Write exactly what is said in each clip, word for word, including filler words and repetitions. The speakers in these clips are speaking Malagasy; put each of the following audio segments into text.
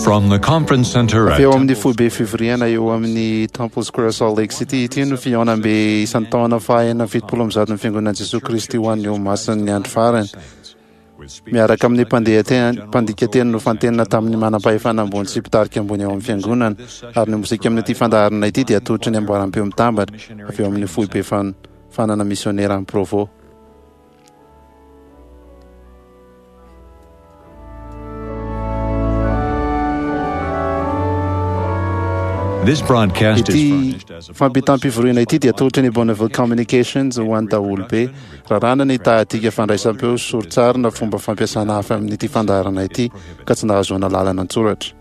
From the conference center Avy at eo amin'ny foibe fivoriana eo amin'ny Temple Square Salt Lake City ity no fihaonambe isan-taona faha-enina amby fitopolo amby zato ny Fiangonan'i Jesoa Kristy ho an'ny Olomasin'ny Andro Farany. Miaraka amin'ny mpandeha teny- mpandika teny nofantenina tamin'ny manam-pahefana ambony sy mpitarika ambony ao amin'ny fiangonana, ary ny mozika amin'ity fandaharana ity dia atolotry ny amboaram-peo mitambatra avy eo amin'ny foibe fan- fanana misionera any Provo. This broadcast is Ity furnished as a fampitam-pivoriana ity dia atolotry ny Bonneville Communications ho an'ny daholobe. Raràna ny tahadika fandraisam-peo sy sori-tsary na fomba fampiasana hafa amin'ity fandaharana ity ka tsy nahazoana lalana an-tsoratra.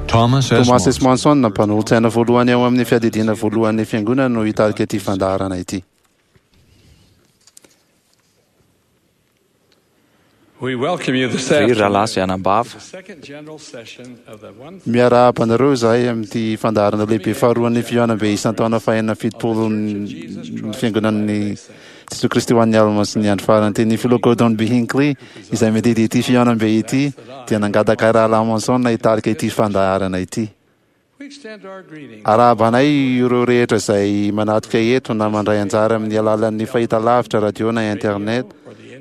Thomas S. Thomas S. Monson, Monson, mpanolotsaina voalohany ao amin'ny fiadidiana voalohan'ny fiangonana no hitarika ity fandaharana ity. We welcome you this Ry afternoon. rahalahy sy anabavy, The second general session of the one Miarahaba anareo izahay amin'ity fandaharana lehibe faharoan'ny fihaonambe isan-taona fahenina amby fitopolo ny fiangonan'ny Jesoa Kristy ho an'ny Olomasin'ny Andro Farany. Ny filoha Gordon B. Hinckley izay mididy ity fihaonambe ity dia nangataka rahalahy Monson hitarika ity fandaharana ity. We extend our greetings Arahabanay ireo rehetra izay manatrika eto na mandray anjara amin'ny alalan'ny fahitalavitra, radio na internet,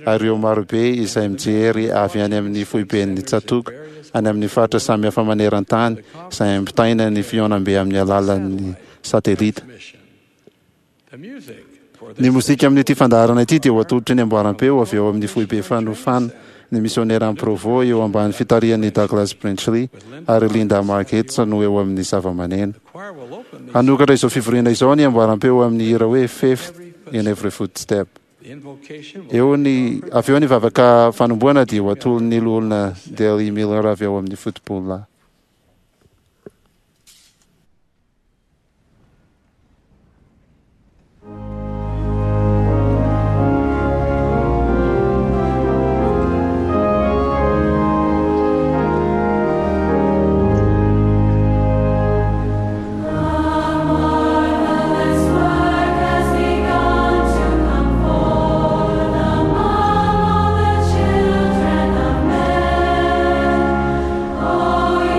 ary ireo marobe izay mijery avy any amin'ny foiben'ny tsatoka any amin'ny faritra samihafa maneran-tany izay ampitaina ny fihaonambe amin'ny alalan'ny satelita. mission. The music for Ny this mozika amin'ity fandaharana ity dia ho atolotry ny amboaram-peo avy eo amin'ny foibe fanofana ny misionera amin'ny Provo eo ambany fitarihan'ny Douglas Brenchley ary Linda Margetts no eo amin'ny zava-maneno. choir will open the, Hanokatra izao fivoriana izao ny amboaram-peo amin'ny hira hoe Faith in Every Footstep. the invocation will Eo ny avy eo ny vavaka fanombohana dia ho atolon'ny loholona Dale Miller avy ao amin'ny football. Marvelous work has begun to come forth among all the children of men. Oh,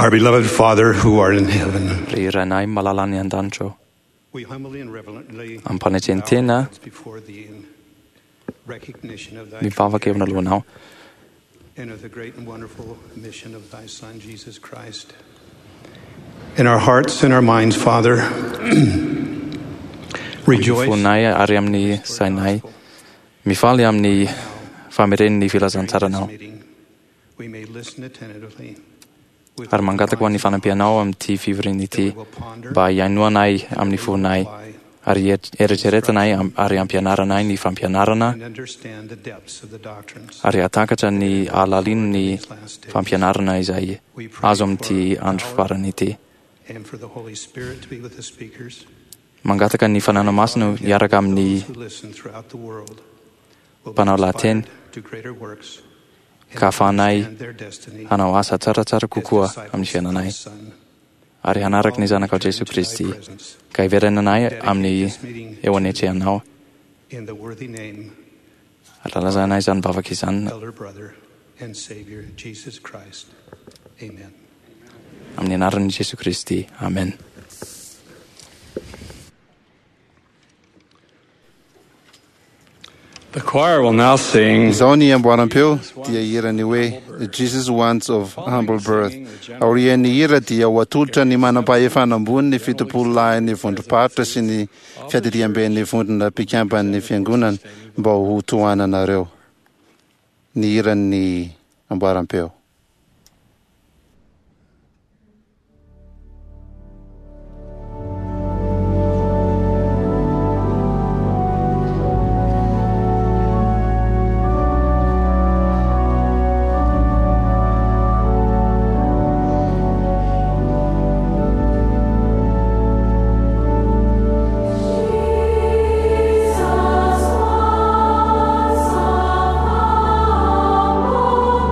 Our beloved Father who art in heaven, Ry Rainay malala any an-danitra ao, we humbly and reverently Ampanetren-tena bow our heads before thee in recognition of thy mivavaka eo analohanao and of the great and wonderful mission of thy Son, Jesus Christ. In our hearts and our minds, Father, rejoice fonay ary amin'ny sainay, mifaly amin'ny fameren'ny filazantsaranao during this meeting. We may listen attentively with ary mangataka ho an'ny fanampianao amin'ity fivoriana ity that we will ponder mba hihainoanay amin'ny fonay apply, ary eritreretinay am- ary ampianaranay ny fampianarana and understand the depths of the doctrines. ary hahatakatra ny halalin'ny These last days. fampianarana izay We pray azo amin'ity for andro power farany ity. and for the Holy Spirit to be with the speakers. Mangataka ny Fanahy Masina hiaraka amin'ny Those who listen throughout the world will be mpanao lahateny inspired to greater works and ka ahafahanay understand their destiny hanao asa tsaratsara as kokoa disciples amin'ny of fiainanay thy Son. ary hanaraka ny zanakao Jesoa Kristy ka hiverenanay amin'ny eo anetrehanao In the worthy name, ary lalazanay izany vavaka izany elder brother and Savior Jesus Christ. Amen. amin'ny anaran'i Jesoa Kristy. Amen. The choir will now sing Izao ny amboaram-peo dia hirany hoe Jesus Wants of Humble Birth. Aorian'ny hira dia ho atolotra ny manam-pahefana ambony ny fitopolo lahin'ny vondrom-paritra sy ny fiadidiamben'ny vondrona mpikamban'ny fiangonana mba ho tohananareo. Ny hiran'ny amboaram-peo. Jesus wants of humble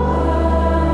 birth.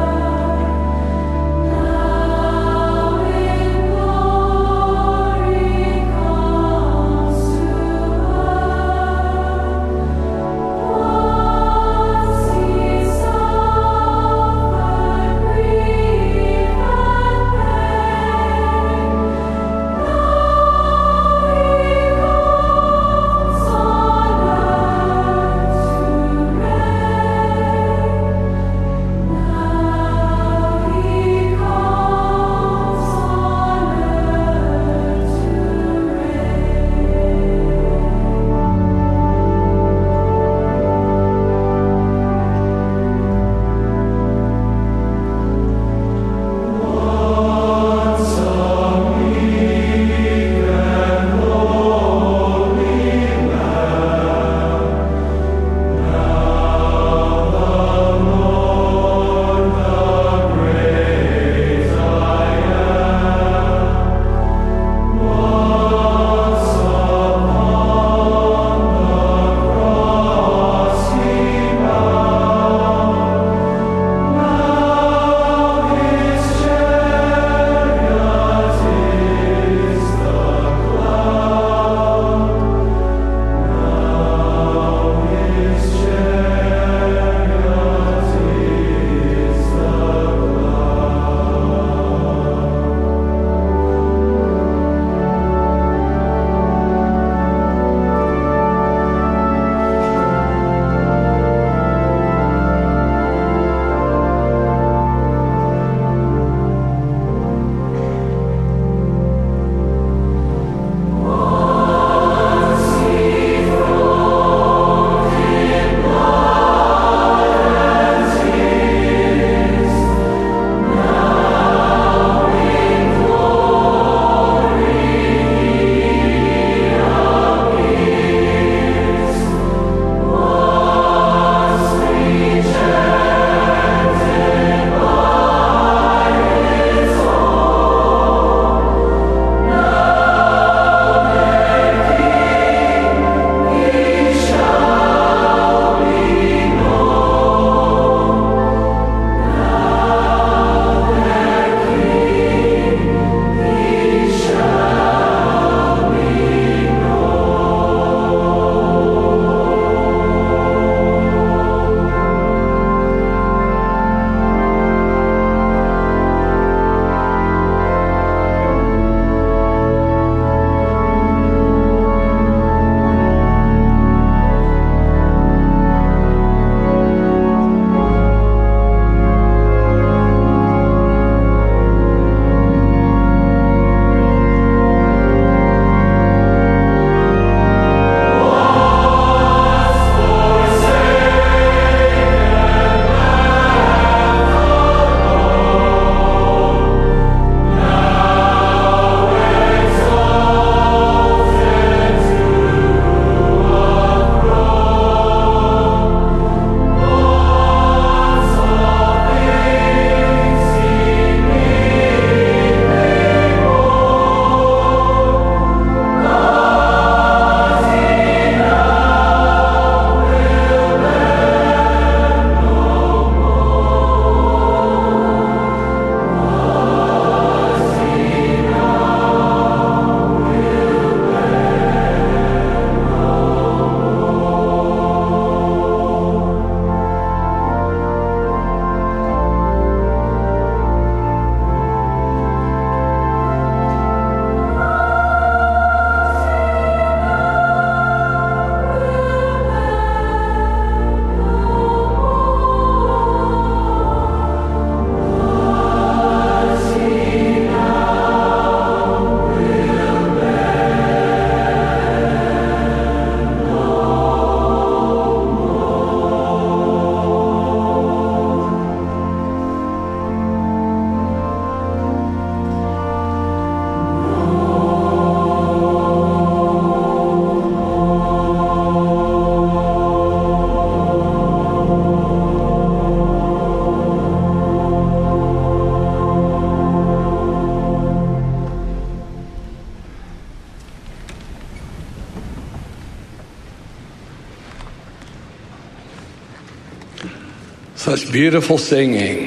Such beautiful singing.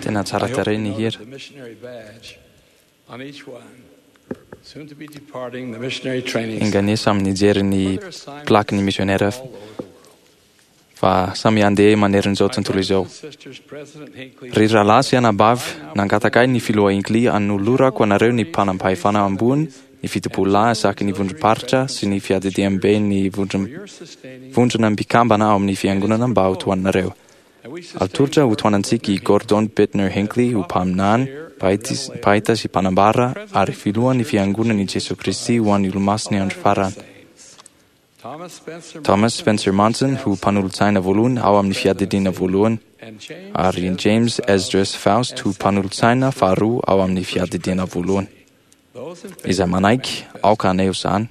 Tena tsara tarehy ny hira. The missionary badge on each one. Soon to be departing the missionary training Enganie samy nijery ny plaque ny missionnaire all over the world. fa samy handeha manerin'izao tontolo izao. Sisters, President Hinckley, Ry rahalahy sy anabavy, nangataka ahy ny filoha Hinckley hanolorako anareo ny mpanam-pahefana ambony, ny fitopololahy isaky ny vondrom-paritra sy ny fiadidiam-be ny vondrom- your sustaining vondrona mpikambana ao amin'ny fiangonana mba ho tohananareo. and we sustain Atolotra ho tohanantsika i Gordon Bittner Hinckley ho mpaminany, mpahita- mpahita sy mpanambara ary filohan'ny fiangonan'i Jesoa Kristy ho an'ny olomasin'ny andro farany. Thomas Spencer Thomas Spencer Monson ho mpanolotsaina voalohany ao amin'ny fiadidiana voalohany and James ary James Esdras Faust ho mpanolotsaina faharoa ao amin'ny fiadidiana voalohany. those in favor, Izay manaiky aoka haneho izany.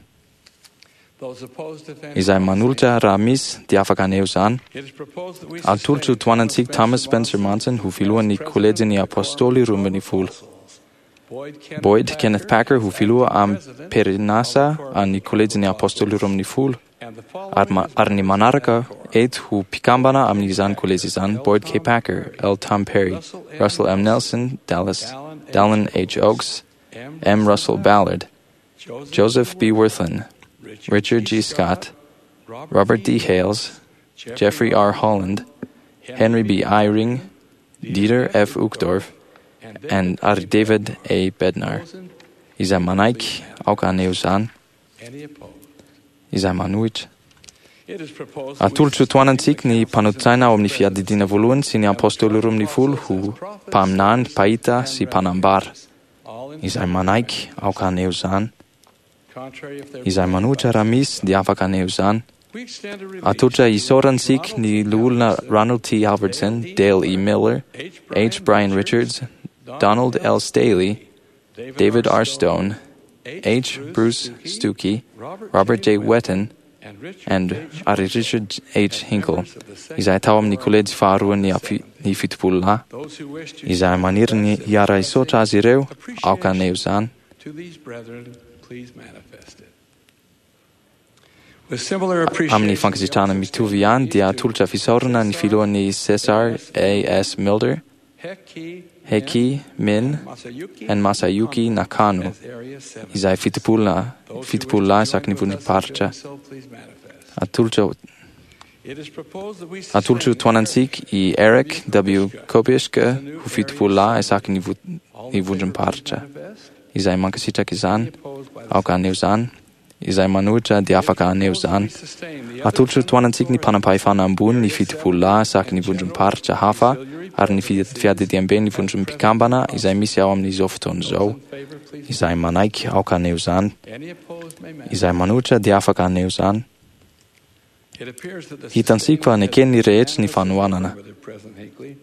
those opposed if any. Izay manolotra raha misy dia afaka haneho izany. It is proposed that we Atolotro ho tohanantsika Thomas Spencer Monson ho filohan'ny kolejin'ny apôstôly roa ambin'ny folo. Boyd Kenneth Boyd Kenneth Packer ho filoha amin'ny perinasa an'ny kolejin'ny apôstôly roa ambin'ny folo and the following ary, ma- ary ny manaraka eto ho mpikambana amin'izany kolejy izany Boyd K. Packer, L. Tom Perry, Russell M. Nelson, Dallas, Dallin H. Oaks, M. M. Russell Ballard, Joseph, Joseph B. Wirthlin, Richard, Richard G. Scott, Robert D. Hales, Jeffrey R. Holland, Henry B. Eyring, Dieter F. Uchtdorf, and ary David A. Bednar. Those in- Izay manaiky aoka haneho izany, any opposed. izay manohitra. It is proposed that we Atolotro ho tohanantsika ny mpanolotsaina ao amin'ny fiadidiana voalohany sy ny apôstôly roa ambin'ny folo ho mpaminany, mpahita sy mpanambara. all in Izay manaiky aoka haneho izany. contrary if there Izay manohitra raha misy dia afaka haneho izany. we extend a release Atolotra isaorantsika ny loholona Ronald T. Albertson, Dale E. Miller, H. H. Brian Richards, Donald L. Staley, David R. Stone, H. Bruce Stuckey, Robert J. Wetton, and Richard and H. ary Richard H. Hinkle, izay tao amin'ny kolejy faharoan'ny afi- ny fitopololahy. those who wish to Izay maniry ny hiara-hisaotra azy ireo, aoka haneho izany. to these brethren, please manifest it. With similar appreciation, Amin'ny fankasitrahana mitovy ihany dia atolotra fisaorana ny filohan'ny Cesar A. S. Milder, Heki Heki Min, Masayuki and Masayuki Nakano, as Area seven. izay fitopolona Those who wish to fitopololahy join isaky ny with us in vondrom-paritra. doing so, please manifest. Atolotra It is proposed that we atolotro sustain tohanantsika i Eric W. Kopischke ho fitopololahy isaky ny vo- All ny in favor, vondrom-paritra. please manifest. Izay mankasitraka izany, Any opposed by the aoka haneho izany. Izay manohitra dia afaka haneho izany. Atolotro tohanantsika ny mpanam-pahefana ambony ny fitopololahy isaky ny vondrom-paritra hafa ary ny fi- fiadidiam-be ny vondrom-pikambana izay misy ao amin'izao fotoana izao. Izay manaiky aoka haneho izany. Any opposed may manifest. Izay manohitra dia afaka haneho izany. It appears that the Hitantsika fa neken'ny rehetra ny fanohanana. Brother President Hinckley.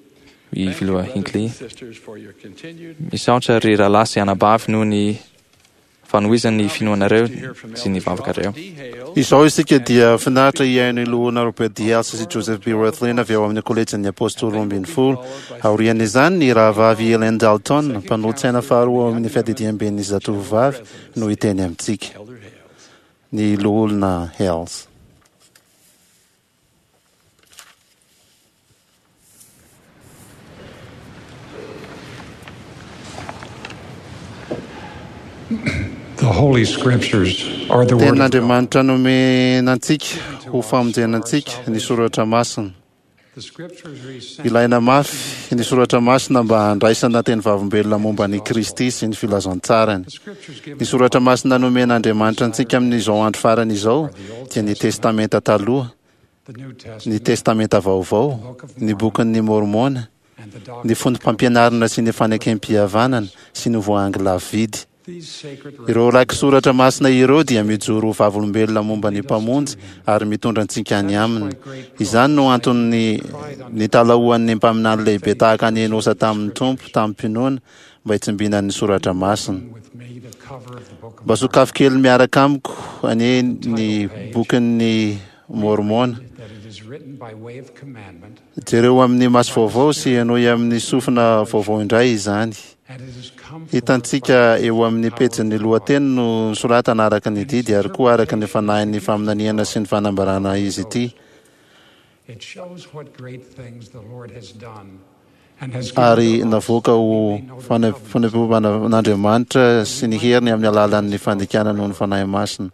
I Thank you, filoha brothers Hinckley. and sisters, for your continued Misaotra ry rahalahy sy anabavy noho ny fanohizan'ny finoanareo sy ny vavakareo. Izao isika dia finaritra hihaino ny loholona Robert D. Hales sy Joseph B. Wirthlin avy ao amin'ny kolejin'ny apôstôly roa ambin'ny folo. Aorian'izany ny rahavavy Helen Dalton, mpanolotsaina faharoa ao amin'ny fiadidiam-ben'ny zatovovavy, no hiteny amintsika. Elder Hales. Ny loholona Hales. The Holy Scriptures are the Word of God. Tenin'Andriamanitra nomena antsika ho famonjena antsika ny soratra masina. The Scriptures are essential Ilaina mafy ny soratra masina mba handraisana teny vavolombelona momba ny Kristy sy ny filazantsarany. The Scriptures give Ny soratra masina nomen'Andriamanitra antsika amin'izao andro farany izao dia ny Testamenta taloha, the New ny Testament Testamenta vaovao, ny bokin'ny Mormona, and the ny doctrine. fondrom-pampianarana sy ny fanekem-pihavanana sy ny voahangy lavidy. These sacred Ireo raki-soratra masina ireo dia mijoro ho vavolombelona momba ny mpamonjy ary mitondra antsika any aminy. Izany no antony nitalahoan'ny mpaminany lehibe tahaka ny Enosa tamin'ny Tompo tamin'ny-pinoana mba hitsimbinany soratra masina. with me the cover of the Book of Mba sokafy kely miaraka amiko anie ny bokin'ny Mormona. that it is written by way of commandment Jereo amin'ny maso vaovao sy henoy amin'ny sofina vaovao indray izany. and it is come forth Hitantsika by eo amin'ny pejin'ny lohateny no soratana araka ny didy ary koa araka ny fanahin'ny faminaniana sy ny fanambarana izy ity. Ary navoaka ho fanehoan'Andriamanitra sy ny heriny amin'ny alalan'ny fandikana noho ny Fanahy Masina.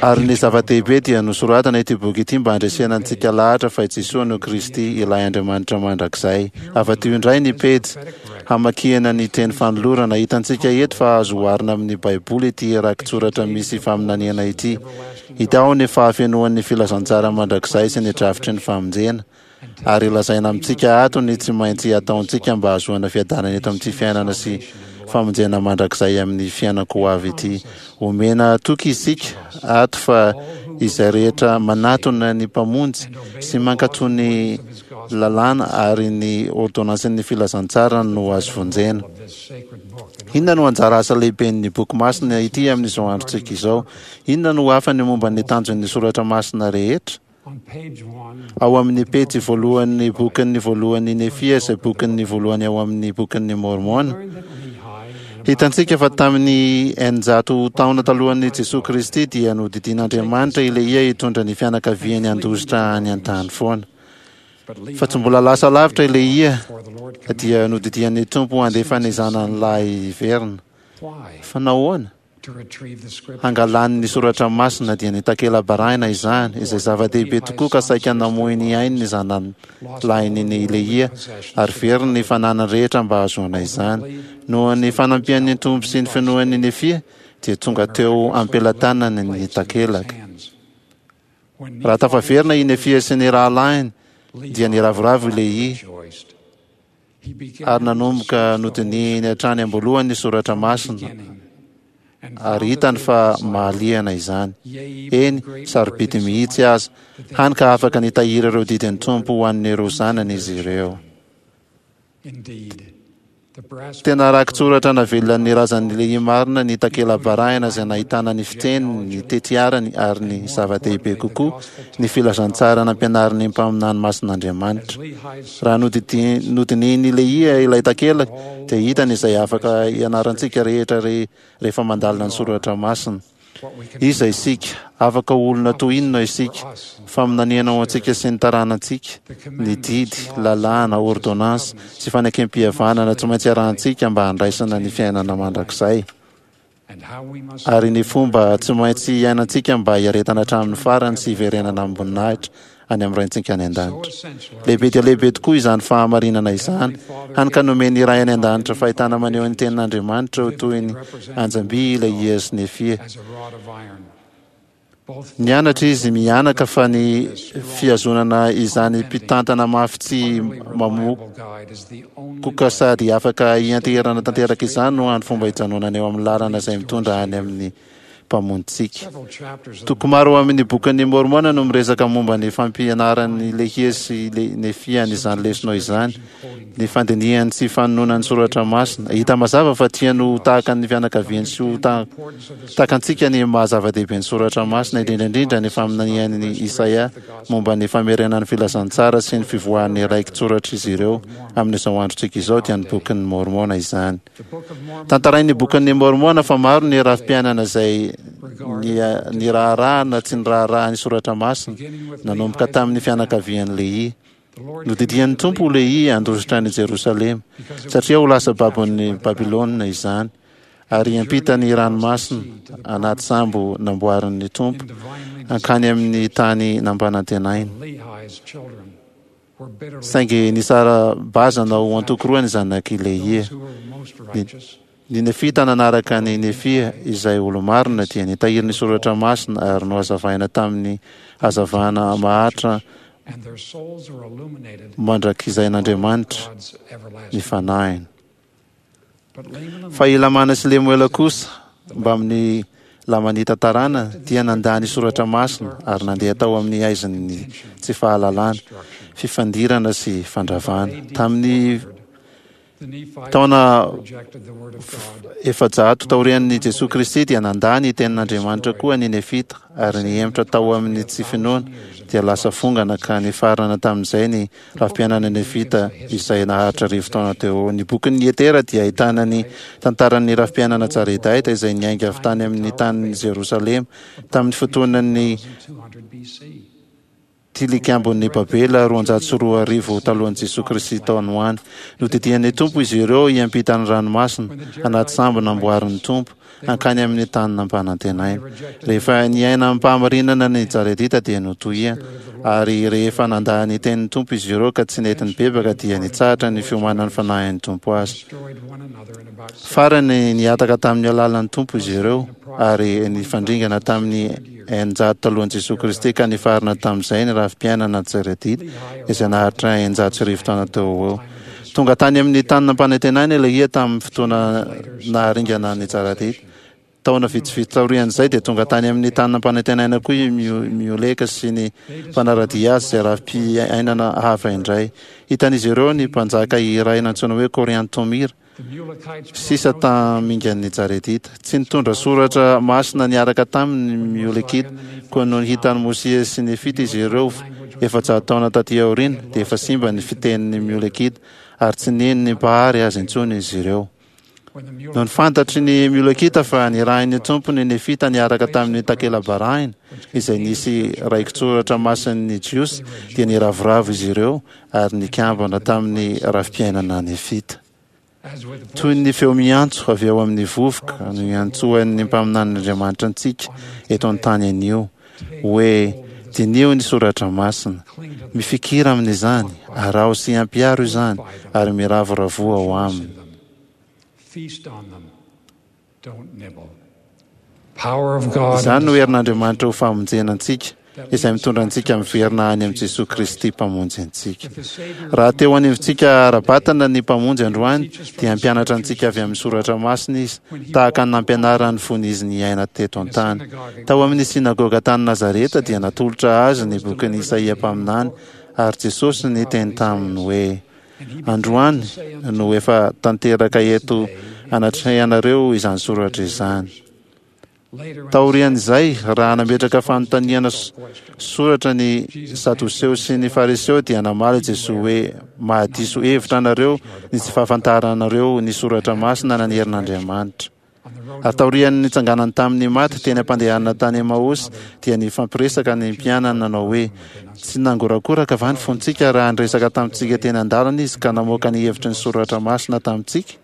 Ary ny zava-dehibe dia nosoratana ity boky ity mba handresena antsika lahatra fa i Jesoa no Kristy, ilay Andriamanitra mandrakizay. Avadiho indray ny pejy hamakiana ny teny fanolorana. Hitantsika eto fa azo oharina amin'ny Baiboly ity rakitsoratra misy faminaniana ity. Hita ao ny fahafenoan'ny filazantsara mandrakizay sy ny drafitry ny famonjena. Ary lazaina amintsika ato ny tsy maintsy ataontsika mba hahazoana fiadanana eto amin'ity fiainana sy famonjena mandrakizay amin'ny fiainako ho avy ity. Omena toky isika ato fa izay rehetra manatona ny Mpamonjy sy mankatò ny lalàna ary ny ôrdônansin'ny filazantsara no azo vonjena. Inona no anjara asa lehiben'ny boky masina ity amin'izao androntsika izao? Inona no hafany momba ny tanjon'ny soratra masina rehetra? Ao amin'ny pejy voalohan'ny bokin'ny voalohan'ny Nefia izay bokin'ny voalohany ao amin'ny bokin'ny Môrmôna, hitantsika fa tamin'ny eninjato taona talohan'i Jesoa Kristy dia nodidian'Andriamanitra i Lehia hitondra ny fianakaviany handositra any an-tany foana. Fa tsy mbola lasa lavitra i Lehia dia nodidian'ny Tompo handefa ny zanany lahy hiverina. Fa nahoana? Hangalany ny soratra masina dia ny takela-barahina izany, izay zava-dehibe tokoa ka saika namoy ny ainy ny zanany lahiny ny Lehia ary very ny fananany rehetra mba hahazoana izany. Noho ny fanampian'ny Tompo sy ny finoan'ny Nefia dia tonga teo am-pelatanany ny takelaka. Raha tafaverina i Nefia sy ny rahalahiny dia niravoravo i Lehia ary nanomboka nodinihiny hatrany am-boalohany ny soratra masina ary hitany fa mahaliana izany. Eny, sarobidy mihitsy aza, hany ka afaka nitahiry ireo didin'ny Tompo ho an'ireo zanany izy ireo. Tena rakitsoratra navelan'ny razan'ny Lehia marina ny takela-barahina izay nahitana ny fiteniny, ny tetiarany ary ny zava-dehibe kokoa, ny filazantsara nampianarin'ny mpaminany masin'Andriamanitra. Raha nodinihin'i Lehia ilay takelaka, dia hitany izay afaka ianarantsika rehetra rehefa mandalina ny soratra masina. Iza isika? Afaka ho olona toy inona isika? Faminaniana ho antsika sy ny taranantsika, ny didy, lalàna, ôrdônansy, sy fanekem-pihavanana tsy maintsy arahantsika mba handraisana ny fiainana mandrakizay, ary ny fomba tsy maintsy iainantsika mba hiaretana hatramin'ny farany sy hiverenana amim-boninahitra any amin'ny Raintsika any An-danitra. Lehibe dia lehibe tokoa izany fahamarinana izany, hany ka nomen'ny Ray any An-danitra fahitana maneho ny Tenin'Andriamanitra ho toy ny anjam-by ilay Ia sy Nefia. Nianatra izy mianaka fa ny fihazonana izany mpitantana mafy tsy mamokoka sady afaka hianteherana tanteraka izany no hany fomba hijanonana eo amin'ny lalana izay mitondra any amin'ny Mpamonjintsika. Toko maro ao amin'ny Bokin'i Môrmôna no miresaka momba ny fampianaran'i Lehia sy Nefia an'izany lesona izany, ny fandinihany sy fanononany soratra masina. Hita mazava fa tiany ho tahaka ny fianakaviany sy ho tahaka antsika ny maha zava-dehibe ny soratra masina, indrindra indrindra ny faminanian'i Isaia momba ny famerenana ny filazantsara sy ny fivoahan'ny raiki-tsoratr'izy ireo amin'izao androntsika izao, dia ny Bokin'i Môrmôna izany. Tantarain'ny Bokin'i Môrmôna fa maro ny rafi-piainana izay niraharahana na tsy niraharaha ny soratra masina, nanomboka tamin'ny fianakavian'i Lehia. Nodidian'ny Tompo Lehia handositra an'i Jerosalema, satria ho lasa babon'i Babylona izany, ary hiampita ny ranomasina anaty sambo namboarin'ny Tompo hankany amin'ny tany nampanantenaina. Saingy nisara-bazana ho antoko roa ny zanak'i Lehia. Ny, ny Nefita nanaraka an'i Nefia, izay olo-marina, dia nitahiry ny soratra masina ary nohazavaina tamin'ny hazavana maharitra mandrakizain'Andriamanitra ny fanahiny. Fa i Lamàna sy Lemoela kosa, mbamin'ny Lamanita taranany, dia nandà ny soratra masina ary nandeha tao amin'ny haizin'ny tsy fahalalana, fifandirana sy fandravana. Tamin'ny Taona efajato taorian'i Jesoa Kristy dia nandà ny tenin'Andriamanitra koa ny Nefita ary nihemotra tao amin'ny tsy finoana dia lasa fongana ka nifarana tamin'izay ny rafi-piainana Nefita izay naharitra arivo taona teo. Ny bokin'ny Etera dia ahitana ny tantaran'ny rafi-piainana Jaredaita izay niainga avy tany amin'ny tanin'i Jerosalema tamin'ny fotoanan'ny tilikambon'ny Babela roanjato sy roa arivo talohan'i Jesoa Kristy tao ho any. Nodidian'ny Tompo izy ireo hiampita ny ranomasina anaty sambo namboarin'ny Tompo hankany amin'ny tany nampanantenaina. Rehefa niaina amim-pahamarinana ny Jaredita dia notohiana, ary rehefa nandà ny tenin'ny Tompo izy ireo ka tsy nety nibebaka dia nitsahatra ny fiomanan'ny fanahin'ny Tompo azy. Farany nihataka tamin'ny alalan'ny Tompo izy ireo ary nifandringana tamin'ny eninjato talohan'i Jesoa Kristy ka nifarana tamin'izay ny rafi-piainana Jaredita izay naharitra eninjato sy arivo taona teo ho eo. Tonga tany amin'ny tany nampanantenaina Lehia tamin'ny fotoana naharingana ny Jaredita. Taona vitsivitsy taorian'izay dia tonga tany amin'ny tany nampanantenaina koa i Mioleka sy ny mpanara-dia azy izay rafi-piainana hafa indray. Hitan'izy ireo ny mpanjaka iray nantsoina hoe Koriantomira sisa tamingan'ny Jaredita. Tsy nitondra soratra masina niaraka taminy ny Miolekita, koa nony hitan'i Mosia sy Nefita izy ireo efajato taona taty aoriana dia efa simba ny fitenin'ny Miolekita ary tsy nino ny Mpahary azy intsony izy ireo. Nony fantatry ny Miolekita fa nirahin'ny Tompo ny Nefita niaraka tamin'ny takela-barahina izay nisy raiki-tsoratra masin'ny Jiosy dia niravoravo izy ireo ary nikambana tamin'ny rafi-piainana Nefita. Toy ny feo miantso avy ao amin'ny vovoka no iantsoan'ny mpaminanin'Andriamanitra antsika eto an-tany anio hoe diniho ny soratra masina, mifikira amin'izany, araho sy ampiharo izany ary miravoravoa ao aminy. Izany no herin'Andriamanitra ho famonjena antsika izay mitondra antsika miverina any amin'i Jesoa Kristy Mpamonjy antsika. Raha teo anivontsika ara-batana ny Mpamonjy androany dia hampianatra antsika avy amin'ny soratra masina izy tahaka ny nampianarany fony izy niaina teto an-tany. Tao amin'ny synagoga tany Nazareta dia natolotra azy ny bokin'i Isaia mpaminany ary Jesosy niteny taminy hoe: androany no efa tanteraka eto anatrehanareo izany soratra izany. Taorian'izay, raha nametraka fanontaniana soratra ny Sadoseo sy ny Fariseo dia namaly Jesoa hoe: mahadiso hevitra anareo ny tsy fahafantaranareo ny soratra masina na ny herin'Andriamanitra. Ary taorian'ny nitsanganany tamin'ny maty teny am-pandehanana tany Emaosy dia nifampiresaka ny mpianany nanao hoe: tsy nangorakoraka va ny fontsika raha niresaka tamintsika teny an-dalana izy ka namoaka ny hevitry ny soratra masina tamintsika?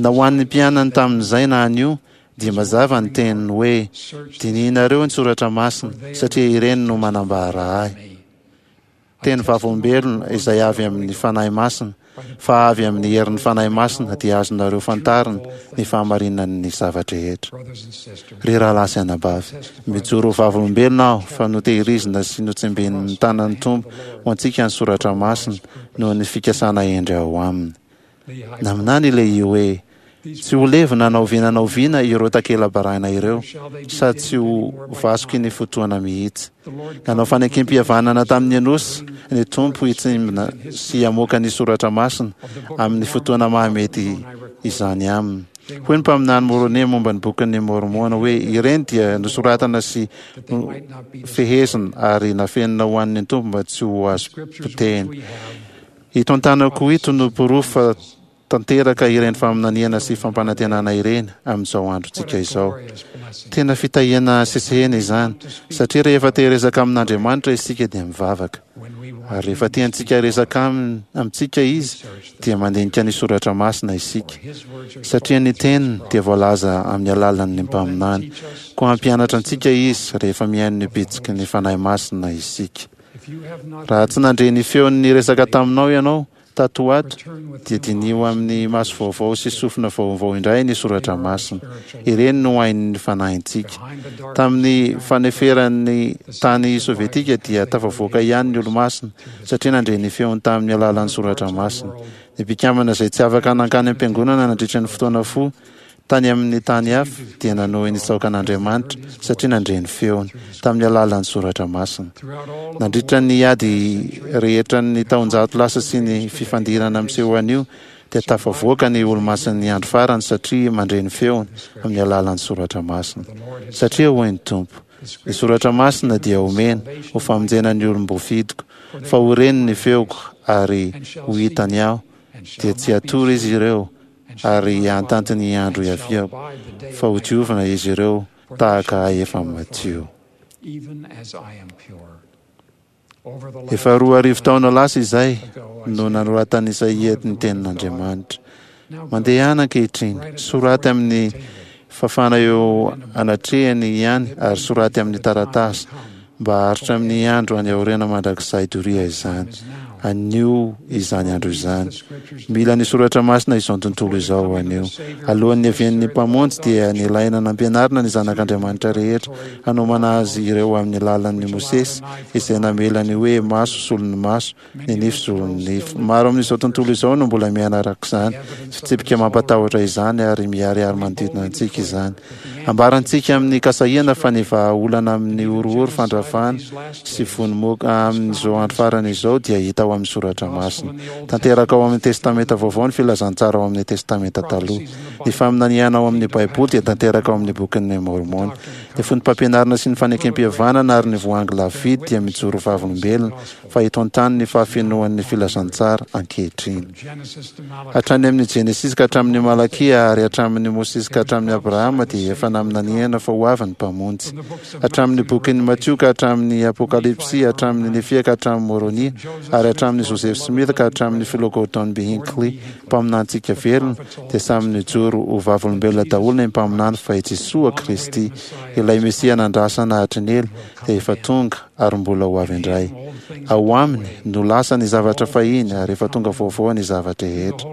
Na ho an'ny mpianany tamin'izay na anio dia mazava ny teniny hoe: dinihinareo ny soratra masina satria ireny no manambara ahy. Teny vavolombelona izay avy amin'ny Fanahy Masina, fa avy amin'ny herin'ny Fanahy Masina dia azonareo fantarina ny fahamarinan'ny zava-drehetra. Ry rahalahy sy anabavy, mijoro ho vavolombelona aho fa notehirizina sy notsimbinin'ny tanan'ny Tompo ho antsika ny soratra masina noho ny fikasana hendry ao aminy. Naminany ilay hoe: tsy ho levona na oviana na oviana ireo takela-barahina ireo sady tsy ho vasoky ny fotoana mihitsy. Nanao fanekem-pihavanana tamin'ny Enosy ny Tompo hitsimbina sy hamoaka ny soratra masina amin'ny fotoana mahamety izany aminy. Hoy ny mpaminany Môrônia momba ny bokin'ny Môrmôna hoe: ireny dia nosoratana sy fehezina ary nafenina ho an'ny Tompo mba tsy ho azo potehina. Ito an-tanako ito no porofo fa tanteraka ireny faminaniana sy fampanantenana ireny amin'izao androntsika izao. Tena fitahiana sesehena izany, satria rehefa te hiresaka amin'Andriamanitra isika dia mivavaka. Ary rehefa tiantsika hiresaka amintsika izy dia mandinika ny soratra masina isika, satria ny teniny dia voalaza amin'ny alalan'ny mpaminany. Koa hampianatra antsika izy rehefa mihaino ny bitsiky ny Fanahy Masina isika. Raha tsy nandre ny feony niresaka taminao ianao tato ho ato dia diniho amin'ny maso vaovao sy sofina vaovao indray ny soratra masina. Ireny no hain'ny fanahintsika. Tamin'ny faneferan'ny tany sovietika dia tafavoaka ihany ny olo-masina satria nandre ny feony tamin'ny alalan'ny soratra masina. Ny mpikambana izay tsy afaka nankany am-piangonana nandritra ny fotoana fohy tany amin'ny tany hafa dia nanohy nitsaoka an'Andriamanitra satria nandre ny feony tamin'ny alalan'ny soratra masina. Nandritra ny ady rehetra ny taonjato lasa sy ny fifandirana miseho anio dia tafavoaka ny Olomasin'ny Andro Farany satria mandre ny feony amin'ny alalan'ny Soratra Masina. Satria hoy ny Tompo, ny Soratra Masina dia omena ho famonjena ny olom-boafidiko, fa ho reny ny feoko ary ho hitany aho, dia tsy hatory izy ireo ary hahantanty ny andro hiaviako, fa ho diovina izy ireo tahaka ahy efa madio. Efa roa arivo taona lasa izay no nanoratan'i Isaia ny tenin'Andriamanitra. Mandehana ankehitriny, soraty amin'ny fafana eo anatrehany ihany ary soraty amin'ny taratasy mba haharitra amin'ny andro any aoriana mandrakizay doria izany. Anio izany andro izany. Mila ny Soratra Masina izao tontolo izao anio. Alohan'ny niavian'ny Mpamonjy dia nilaina nampianarina ny zanak'Andriamanitra rehetra hanomana azy ireo amin'ny lalan'i Mosesy izay namela ny hoe maso solon'ny maso, ny nify solon'ny nify. Maro amin'izao tontolo izao no mbola miaina araka izany fitsipika mampatahotra izany ary miharihary manodidina antsika izany. Ambarantsika amin'ny kasahiana fa ny vahaolana amin'ny horohoro, fandravana sy vono-moka amin'izao andro farany izao dia hita ao amin'ny Soratra Masina. Tanteraka ao amin'ny Testamenta Vaovao ny filazantsara ao amin'ny Testamenta Taloha. Ny faminaniana ao amin'ny Baiboly dia tanteraka ao amin'ny Bokin'i Môrmôna. Ny foto-pampianarana sy ny fanekempihavanana ary ny voahangy lafo-vidy dia mijoro vavolombelona fa eto an-tany ny fahafenoan'ny filazantsara ankehitriny. Hatrany amin'ny Genesisy ka hatramin'ny Malakia ary hatramin'ny Mosesy ka hatramin'i Abrahama dia efa naminaniana fa ho avy ny Mpamonjy. Hatramin'ny bokin'i Matio ka hatramin'ny Apokalypsy, hatramin'ny Nefia ka hatramin'ny Môrônia, ary hatramin'ny Joseph Smith ka hatramin'ny Filoha Gordon B. Hinckley, mpaminantsika velona, dia samy nijoro ho vavolombelona daholo ny mpaminany fa i Jesoa Kristy, ilay Mesia nandrasana hatry ny ela, dia efa tonga ary mbola ho avy indray. Ao aminy no lasa ny zavatra fahiny ary efa tonga vaovao ny zava-drehetra.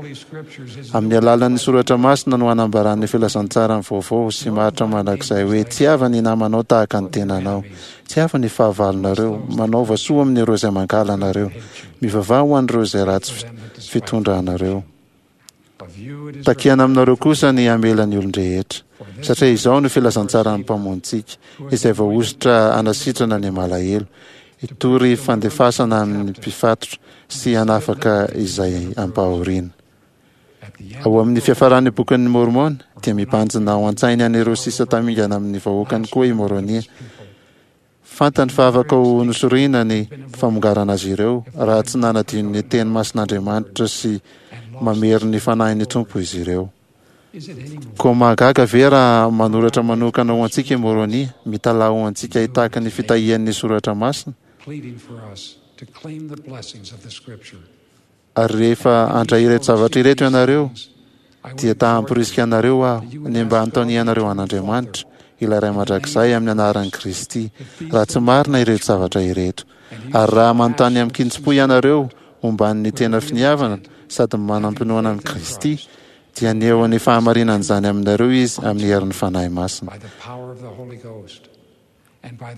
Amin'ny alalan'ny Soratra Masina no anambaran'ny filazantsarany vaovao sy maharitra mandrakizay hoe tiava ny namanao tahaka ny tenanao. Tiava ny fahavalonareo, manaova soa amin'ireo izay mankahala anareo, mivavaha ho an'ireo izay ratsy fitondra anareo. Takiana aminareo kosa ny hamela ny olon-drehetra, satria izao no filazantsaran'ny Mpamonjintsika, izay voahosotra hanasitrana ny malahelo, hitory fandefasana amin'ny mpifatotra sy hanafaka izay ampahoriana. Ao amin'ny fiafaran'ny Bokin'i Môrmôna, dia mibanjina ao an-tsainy an'ireo sisa tamingana amin'ny vahoakany koa i Môrônia. Fantany fa afaka ho nosorina ny famongarana azy ireo raha tsy nanadino ny teny masin'Andriamanitra sy mamery ny fanahin'ny Tompo izy ireo. Koa mahagaga ve raha manoratra manokana ho antsika i Môrônia, mitalaho ho antsika hitaky ny fitahian'ny Soratra Masina? Ary rehefa handray ireto zavatra ireto ianareo, dia ta hamporisika anareo aho ny mba hanontanianareo an'Andriamanitra, ilay Ray Mandrakizay, amin'ny anaran'i Kristy, raha tsy marina ireto zavatra ireto. Ary raha manontany amin-kitsim-po ianareo momban'ny tena finiavana sady manam-pinoana amin'i Kristy, dia haneho ny fahamarinan'izany aminareo Izy amin'ny herin'ny Fanahy Masina.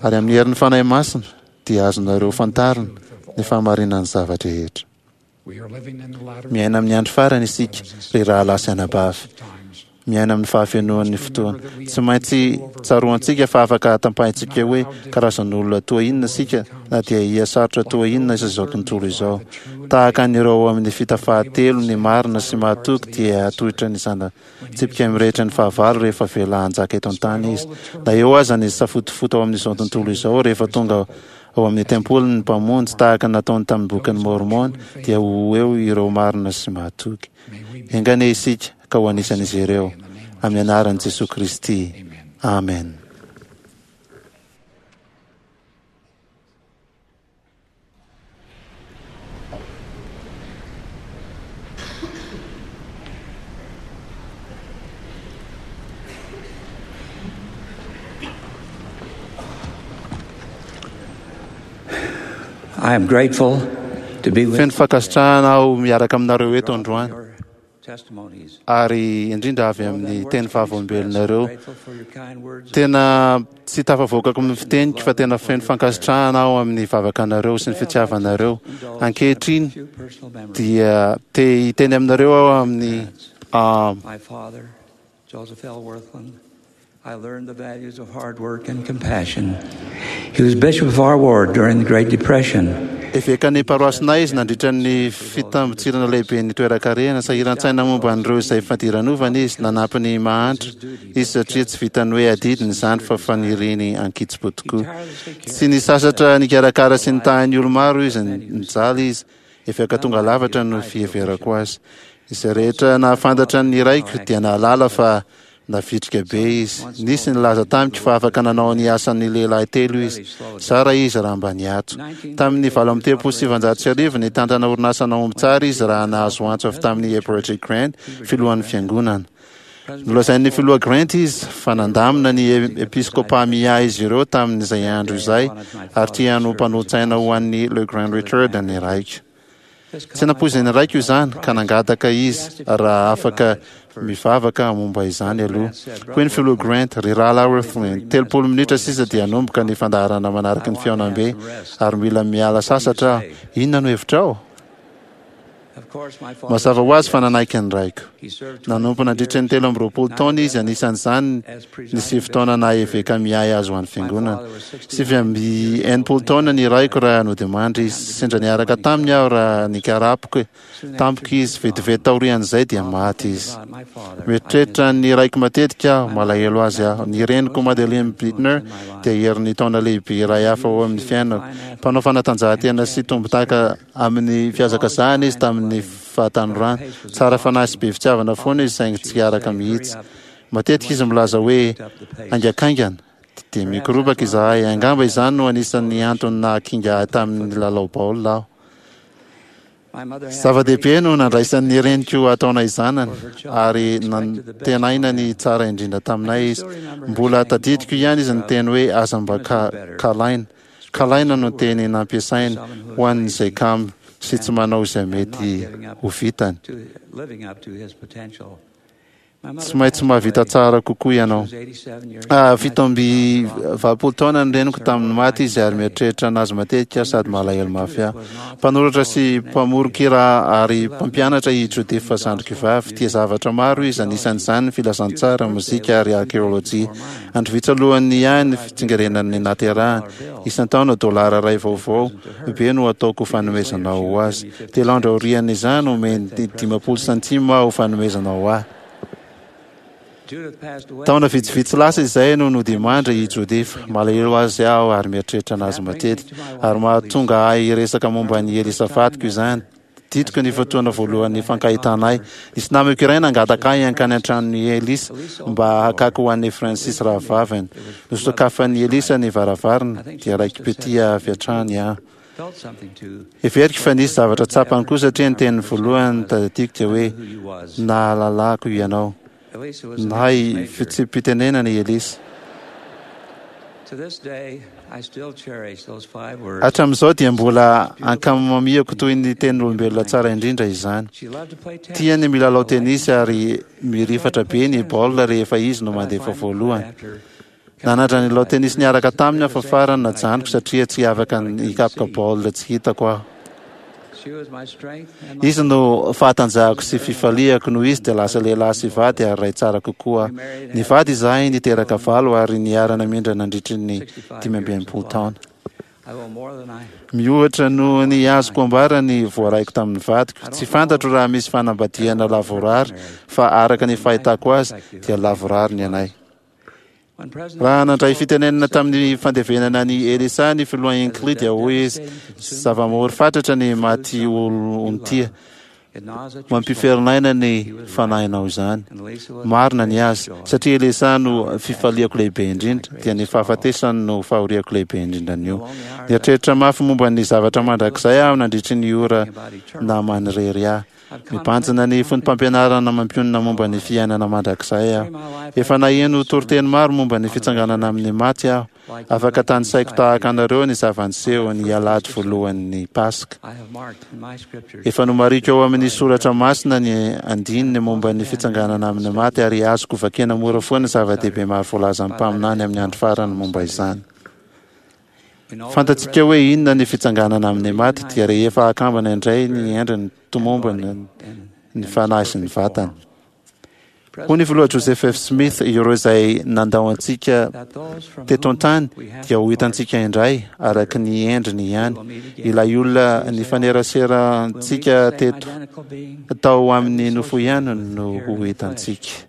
Ary amin'ny herin'ny Fanahy Masina dia azonareo fantarina ny fahamarinan'ny zava-drehetra. Miaina amin'ny andro farany isika, ry rahalahy sy anabavy. Miaina amin'ny fahafenoan'ny fotoana. Tsy maintsy tsaroantsika fa afaka tapahintsika hoe karazan'olona toa inona isika na dia hihasarotra toa inona aza izao tontolo izao. Tahaka an'ireo ao amin'ny fita fahatelo ny marina sy mahatoky dia hatohitra ny zana-tsipika mirehitra ny fahavalo rehefa avela hanjaka eto an-tany izy. Na eo aza ny safotofoto ao amin'izao tontolo izao, rehefa tonga ao amin'ny tempoliny ny Mpamonjy, tahaka ny nataony tamin'ny Bokin'i Môrmôna, dia ho eo ireo marina sy mahatoky. Enga anie isika ka ho anisan'izy ireo. Amin'ny anaran'i Jesoa Kristy. Amen. I am grateful to be with Feno fankasitrahana aho miaraka aminareo eto androany, your testimonies. ary indrindra avy amin'ny teny vavolombelonareo. Grateful for your kind words. Tena tsy tafavoakako amin'ny fiteniko fa tena feno fankasitrahana aho amin'ny vavakanareo sy ny fitiavanareo. Ankehitriny Few personal memories. dia te hiteny aminareo aho amin'ny ah, My father, Joseph L. Wirthlin, I learned the values of hard work and compassion. He was bishop of our ward during the Great Depression. Eveka ny paroasinay izy nandritra ny fitambotsirana lehibe ny toeran-karena. Sahiran-tsaina momba an'ireo izay fadiranovana izy. Nanampy ny mahantra izy satria tsy vitany hoe adidiny izany fa faniriny ankitsipo tokoa. Tsy nisasatra nikarakara sy nitahy olo maro izy. Nijaly izy. Eveka tonga lavatra no fiheverako azy. Izay rehetra nahafantatra ny raiko dia nahalala fa navitrika be izy. Nisy nilaza tamiko fa afaka nanao ny asan'ny lehilahy telo izy. Zara izy raha mba niato. Tamin'ny valo amby telopolo sy sivanjato sy arivo, nitantana orinasa nahomby tsara izy raha nahazo antso avy tamin'ny Heber J. Grant, filohan'ny fiangonana. Nolazain'ny filoha Grant izy fa nandamina ny episkopa miahy izy ireo tamin'izay andro izay, ary tiany ho mpanolotsaina ho an'ny LeGrand Richard ny raiko. Tsy nampoizin'ny raiko izany, ka nangataka izy raha afaka mivavaka momba izany aloha. Hoy ny filoha Grant: "Ry rahalahy Wirthlin, telopolo minitra sisa dia hanomboka ny fandaharana manaraka ny fihaonambe, ary mila miala sasatra aho. Inona no hevitrao?" Mazava ho azy fa nanaiky ny raiko. Nanompo nandritra ny telo amby roapolo taona izy, anisan'izany ny sivy taona naha eveka miahy azy ho an'ny fiangonana. Sivy amby enimpolo taona ny raiko raha nodimandry izy. Sendra niaraka taminy aho raha nikarapoka tampoka izy. Vetivety taorian'izay dia maty izy. Mieritreritra ny raiko matetika aho, malahelo azy aho. Ny reniko, Madeline Blitner, dia herin'ny taona lehibe iray hafa ao amin'ny fiainako. Mpanao fanatanjahantena sy tompon-daka amin'ny fihazakazahana izy tamin'ny fahatanorana. Tsara fanahy sy be fitiavana foana izy, saingy tsy araka mihitsy. Matetika izy milaza hoe haingakaingana dia mikoropaka izahay. Angamba izany no anisan'ny antony nahakinga ahy tamin'ny lalao baolina aho. Zava-dehibe no nandraisan'ny reniko ataonay zanany, ary nantenaina ny tsara indrindra taminay izy. Mbola tadidiko ihany izy niteny hoe aza mba kalaina. Kalaina no teny nampiasainy ho an'izay kamo sy tsy manao izay mety ho vitany. Tsy maintsy mahavita tsara kokoa ianao. Fito amby valopolo taona ny reniko tamin'ny maty izy, ary mieritreritra anazy matetika sady malahelo mafy aho. Mpanoratra sy mpamoron-kira ary mpampianatra i Judith zandriko vavy. Tia zavatra maro izy, anisan'izany ny filazantsara, mozika ary arkeolojia. Andro vitsy alohan'ny ahy ny fitsingerenan'ny naterahany. Isan-taona, dolara ray vaovao be no ataoko fanomezana ho azy. Telo andro aorian'izany, omeny dimampolo santima ho fanomezana ho ahy. Taona vitsivitsy lasa izay no nodimandry i Judith. Malahelo azy aho ary mieritreritra anazy matetika, ary mahatonga ahy hiresaka momba ny Elisa vadiko izany. Tadidiko ny fotoana voalohan'ny fankahitanay. Nisy namako iray nangataka ahy hankany an-tranon'i Elisa mba hakako ho an'i Francis rahavaviny. Nosokafan'i Elisa ny varavarana, dia raiki-pitia avy hatrany aho. Heveriko fa nisy zavatra tsapany koa, satria ny teniny voalohany tadidiko dia hoe nahalalako ianao. Nahay fitsipi-pitenenana i Elisa. Hatramin'izao dia mbola ankamamiako toy ny tenin'olombelona tsara indrindra izany. Tiany milalao tenisy, ary mirifatra be ny baolina rehefa izy no mandefa voalohany. Nanandrana nilalao tenisy niaraka taminy aho, fa farany najanoko satria tsy afaka hikapoka baolina tsy hitako aho. Izy no fahatanjahako sy fifaliako. Noho izy dia lasa lehilahy sy vady ary ray tsara kokoa. Nivady izahay, niteraka valo, ary niara-namindra nandritry ny dimy amby enimpolo taona. Mihoatra noho ny azoko ambara ny voaraiko tamin'ny vadiko. Tsy fantatro raha misy fanambadiana lavorary, fa araka ny fahitako azy dia lavorary ny anay. Raha nandray fitenenana tamin'ny fandevenana ny Elisa ny filoha Hinckley, dia hoy izy: "Zava-mahory fatratra ny maty olon-tia. Mampiferinaina ny fanahinao izany." Marina ny azy, satria Elisa no fifaliako lehibe indrindra, dia ny fahafatesany no fahoriako lehibe indrindra anio. Nieritreritra mafy momba ny zavatra mandrakizay aho nandritry ny ora namanirery ahy. Mibanjina ny foto-pampianarana mampionona momba ny fiainana mandrakizay aho. Efa naheno toriteny maro momba ny fitsanganana amin'ny maty aho. Afaka tanisaiko tahaka anareo ny zava-niseho ny alahady voalohan'ny Paska. Efa nomariko ao amin'ny soratra masina ny andininy momba ny fitsanganana amin'ny maty, ary azoko vakiana mora foana zava-dehibe maro voalazan'ny mpaminany amin'ny andro farany momba izany. Fantatsika hoe inona ny fitsanganana amin'ny maty, dia rehefa akambana indray ny endriny tomombana ny fanahy sy ny vatana. Hoy ny filoha Joseph F. Smith: "Ireo izay nandao antsika teto an-tany dia ho hitantsika indray araka ny endriny ihany. Ilay olona nifaneraserantsika teto tao amin'ny nofo ihany no ho hitantsika."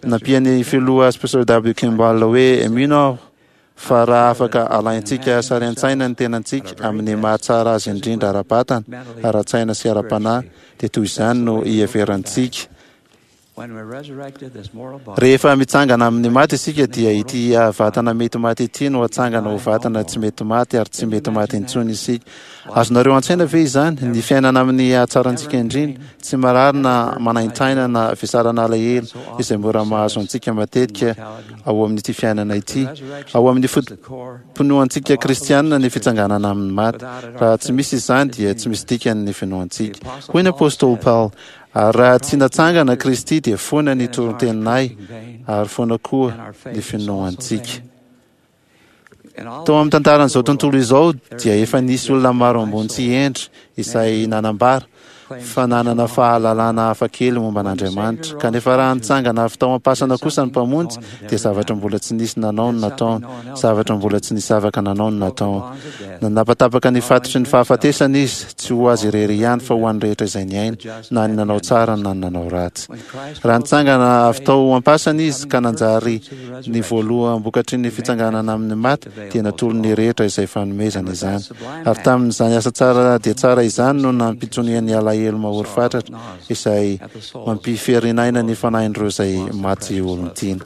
Nampian'ny filoha Spencer W. Kimball hoe: "Mino aho fa raha afaka alaintsika sary an-tsaina ny tenantsika amin'ny mahatsara azy indrindra ara-batana, ara-tsaina sy ara-panahy, dia toy izany no iheverantsika rehefa mitsangana amin'ny maty isika, dia ity vatana mety maty ity no atsangana ho vatana tsy mety maty, ary tsy mety maty intsony isika. Azonareo an-tsaina ve izany? Ny fiainana amin'ny hatsarantsika indrindra, tsy marary na manaintaina na vesarana alahelo izay mora mahazo antsika matetika ao amin'ity fiainana ity. Ao amin'ny foto-pinoantsika kristianina ny fitsanganana amin'ny maty. Raha tsy misy izany dia tsy misy dikany ny finoantsika. Hoy ny apostoly Paul: "Ary raha tsy natsangana Kristy dia foana ny toriteninay ary foana koa ny finoantsika." Tao amin'ny tantaran'izao tontolo izao dia efa nisy olona maro ambony sy hendry izay nanambara fa nanana fahalalana hafakely momba an'Andriamanitra. Kanefa raha nitsangana avy tao am-pasana kosa ny Mpamonjy, dia zavatra mbola tsy nisy nanao no nataony, zavatra mbola tsy nisy afaka nanao no nataony. Nanapatapaka ny fatotry ny fahafatesana izy, tsy ho azy irery ihany fa ho an'ny rehetra izay niaina, na ny nanao tsara na ny nanao ratsy. Raha nitsangana avy tao am-pasana izy ka nanjary ny voaloham-bokatry ny fitsanganana amin'ny maty, dia natolony ny rehetra izay fanomezana izany. Ary tamin'izany asa tsara dia tsara izany no nampitoniany alahelo mahory fatratra izay mampiferinaina ny fanahin'ireo izay maty olon-tiana.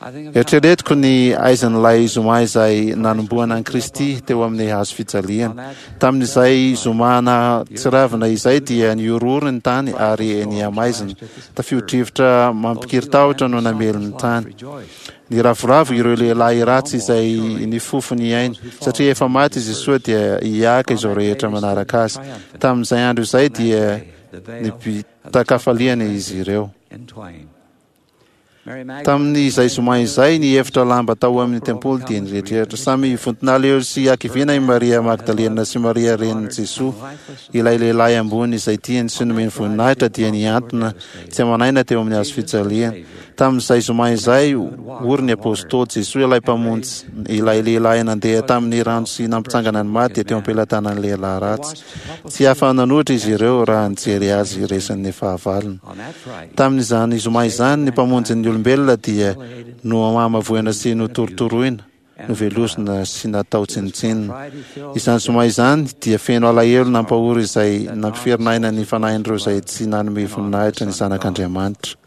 Eritreretiko ny aizin'ilay zoma izay nanomboana an'i Kristy teo amin'ny hazo fijaliana. Tamin'izay zoma nahatsiravina izay dia nihorohoro ny tany ary nihamaizina. Tafio-drivotra mampikiritahotra no namely ny tany. Niravoravo ireo lehilahy ratsy izay nifofo ny ainy, satria efa maty izy soa dia hiaka izao rehetra manaraka azy. Tamin'izay andro izay dia nibitaka-kafaliana izy ireo. Tamin'izay zoma izay, ny efitra lamba tao amin'ny tempoly dia niretreritra. Samy vonton'alahelo sy hakiviana i Maria Magdalena sy Maria renin'i Jesoa. Ilay lehilahy ambony izay tiany sy nomeny voninahitra dia nihantona tsy aman'aina teo amin'ny hazo fijaliana. Tamin'izay zoma izay, ory ny apostoly. Jesoa ilay Mpamonjy, ilay lehilahy nandeha tamin'ny rano sy nampitsangana ny maty, dia teo am-pelatanan'ny lehilahy ratsy. Tsy afa-nanohitra izy ireo raha nijery azy resin'ny fahavalony. Tamin'izany zoma izany, ny Mpamonjin'ny olombelona dia nohamavoina sy notorotoroina, novelosina sy natao tsinontsinona. Izany zoma izany dia feno alahelo nampahory izay nampiferin'aina ny fanahin'ireo izay tsy nanome voninahitra ny Zanak'Andriamanitra.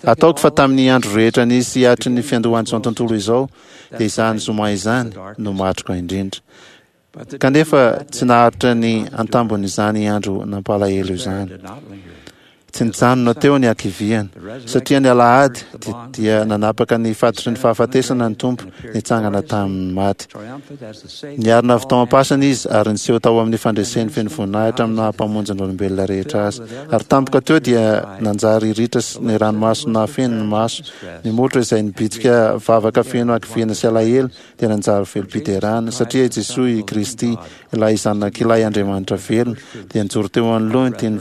Ataoko fa tamin'ny andro rehetra nisy hatry ny fiandohan'izao tontolo izao, dia izany zoma izany no matroka indrindra. Kanefa tsy naharitra ny antambon'izany andro nampalahelo izany. Tsy nijanona teo ny hakiviana, satria ny alahady dia nanapaka ny fatotry ny fahafatesana ny Tompo nitsangana tamin'ny maty. Niarina avy tao am-pasana izy ary niseho tao amin'ny fandreseny feno voninahitra amin'ny maha Mpamonjy ny olombelona rehetra azy. Ary tampoka teo dia nanjary ritra ny ranomaso nahafeno ny maso, ny molotra izay nibitsika vavaka feno hakiviana sy alahelo dia nanjary velom-piderana, satria i Jesoa i Kristy, ilay Zanak'ilay Andriamanitra velona, dia nijoro teo anoloany toy ny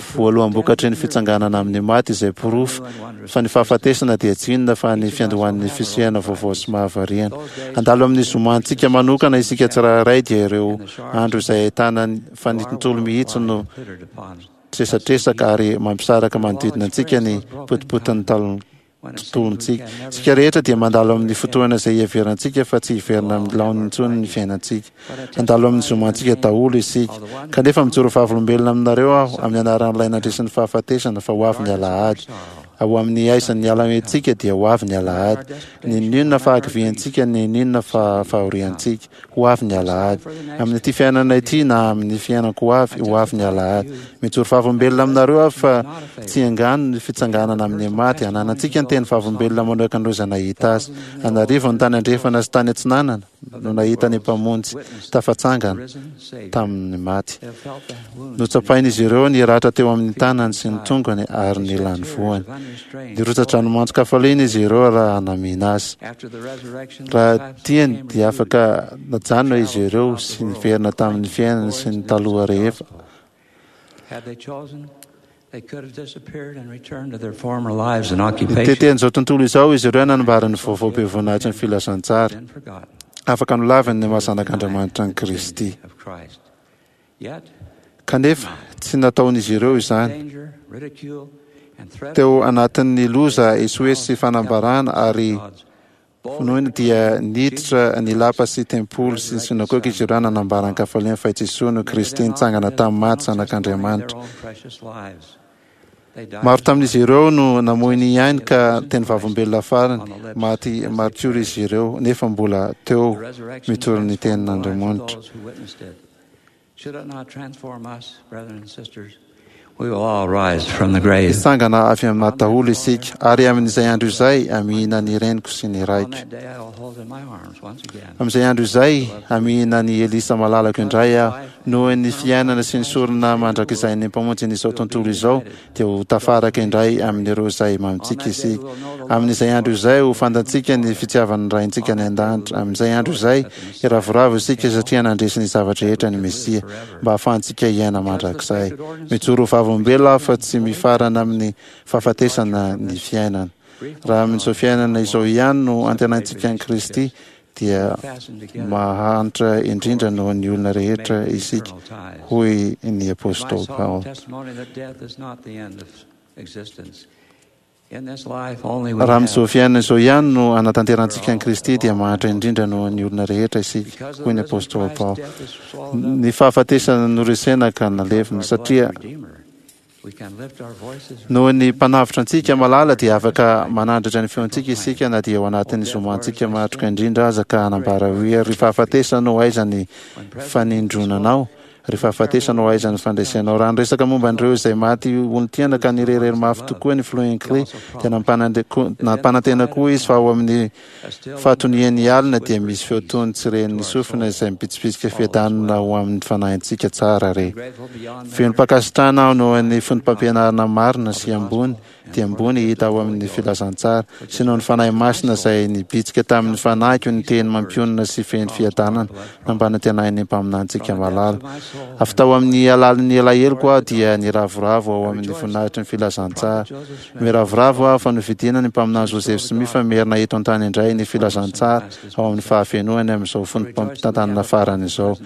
voaloham-bokatry ny fitsanganana amin'ny maty, izay porofo fa ny fahafatesana dia tsy inona fa ny fiandohan'ny fisehana vaovao sy mahavariana. Handalo amin'ny zomantsika manokana isika tsirairay, dia ireo andro izay ahitana fa ny tontolo mihitsy no tresatresaka ary mampisaraka manodidina antsika ny potipotin'ny tontolontsika. Isika rehetra dia mandalo amin'ny fotoana izay iheverantsika fa tsy hiverina amin'ny laoniny intsony ny fiainantsika. Handalo amin'ny zomantsika daholo isika. Kanefa mijoro vavolombelona aminareo aho amin'ny anaran'ilay nandresy ny fahafatesana fa ho avy ny alahady. Ao amin'ny aisan'ny alahentsika dia ho avy ny alahady. N'inon'inona fahakiviantsika, n'inon'inona fahoriantsika, ho avy ny alahady. Amin'ity fiainana ity na amin'ny fiainako ho avy, ho avy ny alahady. Mijoro vavolombelona aminareo aho fa tsy angano ny fitsanganana amin'ny maty. Ananantsika ny teny vavolombelona manokan'ireo izay nahita azy. An'arivony tany andrefana sy tany atsinanana no nahita ny Mpamonjy tafatsangana tamin'ny maty. Notsapain'izy ireo ny ratra teo amin'ny tanany sy ny tongony ary ny lanivoany. Nirotsa-dranomanton-kafaliana izy ireo raha namihina azy. Raha tiany dia afaka najanona izy ireo sy niverina tamin'ny fiainany sy ny taloha rehefa. Nitety an'izao tontolo izao izy ireo nanambara ny vaovao be voninahitry ny filazantsara. Afaka nolaviny ny maha zanak'Andriamanitra an'i Kristy. Kanefa tsy nataon'izy ireo izany. Teo anatin'ny loza, esoeso sy fanambarana ary vonoina dia niditra ny lapa sy tempoly sy ny synagoga izy ireo nanambara an-kafaliana fa i Jesoa no Kristy nitsangana tamin'ny maty, zanak'Andriamanitra. Maro tamin'izy ireo no namoy ny ainy ka teny vavolombelona farany, maty maritiora izy ireo nefa mbola teo mitory ny tenin'Andriamanitra. Hitsangana avy amin'ny maty daholo isika, ary amin'izay andro izay hamihina ny reniko sy ny raiko. Amin'izay andro izay hamihina ny Elisa malalako indray aho. Noho ny fiainana sy ny sorona mandrakizain'ny Mpamonjin'izao tontolo izao, dia ho tafaraka indray amin'ireo izay mamintsika isika. Amin'izay andro izay ho fantatsika ny fitiavan'ny Raintsika any an-danitra. Amin'izay andro izay hiravoravo isika satria nandresy ny zava-drehetra ny Mesia, mba hahafahantsika hiaina mandrakizay. Mijoro ho vavolombelona aho fa tsy mifarana amin'ny fahafatesana ny fiainana. Raha amin'izao fiainana izao ihany no antenaintsika an'i Kristy, dia mahantra indrindra noho ny olona rehetra isika, hoy ny Apostoly Paoly. Raha amin'izao fiainana izao ihany no anatanterantsika an'i Kristy, dia mahantra indrindra noho ny olona rehetra isika, hoy ny Apostoly Paoly. Ny fahafatesana noresena ka nalevina, satria noho ny Mpanavotra antsika malala, dia afaka manandratra ny feontsika isika na dia ao anatin'ny zomantsika matroka indrindra aza, ka hanambara hoe: "Ry fahafatesana ô, aiza ny fanindronanao? Ry fahafatesana ô, aiza ny fandresenao?" Raha niresaka momba an'ireo izay maty olon-tiana ka nirehirehy mafy tokoa ny filoha Hinckley, dia nampanantena koa izy fa ao amin'ny fahatonian'ny alina dia misy feo tony tsy ren'ny sofina izay mibitsibitsika fiadanana ho amin'ny fanahintsika tsara re. Velom-pankasitrahana aho noho ny foto-pampianarana marina sy ambony dia ambony hita ao amin'ny filazantsara, sy noho ny Fanahy Masina izay nibitsika tamin'ny fanahiko ny teny mampionona sy feno fiadanana nampanantenain'ny mpaminanintsika malala. Avy tao amin'ny alalin'ny alaheloko aho dia niravoravo ao amin'ny voninahitry ny filazantsara. Miravoravo aho fa novidiana ny mpaminany Joseph Smith fa merina eto an-tany indray ny filazantsara ao amin'ny fahafenoany amin'izao fotoam-pitantanana farany izao.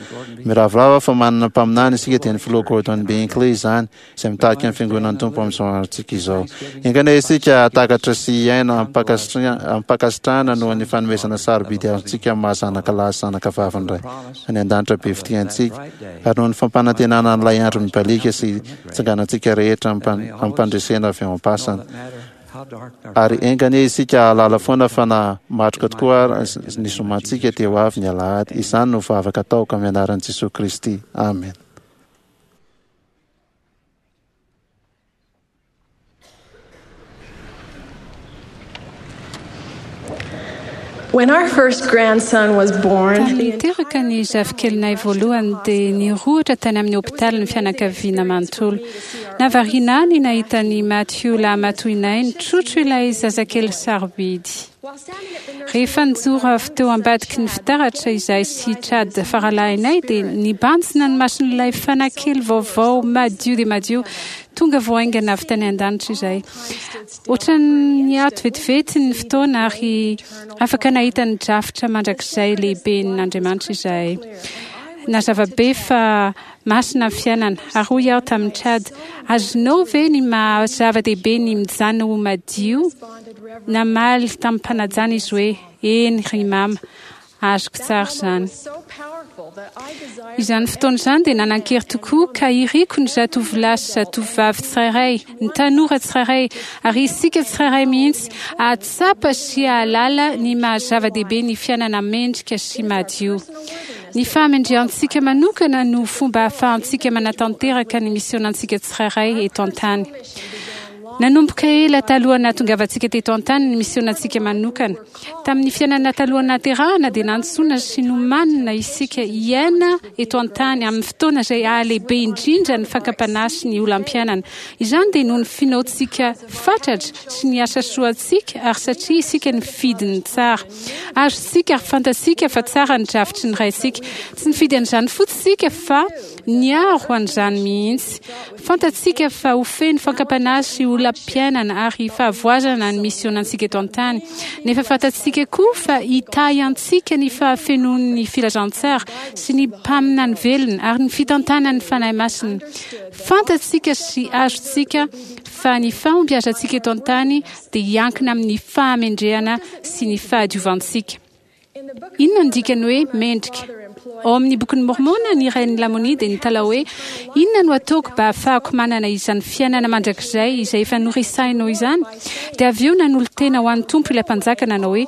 Miravoravo aho fa manana mpaminany isika, dia ny filoha Gordon B. Hinckley izany, izay mitarika ny fiangonan'ny Tompo amin'izao androntsika izao. Enga anie isika hahatakatra sy hiaina amim-pankasitrahana noho ny fanomezana sarobidy azontsika amin'ny maha zanaka lahy sy zanaka vavin'ny Ray any an-danitra be fitia antsika, ary noho ny fampanantenana an'ilay andro mibaliaka sy tsanganantsika rehetra amim-pandresena avy ao am-pasana. Ary enga anie isika hahalala foana fa na matroka tokoa ary ny zomantsika dia ho avy ny alahady. Izany no vavaka ataoko amin'ny anaran'i Jesoa Kristy. Amen. When our first grandson was born, Tamin'ny niteraka ny zafikelinay voalohany dia nirohotra tany amin'ny hopitaly ny fianakaviana manontolo. Nahavariana ahy ny nahita an'i Matthew lahimatoinay nitrotro ilay zazakely sarobidy. Rehefa nijoro avy teo ambadiky ny fitaratra izahay sy Chad faralahinay dia nibanjina ny mason'ilay fanahy kely vaovao madio dia madio tonga vao haingana avy tany an-danitra izahay. Ohatran'ny niato vetivety ny fotoana ary afaka nahita ny drafitra mandrakizay lehiben'Andriamanitra izahay. Nazava be fa masina ny fiainana, ary hoy aho tamin'i Chad, Azonao ve ny maha zava-dehibe ny mijanona ho madio? Namaly tamim-panajana izy hoe, Eny, ry mama, azoko tsara izany. Izany fotoana izany dia nanan-kery tokoa ka iriko ny zatovolahy sy zatovovavy tsirairay, ny tanora tsirairay, ary isika tsirairay mihitsy hahatsapa sy hahalala ny maha zava-dehibe ny fiainana mendrika sy madio. Ny fahamendrehantsika manokana no fomba ahafahantsika manatanteraka ny misionantsika tsirairay eto an-tany. Nanomboka ela talohan'ny nahatongavantsika teto an-tany ny misionantsika manokana. Tamin'ny fiainana talohan'ny nahaterahana dia nantsoina sy nomanina isika hiaina eto an-tany amin'ny fotoana izay hahalehibe indrindra ny fakam-panahy sy ny olam-piainana. Izany dia noho ny finoantsika fatratra sy ny asa soantsika ary satria isika nifidy ny tsara. Azontsika ary fantatsika fa tsara ny drafitry ny Raintsika. Tsy nifidy an'izany fotsiny isika fa niaro an'izany mihitsy. Fantatsika fa ho feno fakam-panahy sy olam-piainana ary fahavoazana ny misionantsika eto an-tany. Nefa fantatsika koa fa hitahy antsika ny fahafenoan'ny filazantsara sy ny mpaminany velona ary ny fitantanan'ny Fanahy Masina. Fantatsika sy azontsika fa ny fahombiazantsika eto an-tany dia hiankina amin'ny fahamendrehana sy ny fahadiovantsika. Inona no dikany hoe mendrika? Ao amin'ny Bokin'i Môrmôna, ny rain'i Lamônia dia nitalaho hoe, Inona no ataoko mba hahafahako manana izany fiainana mandrakizay izay efa noresahinao izany? Dia avy eo nanolo-tena ho an'ny Tompo ilay mpanjaka nanao hoe,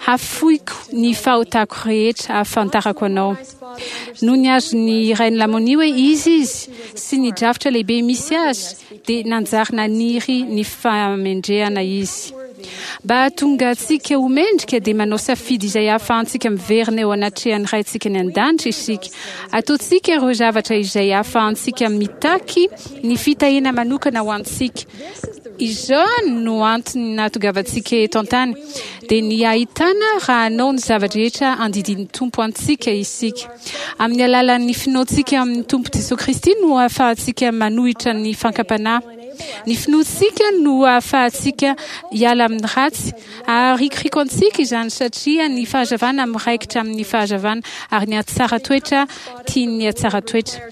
Hafoiko ny fahotako rehetra hahafantarako anao. Nony azon'ny rain'i Lamônia hoe iza izy sy ny drafitra lehibe misy azy, dia nanjary naniry ny fahamendrehana izy. Mba hahatonga antsika ho mendrika dia manao safidy izay hahafahantsika miverina eo anatrehan'ny Raintsika any an-danitra isika. Ataontsika ireo zavatra izay hahafahantsika mitaky ny fitahiana manokana ho antsika. Izany no antony nahatongavantsika eto an-tany, dia ny hahitana raha hanao ny zava-drehetra andidian'ny Tompo antsika isika. Amin'ny alalan'ny finoantsika amin'ny Tompo Jesoa Kristy no ahafahantsika manohitra ny fankam-panahy. Ny finoantsika no ahafahantsika hiala amin'ny ratsy. Aharikoriko antsika izany satria ny fahazavana miraikitra amin'ny fahazavana ary ny hatsara toetra tian'ny hatsara toetra.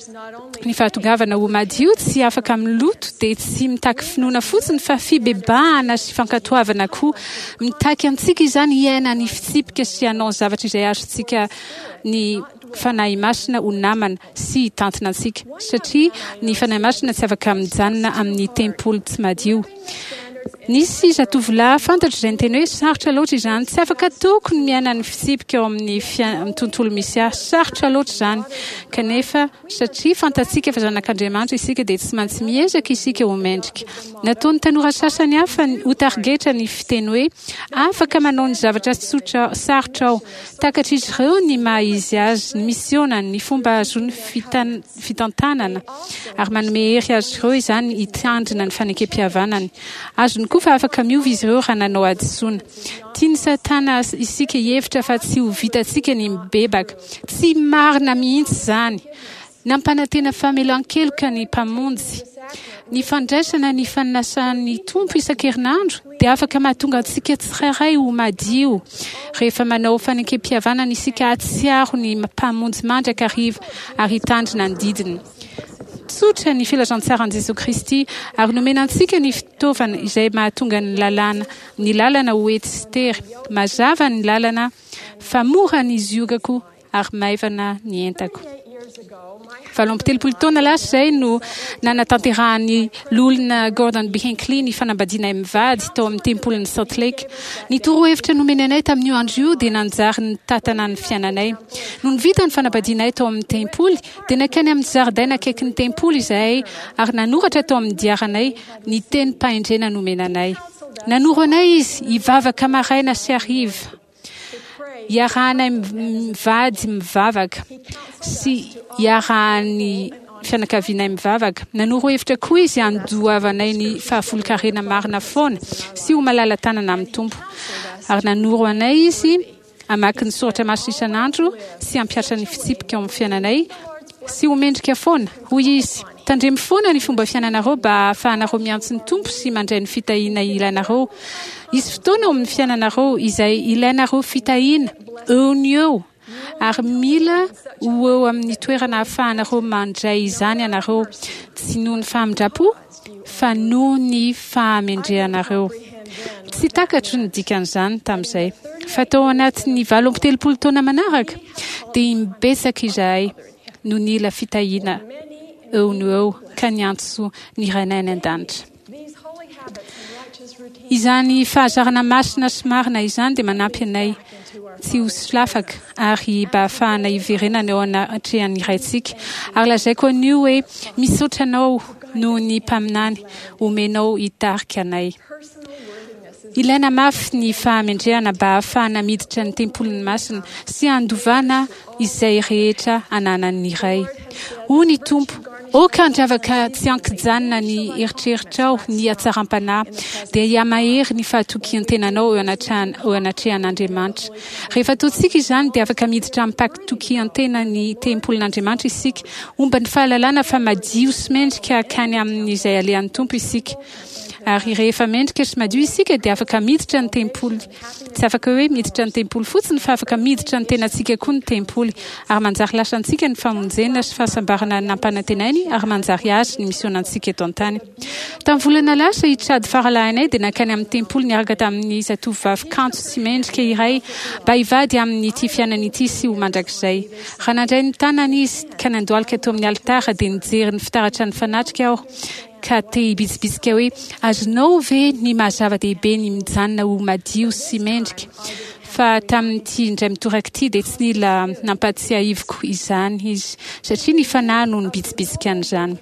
Ny fahatongavana ho madio tsy afaka amin'ny loto dia tsy mitaky finoana fotsiny fa fibebahana sy fankatoavana koa. Mitaky antsika izany hiaina ny fitsipika sy hanao ny zavatra izay azontsika ny Fanahy Masina ho namana sy hitantana antsika, satria ny Fanahy Masina tsy afaka mijanona amin'ny tempoly tsy madio. Nisy zatovolahy fantatro izay niteny hoe, Sarotra loatra izany. Tsy afaka ataoko ny miaina ny fitsipika ao amin'ny tontolo misy ahy. Sarotra loatra izany. Kanefa, satria fantatsika fa zanak'Andriamanitra isika, dia tsy maintsy miezaka isika ho mendrika. Nataon'ny tanora sasany hafa ho tarigetra ny fiteny hoe, Afaka manao ny zavatra tsotra sarotra aho. Takatr'izy ireo ny maha izy azy, ny misionany, ny fomba ahazoany fitantanana, ary manome hery azy ireo izany hitandrina ny fanekempihavanany. Azony koa fa afaka miova izy ireo raha nanao hadisoana. Tian'i Satana isika hihevitra fa tsy ho vitantsika ny mibebaka. Tsy marina mihitsy izany! Nampanantena famelan-keloka ny Mpamonjy. Ny fandraisana ny fanasan'ny Tompo isan-kerinandro dia afaka mahatonga antsika tsirairay ho madio. Rehefa manao fanekempihavanana isika hahatsiaro ny Mpamonjy mandrakariva ary hitandrina ny didiny. Tsotra ny filazantsaran'i Jesoa Kristy ary nomena antsika ny fitaovana izay mahatonga ny lalàna ny lalana ho ety sy tery. Mazava ny lalana fa mora ny ziogako ary maivana ny entako. Valo amby telopolo taona lasa izay no nanatanterahan'ny Loholona Gordon B. Hinckley ny fanambadianay mivady tao amin'ny Tempolin'i Salt Lake. Ny torohevitra nomeny anay tamin'io andro io dia nanjary nitantana ny fiainanay. Nony vita ny fanambadianay tao amin'ny tempoly, dia nankany amin'ny zaridaina akaikin'ny tempoly izahay ary nanoratra tao amin'ny diaranay ny tenim-pahendrena nomena anay. Nanoro anay izy hivavaka maraina sy hariva. Iarahanay mivady mivavaka sy iarahan'ny fianakavianay mivavaka. Nanoro hevitra koa izy handoavanay ny fahafolonkarena marina foana sy ho malala-tanana amin'ny Tompo. Ary nanoro anay izy hamaky ny soratra masina isan'andro sy hampihatra ny fitsipika ao amin'ny fiainanay sy ho mendrika foana. Hoy izy, Tandremo foana ny fomba fiainanareo mba hahafahanareo miantso ny Tompo sy mandray ny fitahiana ilainareo. Hisy fotoana ao amin'ny fiainanareo izay ilainareo fitahiana eo no eo, ary mila ho eo amin'ny toerana ahafahanareo mandray izany ianareo, tsy noho ny famindram-po, fa noho ny fahamendrehanareo. Tsy takatro ny dikan'izany tamin'izay. Fa tao anatin'ny valo amby telopolo taona manaraka, dia imbetsaka izahay no nila fitahiana eo no eo ka niantso ny Rainay any An-danitra. Izany fahazarana masina sy marina izany dia manampy anay tsy ho solafaka ary mba hahafahana hiverenana eo anatrehan'ny Raintsika. Ary lazaiko anio hoe misaotra anao noho ny mpaminany omenao hitarika anay. Ilaina mafy ny fahamendrehana mba hahafahana miditra ny tempolin'ny masina sy handovana izay rehetra ananan'ny Ray. Hoy ny Tompo: aoka handravaka tsy an-kijanona ny eritreritrao ny hatsaram-panahy, dia hihamahery ny fahatokian-tenanao eo anatrehan- eo anatrehan'Andriamanitra. Rehefa ataontsika izany dia afaka miditra amim-pahatokian-tena ny tempolin'Andriamanitra isika, homba ny fahalalana fa madio sy mendrika hankany amin'izay alehan'ny Tompo isika. Ary rehefa mendrika sy madio isika dia afaka miditra ny tempoly. Tsy afaka hoe miditra ny tempoly fotsiny fa afaka miditra ny tenantsika koa ny tempoly, ary manjary lasa antsika ny famonjena sy fahasambarana nampanantenainy, ary manjary azy ny misionantsika eto an-tany. Tamin'ny volana lasa i Chad faralahinay dia nankany amin'ny tempoly niaraka tamin'ny zatovovavy kanto sy mendrika iray mba hivady amin'ity fiainana ity sy ho mandrakizay. Raha nandray ny tanany izy ka nandohalika teo amin'ny alitara dia nijery ny fitaratra nifanatrika aho ka te hibitsibitsika hoe: azonao ve ny maha-zava-dehibe ny mijanona ho madio sy mendrika? Fa tamin'ity indray mitoraka ity dia tsy nila nampatsiahiviko izany izy, satria ny fanahy no nibitsibitsika an'izany.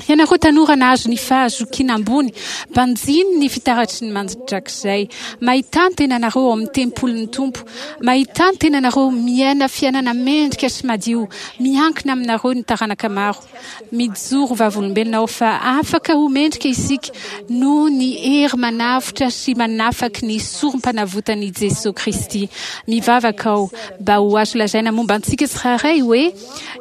Ianareo tanora nahazo ny fahazokiana ambony, banjino ny fitaratry ny mandrakizay. Mahita ny tenanareo ao amin'ny tempolin'ny Tompo. Mahita ny tenanareo miaina fiainana mendrika sy madio. Miankina aminareo ny taranaka maro. Mijoro vavolombelona aho fa afaka ho mendrika isika noho ny hery manavotra sy manafaky ny sorom-panavotan'i Jesoa Kristy. Mivavaka aho mba ho azo lazaina momba antsika tsirairay hoe: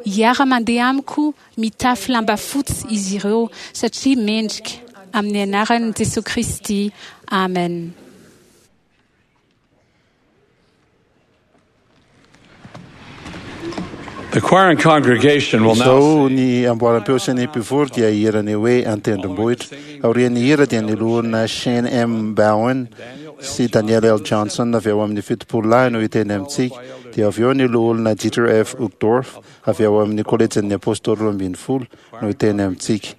hiara-mandeha amiko mitafy lamba fotsy izy ireo satria mendrika. Amin'ny anaran'i Jesoa Kristy. Amen. The choir and congregation will now Izao ny amboaram-peo sy ny mpivory dia hihira ny hoe An-tendrombohitra. Aorian'ny hira dia ny loholona Shane M. Bowen sy Daniel L. Johnson avy ao amin'ny fitopolo lahy no hiteny amintsika. Dia avy eo ny loholona Dieter F. Uchtdorf avy ao amin'ny kolejin'ny Apôstôly roa ambin'ny folo no hiteny amintsika.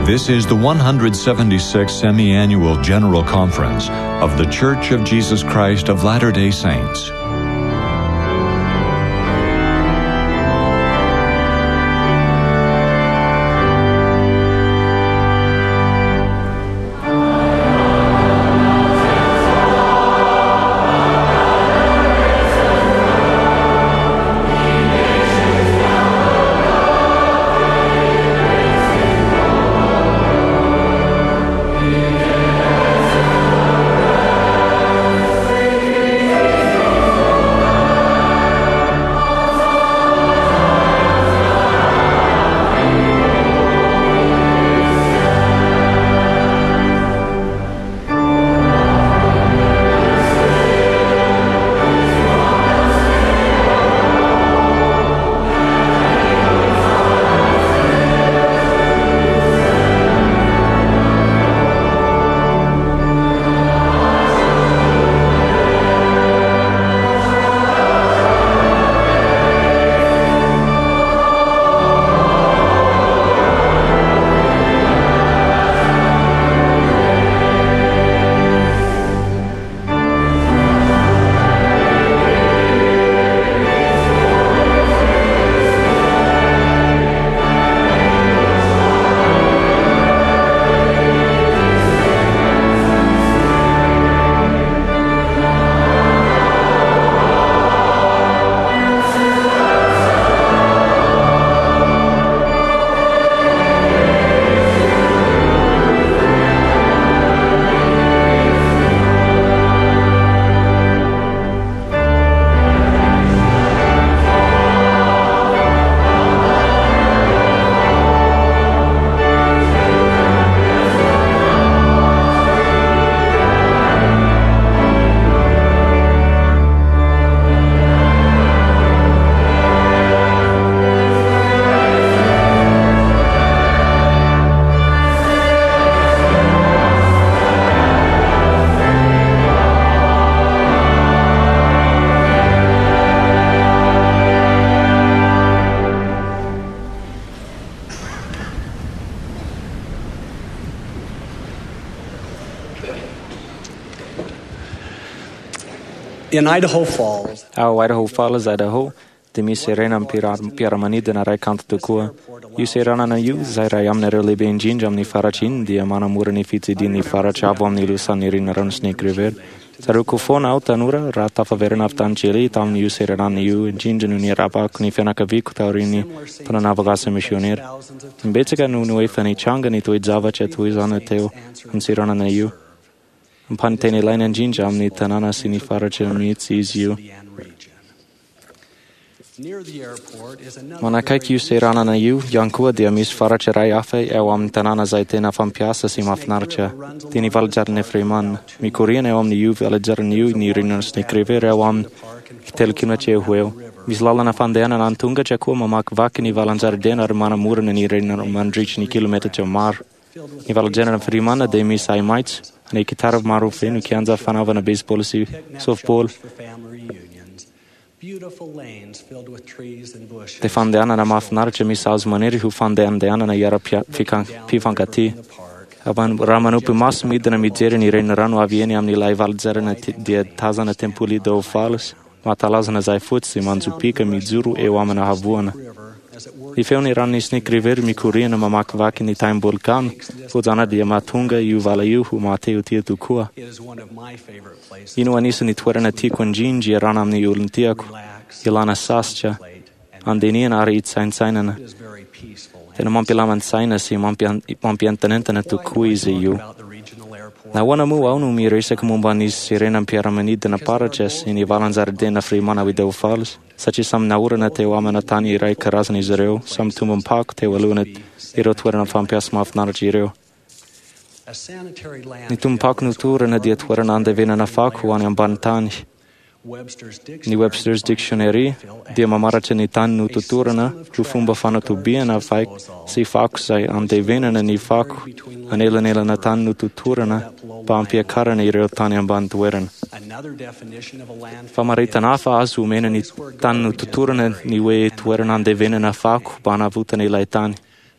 This is the one hundred seventy-sixth Semi-Annual General Conference of The Church of Jesus Christ of Latter-day Saints. In Idaho Falls, Ao Idaho Falls, Idaho, dia misy seranam-piaramanidina iray kanto tokoa. Io seranana io, izay iray amin'ireo lehibe indrindra amin'ny faritra iny, dia manamora ny fitsidihan'ny faritra avo amin'ny lohasahan'ny renirano Snake River. Tsaroako foana aho tanora raha tafaverina avy tany Chile tamin'io seranana io indrindra no niarahabako ny fianakaviako taorian'ny fananaovako asa misionera. Imbetsaka no no efa nitranga ny toe-javatra toy izany teo amin'ny seranana io. Ampahany tena ilaina indrindra amin'ny tanàna sy ny faritra mihitsy izy io. near the airport is another Manakaiky io seranana io ihany koa dia misy faritra iray hafa eo amin'ny tanàna izay tena fampiasa sy mahafinaritra, dia ny Valajarina Freeman. Mikoriana eo amin'io valajarina io ny renirano Snake River eo amin'ny telo kilometatra eo ho eo. Misy lalana fandehanana an-tongotra koa mamakivaky ny valan-jaridaina ary manamorona ny renirano mandritry ny kilometatra maro. Ny valajarina Freeman dia misy ahi-maitso, any hekitara maro feno kianja fanaovana baseball sy softball. for family reunions, beautiful lanes filled with trees and bushes. Dia fandehanana mahafinaritra misy hazo maniry ho fandehandehanana hiara-pifankatia. Raha manopy maso midina mijery ny renirano avy eny amin'ilay valajarina dia tazana tempoly Idaho Falls, mahatalazana izay fotsy sy manjopiaka mijoro eo amina havoana. Ny feon'ny ranon'ny Snake River mikoriana mamakivaky ny taim-bolkano fojana dia mahatonga io vala io ho mahatehotia tokoa. It is one of my favorite places. Io no anisan'ny toerana tiako indrindra iarahana amin'ny olon-tiako, ilana sasatra, andinihana ary hitsaintsainana. It is very peaceful. Tena mampilamin-tsaina sy mampian- mampientanentana tokoa izy io. About the regional airport. Nahoana moa aho no miresaka momba ny seranam-piaramanidina paratra sy ny valan-jaridaina Freeman ao Idaho Falls, satria samy naorina teo amina tany iray karazana izy ireo, samy tombom-pako teo alohana ireo toerana fampiasa mahafinaritra ireo. A sanitary Ny landfill tombom-pako notorana dia toerana andevenana fako ho any ambany tany. Webster's Ny Dictionary Webster's Dictionary dia mamaratra ny tany nototorana ho fomba fanatobiana vaiko sy fako izay andevenana ny fako anelanelana tany nototorana mba hampiakarana ireo tany ambany toerana. Another definition of a landfill Famaritana hafa azo omena ny tany nototorana ny hoe toerana andevenana fako mba hanavotana ilay tany.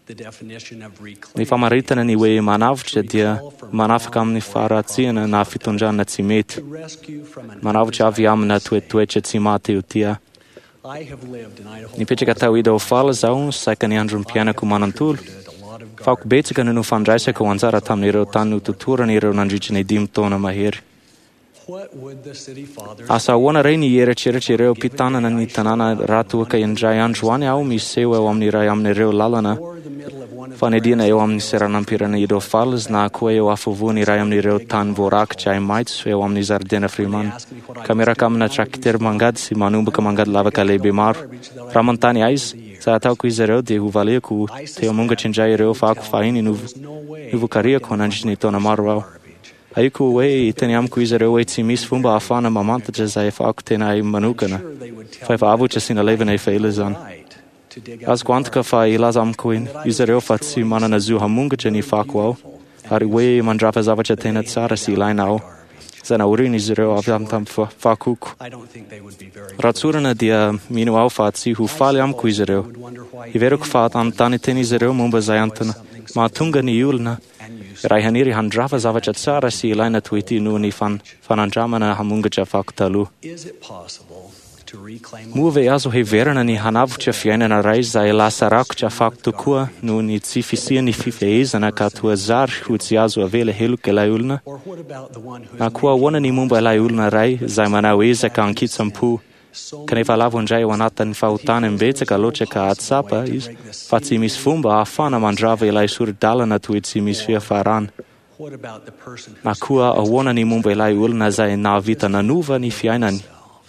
the definition of reclaim Ny famaritana ny hoe manavotra dia manafaka amin'ny faharatsiana na fitondrana tsy mety. to rescue from an Manavotra avy amina toetoetra tsy mahatehotia. I have lived in Idaho Nipetraka tao Idaho Falls aho saika ny androm-piainako manontolo. Fako betsaka no nofandraisako anjara tamin'ireo tany nototorana ireo nandritra ny dimy taona mahery. What would the city fathers Asa ahoana re ny eritreritry ireo mpitanana ny tanàna raha toa ka indray andro any aho miseho eo amin'ny iray amin'ireo lalana fanidina eo amin'ny seranam-pirenena Idaho Falls na koa eo afovoany iray amin'ireo tany voarakitra ahi-maitso eo amin'ny zaridaina Freeman, ka miaraka amina trakitera mangady sy manomboka mangady lavaka lehibe maro. Raha manontany ahy izy, izay ataoko izy ireo dia hovaliako teo amongatra indray ireo fako fahiny novo- novokariako nandritry ny taona maro aho. Ahiko hoe hiteny amiko izy ireo hoe tsy misy fomba ahafahana mamantatra izay fako tena ahy manokana, fa efa avotra sy nalevina efa ela izany. right to dig up Azoko antoka fa hilaza amiko izy ireo fa tsy manana zo hamongatra ny fako aho, ary hoe mandrava zavatra tena tsara sy ilaina aho, izay naorina izy ireo avy amin'ny tamin'ny fa- fakoko. I don't think they would be very Raha tsorina dia mino aho fa tsy ho faly amiko izy ireo. Heveriko fa hanontany tena izy ireo momba izay antony mahatonga ny olona iray haniry handrava zavatra tsara sy ilaina toy ity noho ny fan- fanandramana hamongatra fako taloha. Is it possible to reclaim Moa ve azo heverina ny hanavotra fiainana iray izay lasa rakotra fako tokoa noho ny tsy fisian'ny fifehezana ka toa zary ho tsy azo avela heloka ilay olona? or what about the one who Na koa ahoana ny momba ilay olona iray izay manao ezaka ankitsam-po kanefa lavo indray ao anatin'ny fahotana imbetsaka loatra ka hahatsapa izy fa tsy misy fomba ahafahana mandrava ilay sori-dalana toy tsy misy fiafarana. what about the person Na koa ahoana ny momba ilay olona izay nahavita nanova ny fiainany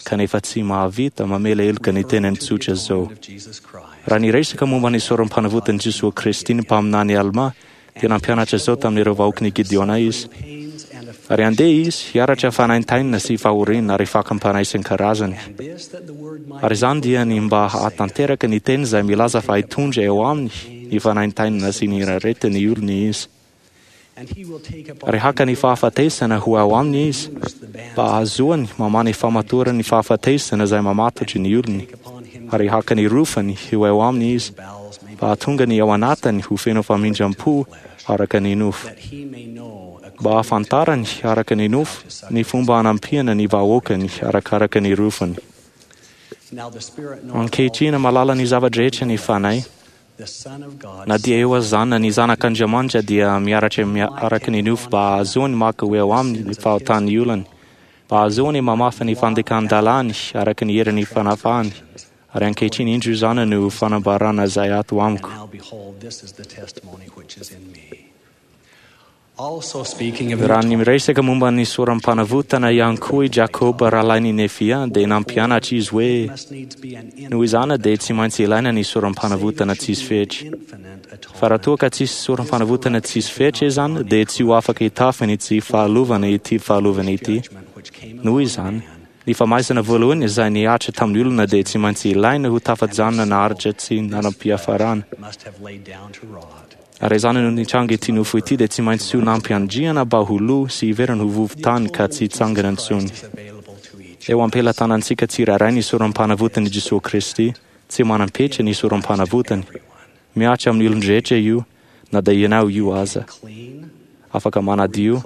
kanefa tsy mahavita mamela heloka ny tenany tsotra izao. of Jesus Christ Raha niresaka momba ny sorom-panavotan'i Jesoa Kristy ny mpaminany Alma dia nampianatra izao tamin'ireo vahoakin'i Gideona izy. pains and Ary andeha izy hiaratra fanaintainina sy fahoriana ary fakam-panahy isan-karazany. this that the word might Ary izany dia ny mba hahatanteraka ny teny izay milaza fa hitondra eo aminy ny fanaintainina sy ny aretin'ny olony izy. and he will take up Ary haka ny fahafatesana ho ao aminy izy, mba hahazoany mamaha ny famatoran'ny fahafatesana izay mamatotry ny olony. Ary haka ny rofany ho eo aminy izy, mba hahatonga ny ao anatiny ho feno famindram-po araka ny nofo. that he may know a mba hahafantarany araka ny nofo ny fomba hanampiana ny vahoakany arakaraka ny rofany. Ankehitriny mahalala ny zava-drehetra ny Fanahy. Na dia eo aza izany, ny Zanak'Andriamanitra dia miaratra araka ny nofo mba hahazoany maka ho eo aminy ny fahotan'ny olony, mba hahazoany mamafa ny fandikan-dalàny araka ny herin'ny fanafahany. Ary ankehitriny indro izany no fanambarana izay ato amiko. Raha ny miresaka momba ny soram-panavotana ihany koa i Jakoba rahalahin'i Nefia dia nampianatra izy hoe noho izany dia tsy maintsy ilaina ny soram-panavotana tsisy fetra. Fa raha toa ka tsisy soram-panavotana tsisy fetra izany dia tsy ho afaka hitafy ny tsy fahalovana ity fahalovana ity. Noho izany, ny famaizana voalohany izay nihatra tamin'ny olona dia tsy maintsy ilaina ho tafajanona naharitra tsy nanam-piafarana. Ary izany no nitranga ity nofo ity dia tsy maintsy ho nampiandriana mba ho lo sy hiverina ho vovon-tany ka tsy hitsangana intsony. Eo am-pelatanantsika tsirairay ny soram-panavotan'i Jesoa Kristy, tsy manam-petra ny soram-panavotany. Mihatra amin'ny olon-drehetra io, na dia ianao io aza. Afaka manadio,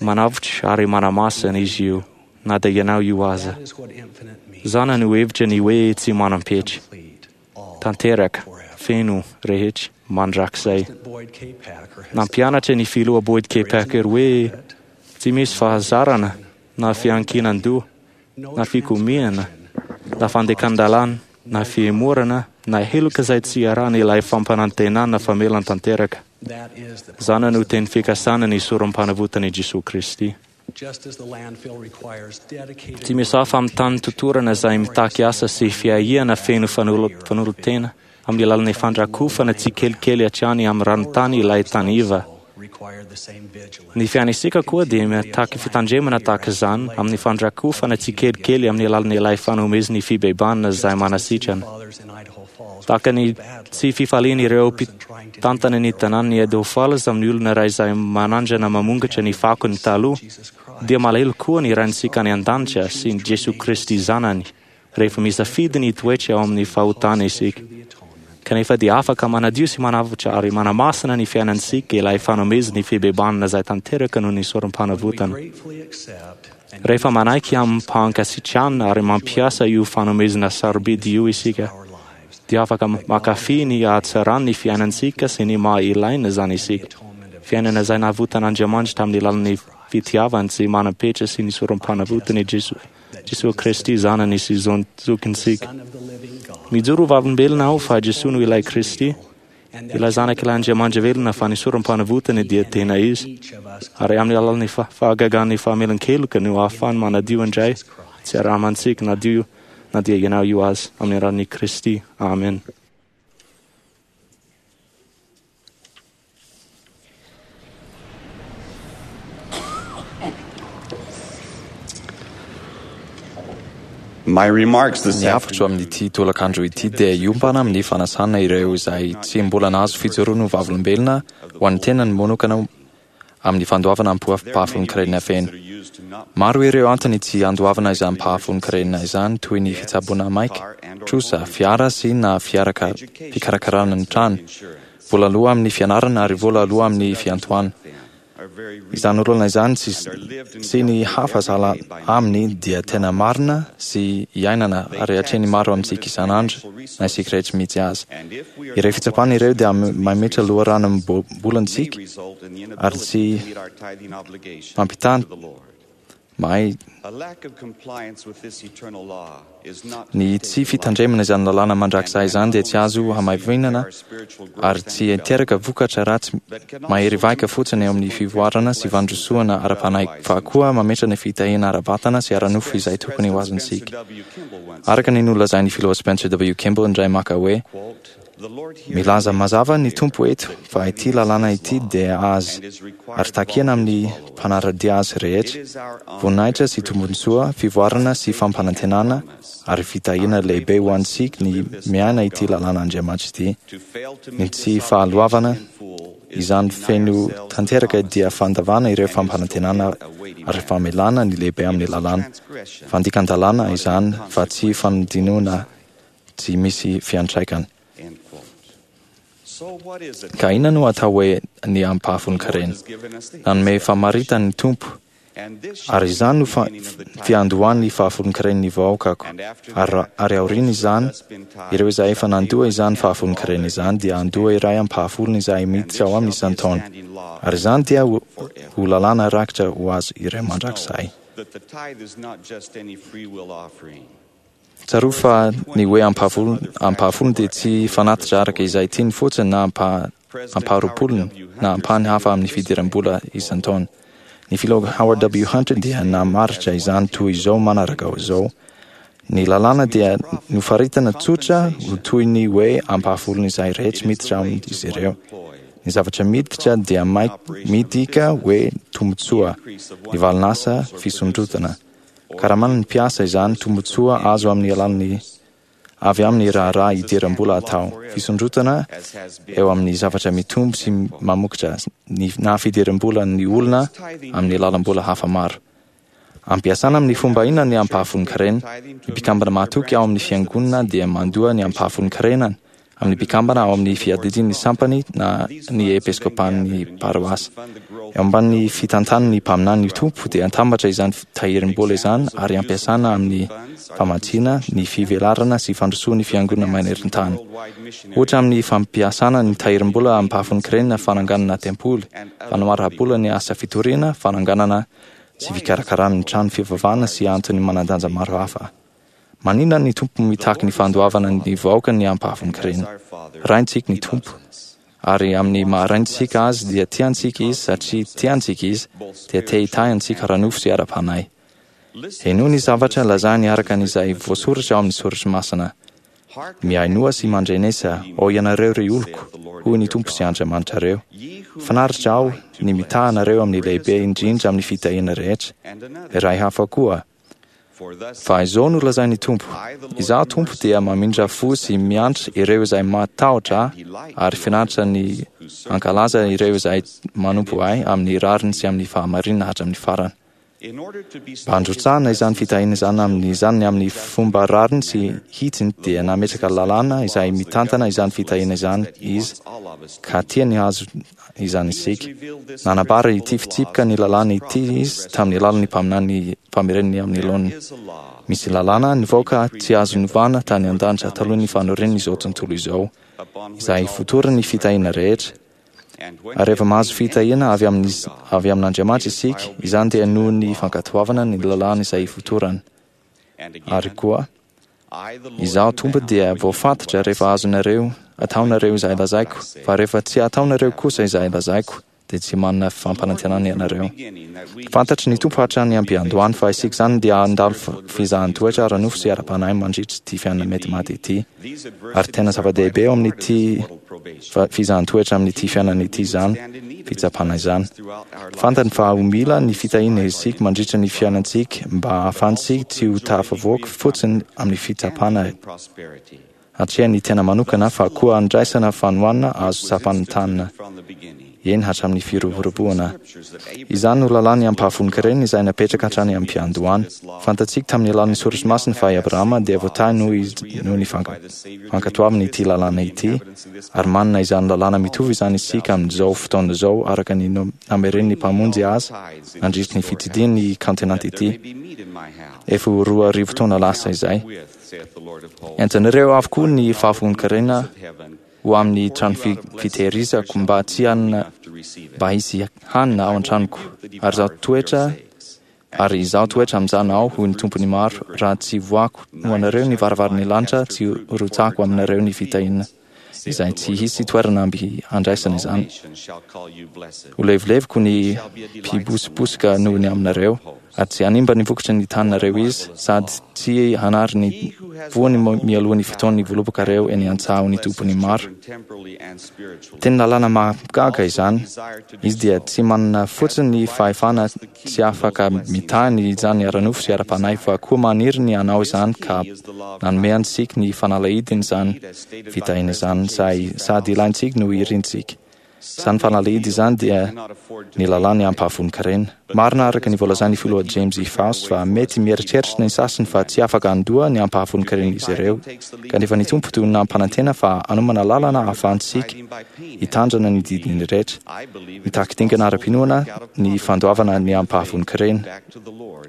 manavotra ary manamasina izy io, na dia ianao io aza. Izany no hevitra ny hoe tsy manam-petra. Tanteraka, feno rehetra, mandrakizay. Nampianatra ny filoha Boyd K. Packer hoe tsy misy fahazarana na fiankinan-doha, na fikomiana, na fandikan-dalàna, na fihemorana, na heloka izay tsy iarahana ilay fampanantenana famelana tanteraka. Izany no teny fikasana ny sorom-panavotan'i Jesoa Kristy. Tsy misy hafa amin'ny tany totorana izay mitaky asa sy fiahiana feno fanolotena amin'ny alalan'ny fandrakofana tsikelikely hatrany amin'ny ranontany ilay tany iva. Ny fiainantsika koa dia mitaky fitandremana tahaka izany amin'ny fandrakofana tsikelikely amin'ny alalan'ilay fanomezan'ny fibebahana izay manasitrana. Tahaka ny tsy fifalian'ireo mpitantana ny tanàn'i Idaho Falls amin'ny olona iray izay manandrana mamongatra ny fakony taloha, dia malahelo koa ny Raintsika any an-danitra sy ny Jesoa Kristy Zanany rehefa misafidy ny toetra ao amin'ny fahotana isika. Kanefa dia afaka manadio sy manavotra ary manamasina ny fiainantsika ilay fanomezan'ny fibebahana izay tanteraka noho ny sorom-panavotana. Rehefa manaiky amim-pankasitrahana ary mampiasa io fanomezana sarobidy io isika, dia afaka mankafy ny hatsaran'ny fiainantsika sy ny maha ilaina izany isika. Fiainana izay navotan'Andriamanitra tamin'ny alalan'ny fitiavany tsy manam-petra sy ny sorom-panavotany Jesoa Jesoa Kristy Zanany sy zokintsika. Mijoro ho vavolombelona aho fa Jesoa no ilay Kristy, ilay Zanak'ilay Andriamanitra velona fa ny sorom-panavotany dia tena izy. Ary amin'ny alalan'ny fahagagan'ny famelan-keloka no ahafahany manadio indray tsy aramantsika nadio na dia ianao io aza amin'ny anaran'i Kristy. Amen. My remarks this Ny hafitro amin'ity tolakandro ity dia hiompana amin'ny fanasana ireo izay tsy mbola nahazo fijoroana ho vavolombelona ho an'ny tenany manokana amin'ny fandoavana ampahafolon-karena feno. Maro ireo antony tsy andoavana izany ampahafolon-karena izany toy ny fitsaboana maika, trosa, fiara sy na fiaraka fikarakarana ny trano, vola aloa amin'ny fianarana ary vola aloa amin'ny fiantohana. Izany olana izany sy, sy ny hafa sahala aminy dia tena marina sy iainana ary atrehin'ny maro amintsika isan'andro na isika rehetra mihitsy aza. Ireo fitsapana ireo dia mametra loharanom-bolantsika ary tsy mampitany mahay ny tsy fitandremana izany lalàna mandrakizay izany dia tsy azo hamaivinana ary tsy hiteraka vokatra ratsy mahery vaika fotsiny eo amin'ny fivoarana sy fandrosoana ara-panahy fa koa mametra ny fitahiana ara-batana sy ara-nofo izay tokony ho azontsika. Araka ny nolazain'ny filoha Spencer W. Kimball indray maka hoe milaza mazava ny Tompo eto fa ity lalàna ity dia azy ary takiana amin'ny mpanara-dia azy rehetra, voninahitra sy tombontsoa, fivoarana sy fampanantenana ary fitahiana lehibe ho antsika ny miaina ity lalàn'Andriamanitra ity. Ny tsy fahaloavana izany feno tanteraka dia fandavana ireo fampanantenana ary famelana ny lehibe amin'ny lalàna. Fandikan-dalàna izany fa tsy fanodinona tsy misy fiantraikany. Ka inona no atao hoe ny ampahafolon-karena? Nanome famaritany ny Tompo, ary izany no fiandohan'ny fahafolon-karen'ny vahoakako. Ary, ary aorian'izany, ireo izay efa nandoa izany fahafolon-karena izany dia handoa iray ampahafolony izay miditra ao amin'ny isan-taona. Ary izany dia ho, ho lalàna rakitra ho azy ireo mandrakizay. Tsarovy fa ny hoe ampahafolony dia tsy fanatitra araka izay tiany fotsiny na ampaharoapolony na ampahany hafa amin'ny fidiram-bola isan-taona. Ny filoha Howard W. Hunter dia namaritra izany toy izao manaraka izao: Ny lalàna dia nofaritana tsotra ho toy ny hoe ampahafolony izay rehetra miditra amin'izy ireo. Ny zavatra miditra dia midika hoe tombontsoa, ny valin'asa fisondrotana. Karaman'ny mpiasa izany tombontsoa azo amin'ny alalan'ny avy amin'ny raharaha idiram-bola atao. Fisondrotana eo amin'ny zavatra mitombo sy mamokatra ny na fidiram-bola ny olona amin'ny alalam-bola hafa maro. Ampiasana amin'ny fomba inona ny ampahafolon-karena? Ny mpikambana mahatoky ao amin'ny fiangonana dia mandoa ny ampahafolon-karenany amin'ny mpikambana ao amin'ny fiadidian'ny sampany na ny episkopan'ny paroasy. Eo ambanin'ny fitantanan'ny mpaminany ny Tompo dia atambatra izany tahirim-bola izany ary ampiasana amin'ny famatsiana ny fivelarana sy fandrosoan'ny fiangonana maneran-tany. Ohatra amin'ny fampiasana ny tahirim-bola ampahafolon-karena fananganana tempoly, fanoharam-bola ny asa fitoriana, fananganana sy fikarakarana ny trano fivavahana sy antony manan-danja maro hafa. Maninona ny Tompo mitaky ny fandoavana ny vahoaka ny ampahafolon-karena? Raintsika ny Tompo, ary amin'ny maha-raintsika azy dia tiantsika izy, satria tiantsika izy, dia te hitahy antsika ara-nofo sy ara-panahy. Henoy ny zavatra lazainy araka an'izay voasoratra ao amin'ny Soratra Masina. Mihainoa sy mandrenesa, ô ianareo ry oloko, hoy ny Tompo sy Andriamanitrareo. Finaritra aho ny mitaha anareo amin'ny lehibe indrindra amin'ny fitahiana rehetra. Iray hafa koa. Fa izao no lazain'ny Tompo: Izaho Tompo dia mamindra fo sy miantra ireo izay matahotra ahy, ary finaritra ny hankalaza ireo izay manompo ahy amin'ny rariny sy amin'ny fahamarinana hatramin'ny farany. Mba handrotsahana izany fitahiana izany amin'izany amin'ny fomba rariny sy hitsiny dia nametraka lalàna izay mitantana izany fitahiana izany izy, ka tiany hahazo izany isika. Nanambara ity fitsipika ny lalàna ity izy tamin'ny alalan'ny mpaminany famerenany amin'ny laoniny. Misy lalàna nivoaka tsy azo novana tany an-danitra talohan'ny fanorenan'izao tontolo izao, izay fotoran'ny fitahiana rehetra. Ary rehefa mahazo fitahiana avy amin'ny avy amin'Andriamanitra isika, izany dia noho ny fankatoavana ny lalàna izay ifotorany. Ary koa, Izaho Tompo dia voafatotra rehefa azonareo ataonareo izay lazaiko, fa rehefa tsy ataonareo kosa izay lazaiko, dia tsy manana fampanantenana ianareo. Fantatry ny Tompo hatrany am-piandohany fa isika izany dia handalo fizahan-toetra ara-nofo sy ara-panahy mandritra ity fiainana mety maty ity. Ary tena zava-dehibe eo amin'ity fizahan-toetra amin'ity fiainana ity izany fitsapana izany. Fantany fa ho mila ny fitahiana isika mandritra ny fiainantsika mba hahafahantsika tsy ho tafavoaka fotsiny amin'ny fitsapana hatrehan'ny tena manokana fa koa handraisana fanohanana azo tsapain-tanana, eny hatramin'ny firoboroboana. Izany no lalàn'ny ampahafolon-karena izay napetraka hatrany am-piandohana. Fantatsika tamin'ny alalan'ny Soratra Masina fa i Abrahama dia voatahy noho izy noho ny fankatoavany ity lalàna ity, ary manana izany lalàna mitovy izany isika amin'izao fotoana izao araka ny nameren'ny Mpamonjy azy nandritry ny fitsidihany ny kaontinanta ity efa ho roa arivo taona lasa izay. Entinareo avokoa ny fahafolon-karena ho amin'ny trano fitehirizako mba tsy hanana mba hisy hanina ao an-tranoko, ary izaho toetra ary izaho toetra amin'izany aho, hoy ny Tompon'ny maro, raha tsy voako ho anareo ny varavaran'ny lanitra, tsy rotsahako aminareo ny fitahiana izay tsy hisy toerana amby handraisana izany. Ho levoleviko ny mpibosobosoka noho ny aminareo, ary tsy hanimba ny vokatry ny taninareo izy, sady tsy hanary ny voany mialoha ny fotoan'ny voalobokareo eny an-tsaha ho ny Tompon'ny maro. Teny lalàna mahagaga izany. Izy dia tsy manana fotsiny ny fahefana tsy afaka mitahy ny izany ara-nofo sy ara-panahy fa koa maniry ny hanao izany ka nanome antsika ny fanalahidin'izany fitahiana izany izay sady ilaintsika no irintsika. Izany fanalahidy izany dia ny lalàn'ny ampahafolon-karena. Marina araka ny voalazan'ny filoha James E. Faust fa mety mieritreritra ny sasany fa tsy afaka handoa ny ampahafolon-karena izy ireo, kanefa ny Tompo toy nampanantena fa hanomana lalana ahafahantsika hitandrina ny didiny rehetra. Mitaky dingana ara-pinoana ny fandoavana ny ampahafolon-karena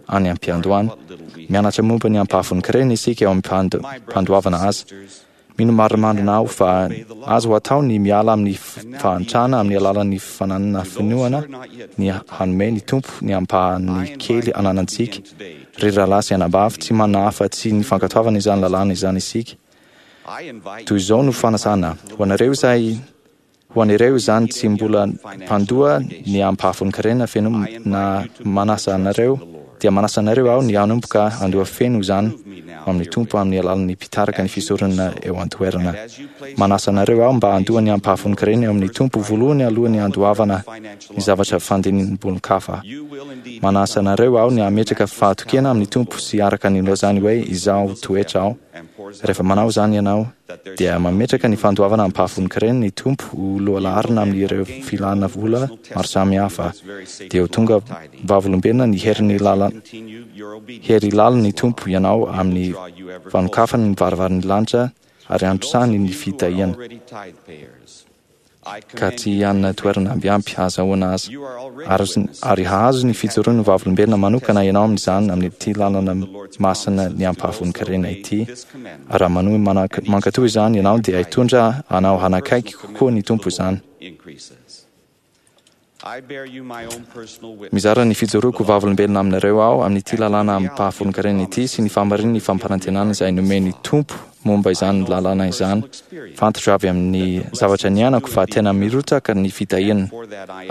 any am-piandohana. Mianatra momba ny ampahafolon-karena isika eo am-pandoavana azy. Mino marimarina aho fa azo atao ny miala amin'ny fahantrana amin'ny alalan'ny fananana finoana ny hanome ny Tompo ny ampahany kely ananantsika. Ry rahalahy sy anabavy, tsy manana afa-tsy ny fankatoavana izany lalàna izany isika. Toy izao no fanasana ho anareo izay ho an'ireo izany tsy mbola mpandoa ny ampahafolon-karena feno na manasa anareo dia manasa anareo aho ny hanomboka handoa feno izany amin'ny Tompo amin'ny alalan'ny mpitarika ny fisoronana eo an-toerana. Manasa anareo aho mba handoa ny ampahafolon-karena eo amin'ny Tompo voalohany alohan'ny handoavana ny zavatra fandinim-bolon-kafa. Manasa anareo aho ny hametraka fahatokiana amin'ny Tompo sy araka ny nilazany hoe izaho toetra aho. Rehefa manao izany ianao dia mametraka ny fandoavana ampahafolon-karena ny Tompo ho lohalaharana amin'ireo filana vola maro samihafa, dia ho tonga vavolombelona ny herin'ny lala hery lalin'ny Tompo ianao amin'ny fanokafany ny varavaran'ny lanitra ary androsany ny fitahiana, ka tsy hanana toerana ambiampy hahazahoana azy, ary hahazo ny fijoroan'ny vavolombelona manokana ianao amin'izany amin'ity lalana masina ny ampahafolon-karena ity. Ary raha manohy mankatò izany ianao dia hitondra anao hanakaiky kokoa ny Tompo izany. Mizara ny fijoroako vavolombelona aminareo aho amin'ity lalàna ampahafolon-karena ity sy ny fahamarinan'ny fampanantenana izay nomen'ny Tompo momba izany lalàna izany. Fantatro avy amin'ny zavatra niainako fa tena mirotsaka ny fitahiana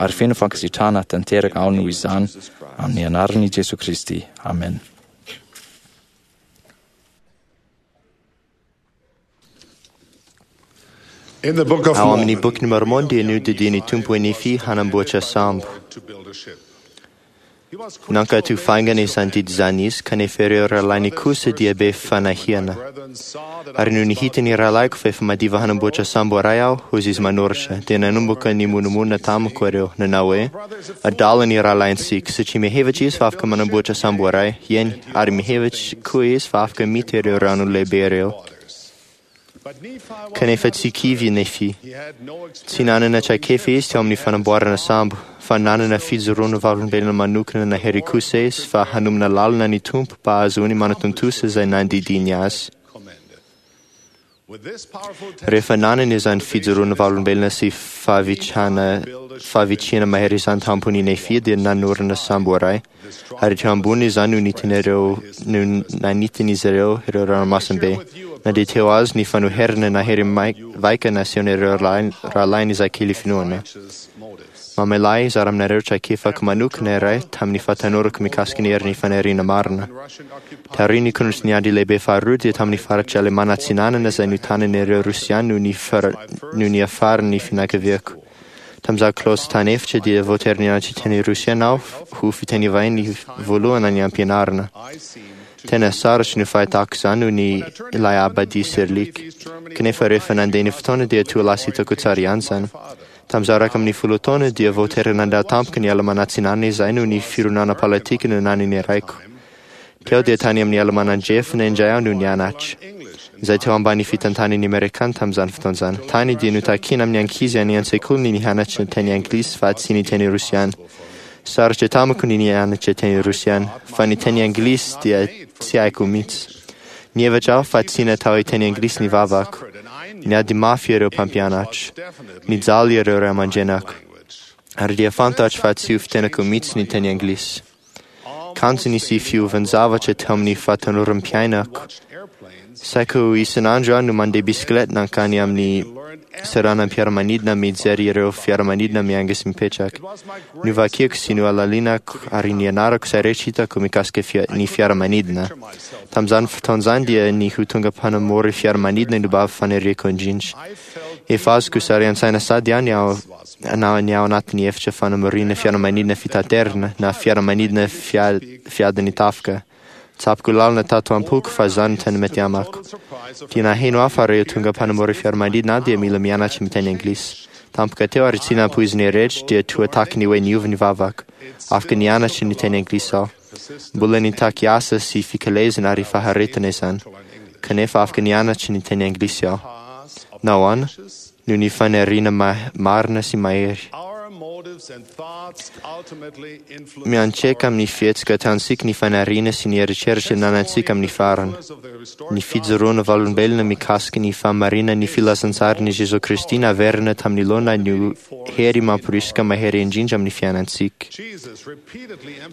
ary feno fankasitrahana tanteraka aho noho izany amin'ny anaran'i Jesoa Kristy. Amen. Ao amin'ny bokin'i Mormon dia nodidian'ny Tompo i Nefy hanamboatra sambo. Nankatò faingana izany didy izany izy, kanefa ireo rahalahiny kosa dia be fanahiana. Ary nony hitan'ny rahalahiko fa efa madiva hanamboatra sambo iray aho, hoy izy manoratra, dia nanomboka nimonomonona tamiko ireo, nanao hoe, adala ny rahalahintsika, satria mihevitra izy fa afaka manamboatra sambo iray, eny, ary mihevitra koa izy fa afaka mita ireo rano lehibe ireo. Kanefa tsy kivy i Nefy. Tsy nanana traikefa izy teo amin'ny fanamboarana sambo, fa nanana fijoroana vavolombelona manokana nahery kosa izy fa hanomana lalana ny Tompo mba hahazoany manatontosa izay nandidiany azy. Rehefa nanana izany fijoroana vavolombelona sy fahavitrana fahavitriana mahery izany tampon'i Nefy dia nanorina sambo iray, ary teo ambony izany no nitin'ireo no nanitin'izy ireo ireo ranomasimbe. Na dia teo azy ny fanoherana nahery vaika nasehon'ireo rahalahiny izay kely finoana. Mamela ahy hizara aminareo traikefako manokana iray tamin'ny fahatanorako mikasika ny herin'ny faniriana marina. Taorian'ny korontany ady lehibe faharoa dia tamin'ny faritra Alemana Atsinanana izay notanan'ireo Rosiana no no niafaran'ny fianakaviako. Tamin'izaho klaosy tany efitra dia voatery nianatra teny Rosiana aho ho fiteny vahiny voalohany any am-pianarana. Tena sarotra ny fahitako izany noho ny ilay abadia Cyrillique. Kanefa rehefa nandeha ny fotoana dia toa lasa hitako tsara ihany izany. Tamin'izaho iraika ambin'ny folo taona dia voatery nandà tampoka ny Alemana Atsinanana izahay noho ny fironana politika nanan'ny raiko. Teo dia tany amin'ny Alemana Andrefana indray aho no nianatra, izay teo ambany fitantanan'ny Amerikana tamin'izany fotoana izany. Tany dia notakina amin'ny ankizy any an-tsekoly ny nianatra teny anglisy fa tsy ny teny rosiana. Sarotra tamiko ny nianatra teny rosiana, fa ny teny anglisy dia tsy haiko mihitsy. Nihevitra aho fa tsy natao hiteny anglisy ny vavako. Niady mafy ireo mpampianatra. Nijaly ireo ray aman-drenako. Ary dia fantatro fa tsy ho fitenako mihitsy ny teny anglisy. Kanjo nisy fiovan-javatra teo amin'ny fahatanoram-piainako. Saika ho isan'andro aho no mandeha bisikileta nankany amin'ny seranam-piaramanidina mijery ireo fiaramanidina miainga sy mipetraka. Novakiako sy nohalalinako ary nianarako izay rehetra hitako mikasika fia- ny fiaramanidina. Tamin'izany fotoana izany dia ny ho tonga mpanamory fiaramanidina no mba faniriako indrindra. Efa azoko sary an-tsaina sady aho ny ao na ny ao anatin'ny efitra fanamoriana fiaramanidina fitaterana na fiaramanidina fia- fiadin'ny tafika. Tsapako lalina tato am-poko fa izany no tena mety amako. Dia naheno aho fa rehefa tonga mpanamory fiaramanidina aho dia mila mianatra miteny anglisy. Tampoka teo ary tsy nampoiziny rehetra dia toa tahaka ny hoe niova ny vavako. Afaka nianatra ny teny anglisy aho. Mbola nitaky asa sy fikelezana ary faharetana izany. Kanefa afaka nianatra ny teny anglisy aho. Nahoana? Noho ny faniriana ma- marina sy mahery. Miantraika amin'ny fihetsika ataontsika ny faniriana sy ny eritreritra ananantsika amin'ny farany. Ny fijoroana vavolombelona mikasika ny fahamarinan'ny filazantsaran'i Jesoa Kristy naverina tamin'ny laona no hery mamporisika mahery indrindra amin'ny fiainantsika.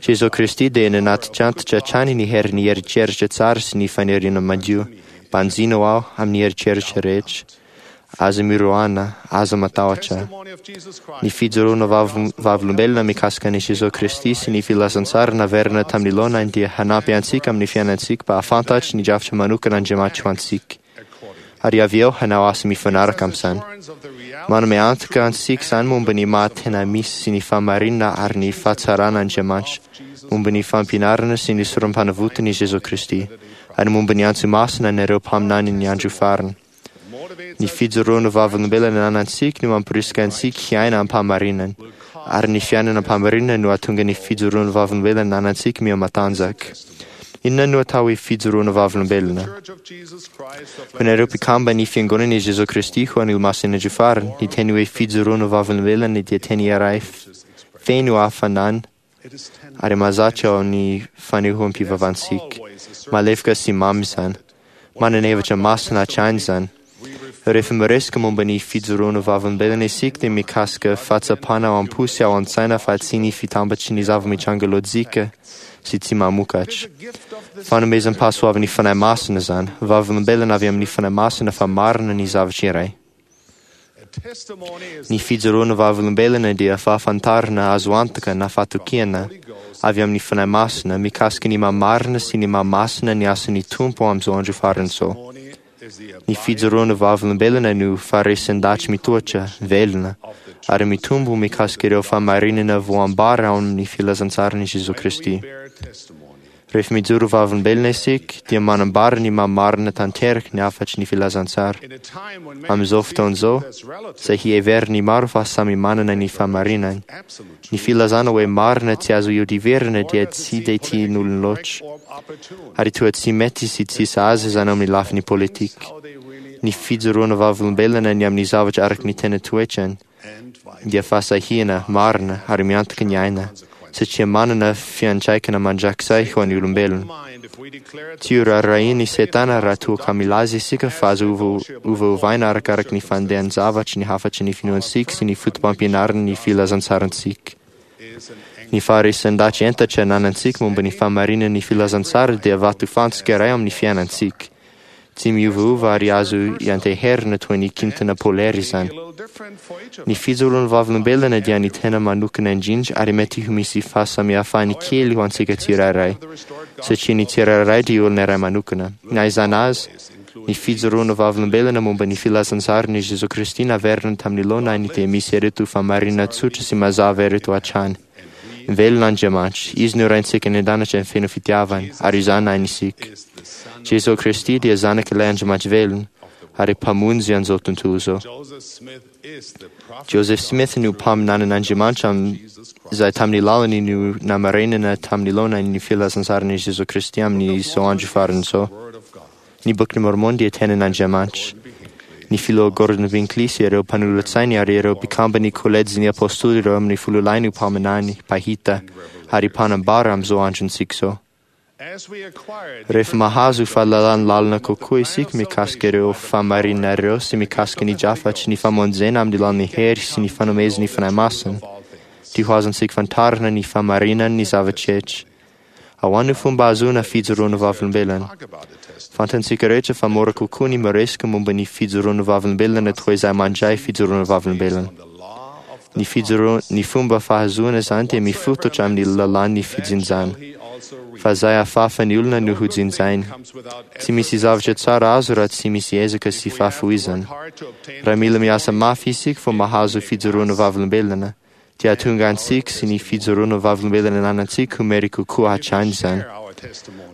Jesoa Kristy dia nanatitrantitra hatrany ny herin'ny eritreritra tsara sy ny faniriana madio. Banjino aho amin'ny eritreritra rehetra. Aza miroana, aza matahotra. Ny fijoroana vav- vavolombelona mikasika an'i Jesoa Kristy sy ny filazantsara naverina tamin'ny laonany dia hanampy antsika amin'ny fiainantsika mba hahafantatry ny drafitra manokana Andriamanitra ho antsika. Ary avy eo hanao asa mifanaraka amin'izany. Manome antoka antsika izany momba ny maha tena misy sy ny fahamarinana ary ny fahatsarana Andriamanitra, momba ny fampianarana sy ny sorom-panavotan'i Jesoa Kristy, ary momba ny antso masina an'ireo mpaminany ny andro farany. Ny fijoroana vavolombelona ananantsika no mamporisika antsika hiaina am-pahamarinana, ary ny fiainana am-pahamarinana no hahatonga ny fijoroana vavolombelona ananantsika miha-matanjaka. Inona no atao hoe fijoroana vavolombelona? Ho anareo mpikambana ny fiangonan'i Jesoa Kristy ho an'ny Olomasin'ny Andro Farany, ny teny hoe fijoroana vavolombelona dia teny iray feno hafanana ary mahazatra ao amin'ny fanehoam-pivavahantsika. Malefaka sy mamy izany. Manana hevitra masina hatrany izany. Rehefa miresaka momba ny fijoroana vavolombelona isika dia mikasika fahatsapana ao am-po sy ao an-tsaina fa tsy ny fitambatry ny zava-mitranga lôjika sy tsy mamokatra. Fanomezam-pahasoavan'ny Fanahy Masina izany, vavolombelona avy amin'ny Fanahy Masina fa marina ny zavatra iray. Ny fijoroana vavolombelona dia fahafantarana azo antoka na fahatokiana avy amin'ny Fanahy Masina mikasika ny maha-marina sy ny maha-masina ny asan'ny Tompo amin'izao andro farany izao. Ny fijoroana vavolombelona no faharesin-dahatry mitoetra, velona, ary mitombo mikasika ireo fahamarinana voambara ao amin'ny filazantsaran'i Jesoa Kristy. Rehefa mijoro vavolombelona isika dia manambara ny maha-marina tanteraka ny hafatry ny filazantsara. Amin'izao fotoana izao, izay hiheverin'ny maro fa samy manana ny fahamarinany. Ny filazana hoe marina tsy azo ihodivirana dia tsy dia tian'olona loatra. Ary toa tsy mety sy tsy sahaza izany amin'ny lafiny politika. Ny fijoroana vavolombelona ny amin'ny zavatra araka ny tena toetrany dia fahasahiana marina ary miantoka ny aina, satria manana fiantraikana mandrakizay ho an'ny olombelona. Tsy ho raharahian'i Satana raha toa ka milaza isika fa azo ova- ovaovaina arakaraka ny fandehan-javatry ny hafatry ny finoantsika sy ny foto-pampianaran'ny filazantsarantsika. Ny faharesin-dahatry entatra ananantsika momba ny fahamarinan'ny filazantsara dia vatofantsika iray amin'ny fiainantsika. Tsy miovaova ary azo ianteherana toy ny kintana polaire izany. Ny fijoroan'ny vavolombelona dia ny tena manokana indrindra ary mety ho misy fahasamihafany kely ho antsika tsirairay, satria ny tsirairay dia olona iray manokana. Na izany aza, ny fijoroana vavolombelona momba ny filazantsaran'i Jesoa Kristy naverina tamin'ny laonany dia misy ireto fahamarinana tsotra sy mazava ireto hatrany. Velona Andriamanitra, Izy no Raintsika any an-danitra feno fitiavana, ary izany hainy isika. Jesoa Kristy dia zanak'ilay Andriamanitra velona, ary mpamonjy an'izao tontolo izao. Joseph Smith no mpaminanin'Andriamanitra izay tamin'ny lalany no namarinana tamin'ny laonany ny filazantsaran'i Jesoa Kristy amin'izao andro farany izao. Ny Bokin'i Mormon dia tenin'Andriamanitra. Ny filoha Gordon Hinckley sy ireo mpanolotsainy ary ireo mpikamban'ny kolejin'ny apôstôly ireo amin'ny fololahy no mpaminany, mpahita ary mpanambara amin'izao androntsika izao. Rehefa mahazo fahalalana lalina kokoa isika mikasika ireo fahamarinana ireo sy mikasika ny drafatry ny famonjena amin'ny alalan'ny hery sy ny fanomezan'ny Fanahy Masina, dia ho azontsika fantarina ny fahamarinan'ny zavatra rehetra. Ahoana no fomba ahazoana fijoroana vavolombelona? Fantatsika rehetra fa mora kokoa ny miresaka momba ny fijoroana vavolombelona toy izay mandray fijoroana vavolombelona. Ny fijoro- ny fomba fahazoana izany dia mifototra amin'ny lalàn'ny fijinjana. Fa izay afafan'ny olona no ho jinjainy. Tsy misy zavatra tsara azo raha tsy misy ezaka sy fahafoizana. Raha mila miasa mafy isika vao mahazo fijoroana vavolombelona, dia hahatonga antsika sy ny fijoroana vavolombelona ananantsika ho mery kokoa hatrany izany.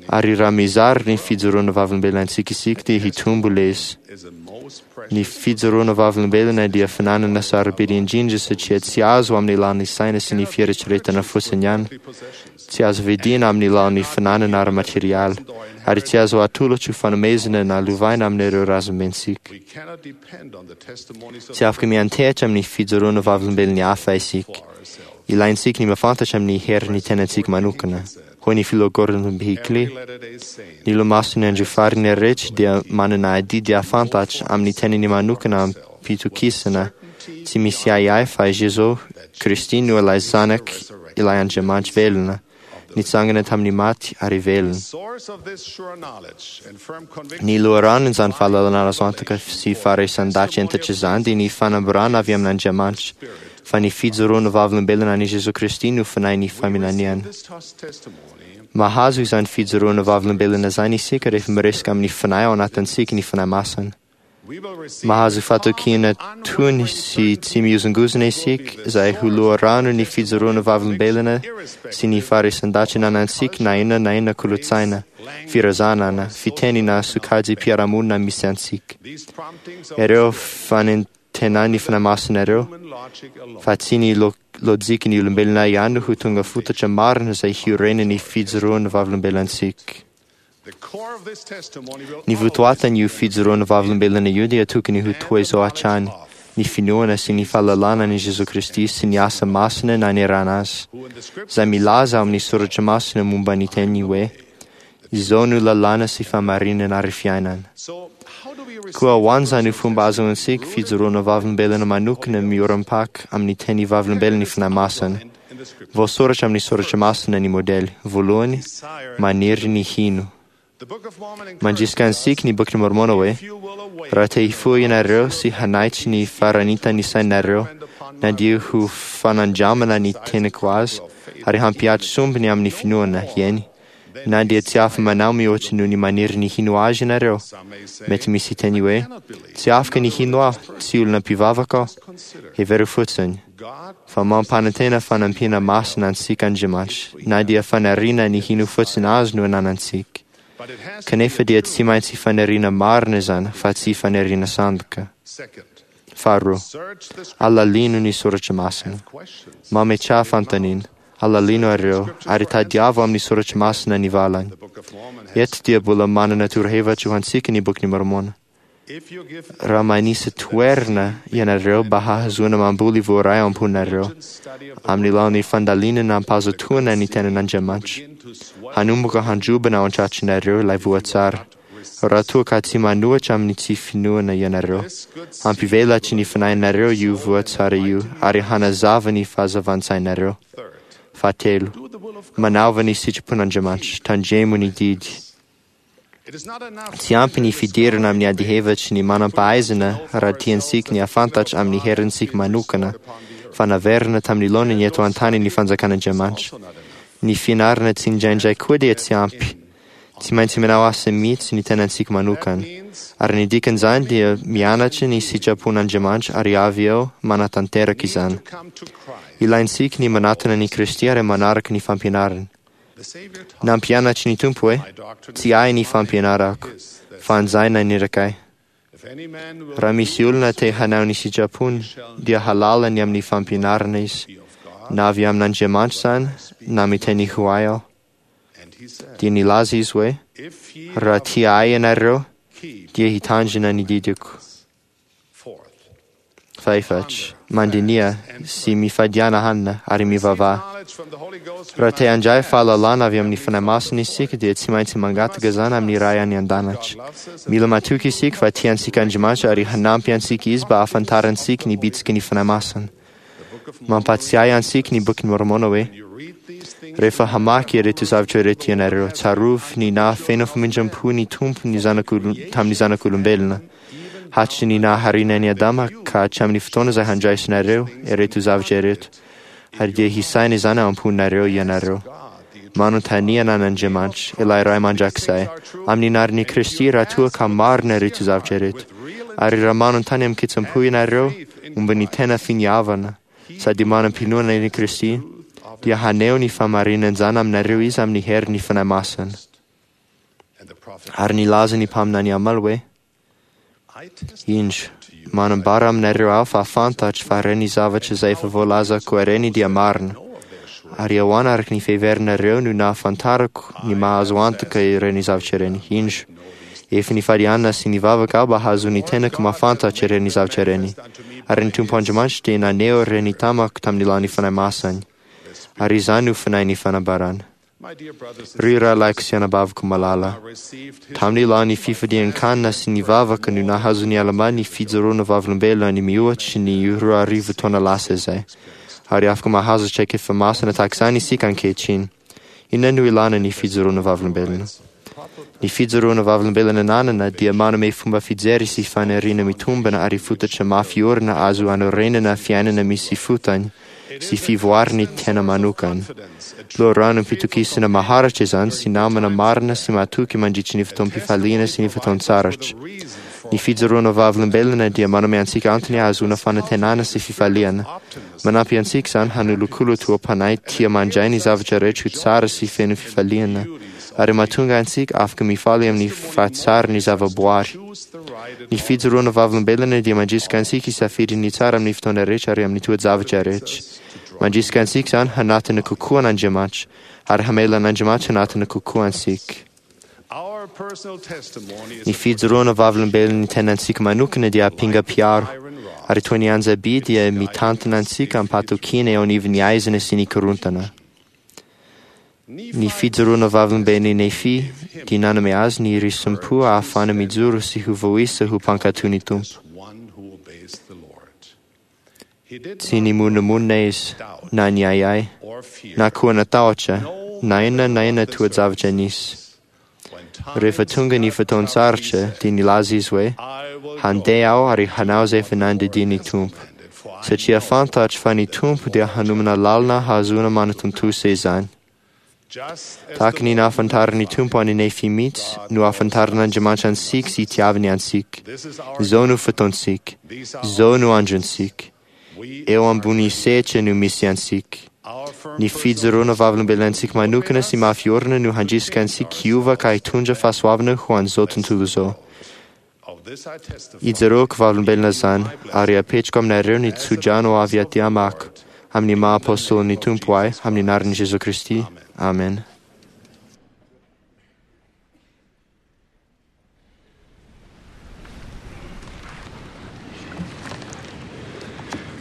Ary raha mizara ny fijoroana vavolombelona antsika isika dia hitombo ilay izy. Ny fijoroana vavolombelona dia fananana sarobidy indrindra satria tsy azo amin'ny alalan'ny saina sy ny fieritreretana fotsiny ihany. Tsy azo vidina amin'ny alalan'ny fananana ara-materialy, ary tsy azo atolotra ho fanomezana na lovaina amin'ireo razambentsika. Tsy afaka miantehitra amin'ny fijoroana vavolombelon'ny hafa isika. Ilaintsika ny mahafantatra amin'ny herin'ny tenantsika manokana. Hoy ny filoha Gordon B. Hinckley, ny olomasin'ny andro farany rehetra dia manana adidy hahafantatra amin'ny tenany manokana amim-pitokisana tsy misy ahiahy fa i Jesoa Kristy no ilay Zanak' ilay Andriamanitra velona, nitsangana tamin'ny maty ary velona. Ny loharanon'izany fahalalana azo antoka sy faharaisan-dahatra hentitra izany dia ny fanambarana avy amin'Andriamanitra, fa ny fijoroana vavolombelona an'i Jesoa Kristy no fanahin'ny faminaniana. Mahazo izany fijoroana vavolombelona izany isika rehefa miresaka amin'ny fanahy ao anatintsika ny Fanahy Masina. Mahazo fahatokiana tony sy tsy mihozongozona isika izay ho loharano ny fijoroana vavolombelona sy ny faharaisan-dahatra ananantsika na inona na inona kolontsaina, firazanana, fiteny na sokajim-piarahamonina misy antsika. Ireo fanentenan'ny Fanahy Masina ireo, fa tsy ny lojikan'ny olombelona ihany no ho tonga fototra marina izay hiorenan'ny fijoroana vavolombelontsika. Ny votoatin'io fijoroana vavolombelona io dia tokony ho toy izao hatrany, ny finoana sy ny fahalalana an'i Jesoa Kristy sy ny asa masina nanerana azy, izay milaza ao amin'ny soratra masina momba ny teniny hoe, izao no lalàna sy fahamarinana ary fiainana. Koa ho an'izany fomba ahazoantsika fijoroana vavolombelona manokana miorim-paka amin'ny teny vavolombelon'ny Fanahy Masina. Voasoratra amin'ny soratra masina ny modely. Voalohany, maniry ny hino. Mandrisika antsika ny Bokin'i Môrmôna hoe, raha te hifoha ianareo sy hanaitry ny faranitan'ny sainareo, na dia ho fanandramana ny teniko azy, ary hampihatry sombiny amin'ny finoana, eny, na dia tsy afa-manao mihoatra noho ny maniry ny hino azy ianareo. Mety misy hiteny hoe, tsy afaka ny hino aho, tsy olona mpivavaka aho. Hevero fotsiny fa mampanantena fanampiana masina antsika Andriamanitra, na dia faniriana ny hino fotsiny azy no ananantsika. Kanefa dia tsy maintsy faniriana marina izany fa tsy faniriana sandoka. Faharoa, alalino ny soratra masina. Mametraha fanontaniana. Alalino ireo, ary tadiavo amin'ny soratra masina ny valany. Eto dia mbola manana torohevitra ho antsika ny Bokin'i Môrmôna. Raha manisa toerana ianareo mba hahazoana mamboly voaray ao am-ponareo, amin'ny alalan'ny fandalinana am-pahazotoana ny tenan'Andriamanitra, hanomboka handrobana ao an-tratranareo ilay voa tsara. Raha toa ka tsy manohitra amin'ny tsy finoana ianareo, hampivelatry ny fanahinareo io voa tsara io ary hanazava ny fahazavan-tsainareo. Fahatelo, manaova ny sitrapon'Andriamanitra, tandremo ny didy. Tsy ampy ny fidirana amin'ny adihevitry ny manam-pahaizana raha tiantsika ny hahafantatra amin'ny herintsika manokana fa naverina tamin'ny laoniny eto an-tany ny fanjakan'Andriamanitra. Ny fianarana tsindraindray koa dia tsy ampy. Tsy maintsy manao asa mihitsy ny tenantsika manokana. Ary ny dikan'izany dia mianatra ny sitrapon'Andriamanitra ary avy eo manatanteraka izany. Ilaintsika ny manatona an'i Kristy ary manaraka ny fampianarany. Nampianatry ny Tompo hoe, tsy ahy ny fampianarako, fa an'izay naniraka ahy. Raha misy olona te hanao ny sitrapony, dia halala ny amin'ny fampianarana izy, na avy amin'Andriamanitra izany, na miteny ho ahy aho. Dia nilaza izy hoe, raha tia ahy ianareo, dia hitandrina ny didiko. Fahefatra, mandiniha sy mifadiana hanina ary mivavaha. Raha te handray fahalalana avy amin'ny Fanahy Masina isika dia tsy maintsy mangataka izany amin'ny Ray any an-danitra. Mila matoky isika fa tia antsika Andriamanitra ary hanampy antsika Izy mba hahafantarantsika ny bitsiky ny Fanahy Masina. Mampahatsiahy antsika ny Bokin'i Môrmôna hoe, rehefa hamaky ireto zavatra ireto ianareo, tsarovy ny nahafeno famindram-po ny Tompo ny zanak'olo- tamin'ny zanak'olombelona, hatry ny nahariana an'i Adama ka hatramin'ny fotoana izay handraisinareo ireto zavatra ireto, ary dia hisaina izany ao am-ponareo ianareo. Manontania an'Andriamanitra, ilay Ray mandrakizay, amin'ny anaran'i Kristy raha toa ka marina ireto zavatra ireto. Ary raha manontany amin-kitsim-po ianareo momba ny tena finiavana, sady manam-pinoana an'i Kristy, Dia haneho ny fahamarinan'izany aminareo Izy amin'ny herin'ny Fanahy Masina. Ary nilaza ny mpaminany Almà hoe: Indro, manambara aminareo aho fa fantatro fa ireny zavatra izay efa voalazako ireny dia marina. Ary ahoana araka ny fiheverinareo no nahafantarako ny maha-azo antoka ireny zavatra ireny? Indro, efa nifady hanina sy nivavaka aho mba hahazoan'ny tenako mahafantatra ireny zavatra ireny. Ary ny Tompo Andriamanitra dia naneho ireny tamako tamin'ny alalan'ny Fanahy Masiny. Ary izany no fanahin'ny fanambarana. Ry rahalahiko sy anabaviko malala, tamin'ny alalan'ny fifadian-kanina sy ny vavaka no nahazoan'i Almà ny fijoroana vavolombelona ny mihoatry ny roa arivo taona lasa izay. Ary afaka mahazo traikefa masina tahaka izany isika ankehitriny. Inona no ilàna ny fijoroana vavolombelona? Ny fijoroana vavolombelona ananana dia manome fomba fijery sy faniriana mitombina ary fototra mafy orina azo anorenana fiainana misy fotony sy fivoaran'ny tena manokana. Loharanom-pitokisana maharitra izany sy namana marina sy mahatoky mandritry ny fotoam-pifaliana sy ny fotoan-tsarotra. Ny fijoroana vavolombelona dia manome antsika antony hahazoana fanantenana sy fifaliana. Manampy antsika izany hanolokolo toe-panahy tia mandray ny zavatra rehetra ho tsara sy feno fifaliana, ary mahatonga antsika afaka mifaly amin'ny fahatsaran'ny zavaboary. Ny fijoroana vavolombelona dia mandrisika antsika hisafidy ny tsara amin'ny fotoana rehetra ary amin'ny toe-javatra rehetra. Mandrisika antsika izany hanatona kokoa an'Andriamanitra, ary hamela an'Andriamanitra hanatona kokoa antsika. Ny fijoroana vavolombelon'ny tenantsika manokana dia ampinga mpiaro, ary toy ny anja-by dia mitantana antsika am-pahatokiana eo anivon'ny aizina sy ny korontana. Ny fijoroana vavolombelon'i Nefy dia nanome azy ny risi-po ahafahana mijoro sy ho voaisa ho mpankatò ny Tompo. Tsy nimonomonona izy, na niahiahy, na koa natahotra, na inona na inona toe-javatra nisy. Rehefa tonga ny fotoan-tsarotra dia nilaza izy hoe: Handeha aho ary hanao izay efa nandidian'ny Tompo, satria fantatro fa ny Tompo dia hanomana lalana hahazoana manatontosa izany. Tahaka ny nahafantaran'ny Tompo an'i Nefy mihitsy no ahafantaran'Andriamanitra antsika sy itiavany antsika. Izao no fotoantsika. Izao no androntsika. Eo ambony sehatra no misy antsika. Ny fijoroana vavolombelonantsika manokana sy mafy orina no handrisika antsika hiova ka hitondra fahasoavana ho an'izao tontolo izao. Ijoroako vavolombelona izany, ary apetrako aminareo ny tsodrano avy aty amako, amin'ny maha apôstôlin'ny Tompo ahy, amin'ny anaran'i Jesoa Kristy. Amen.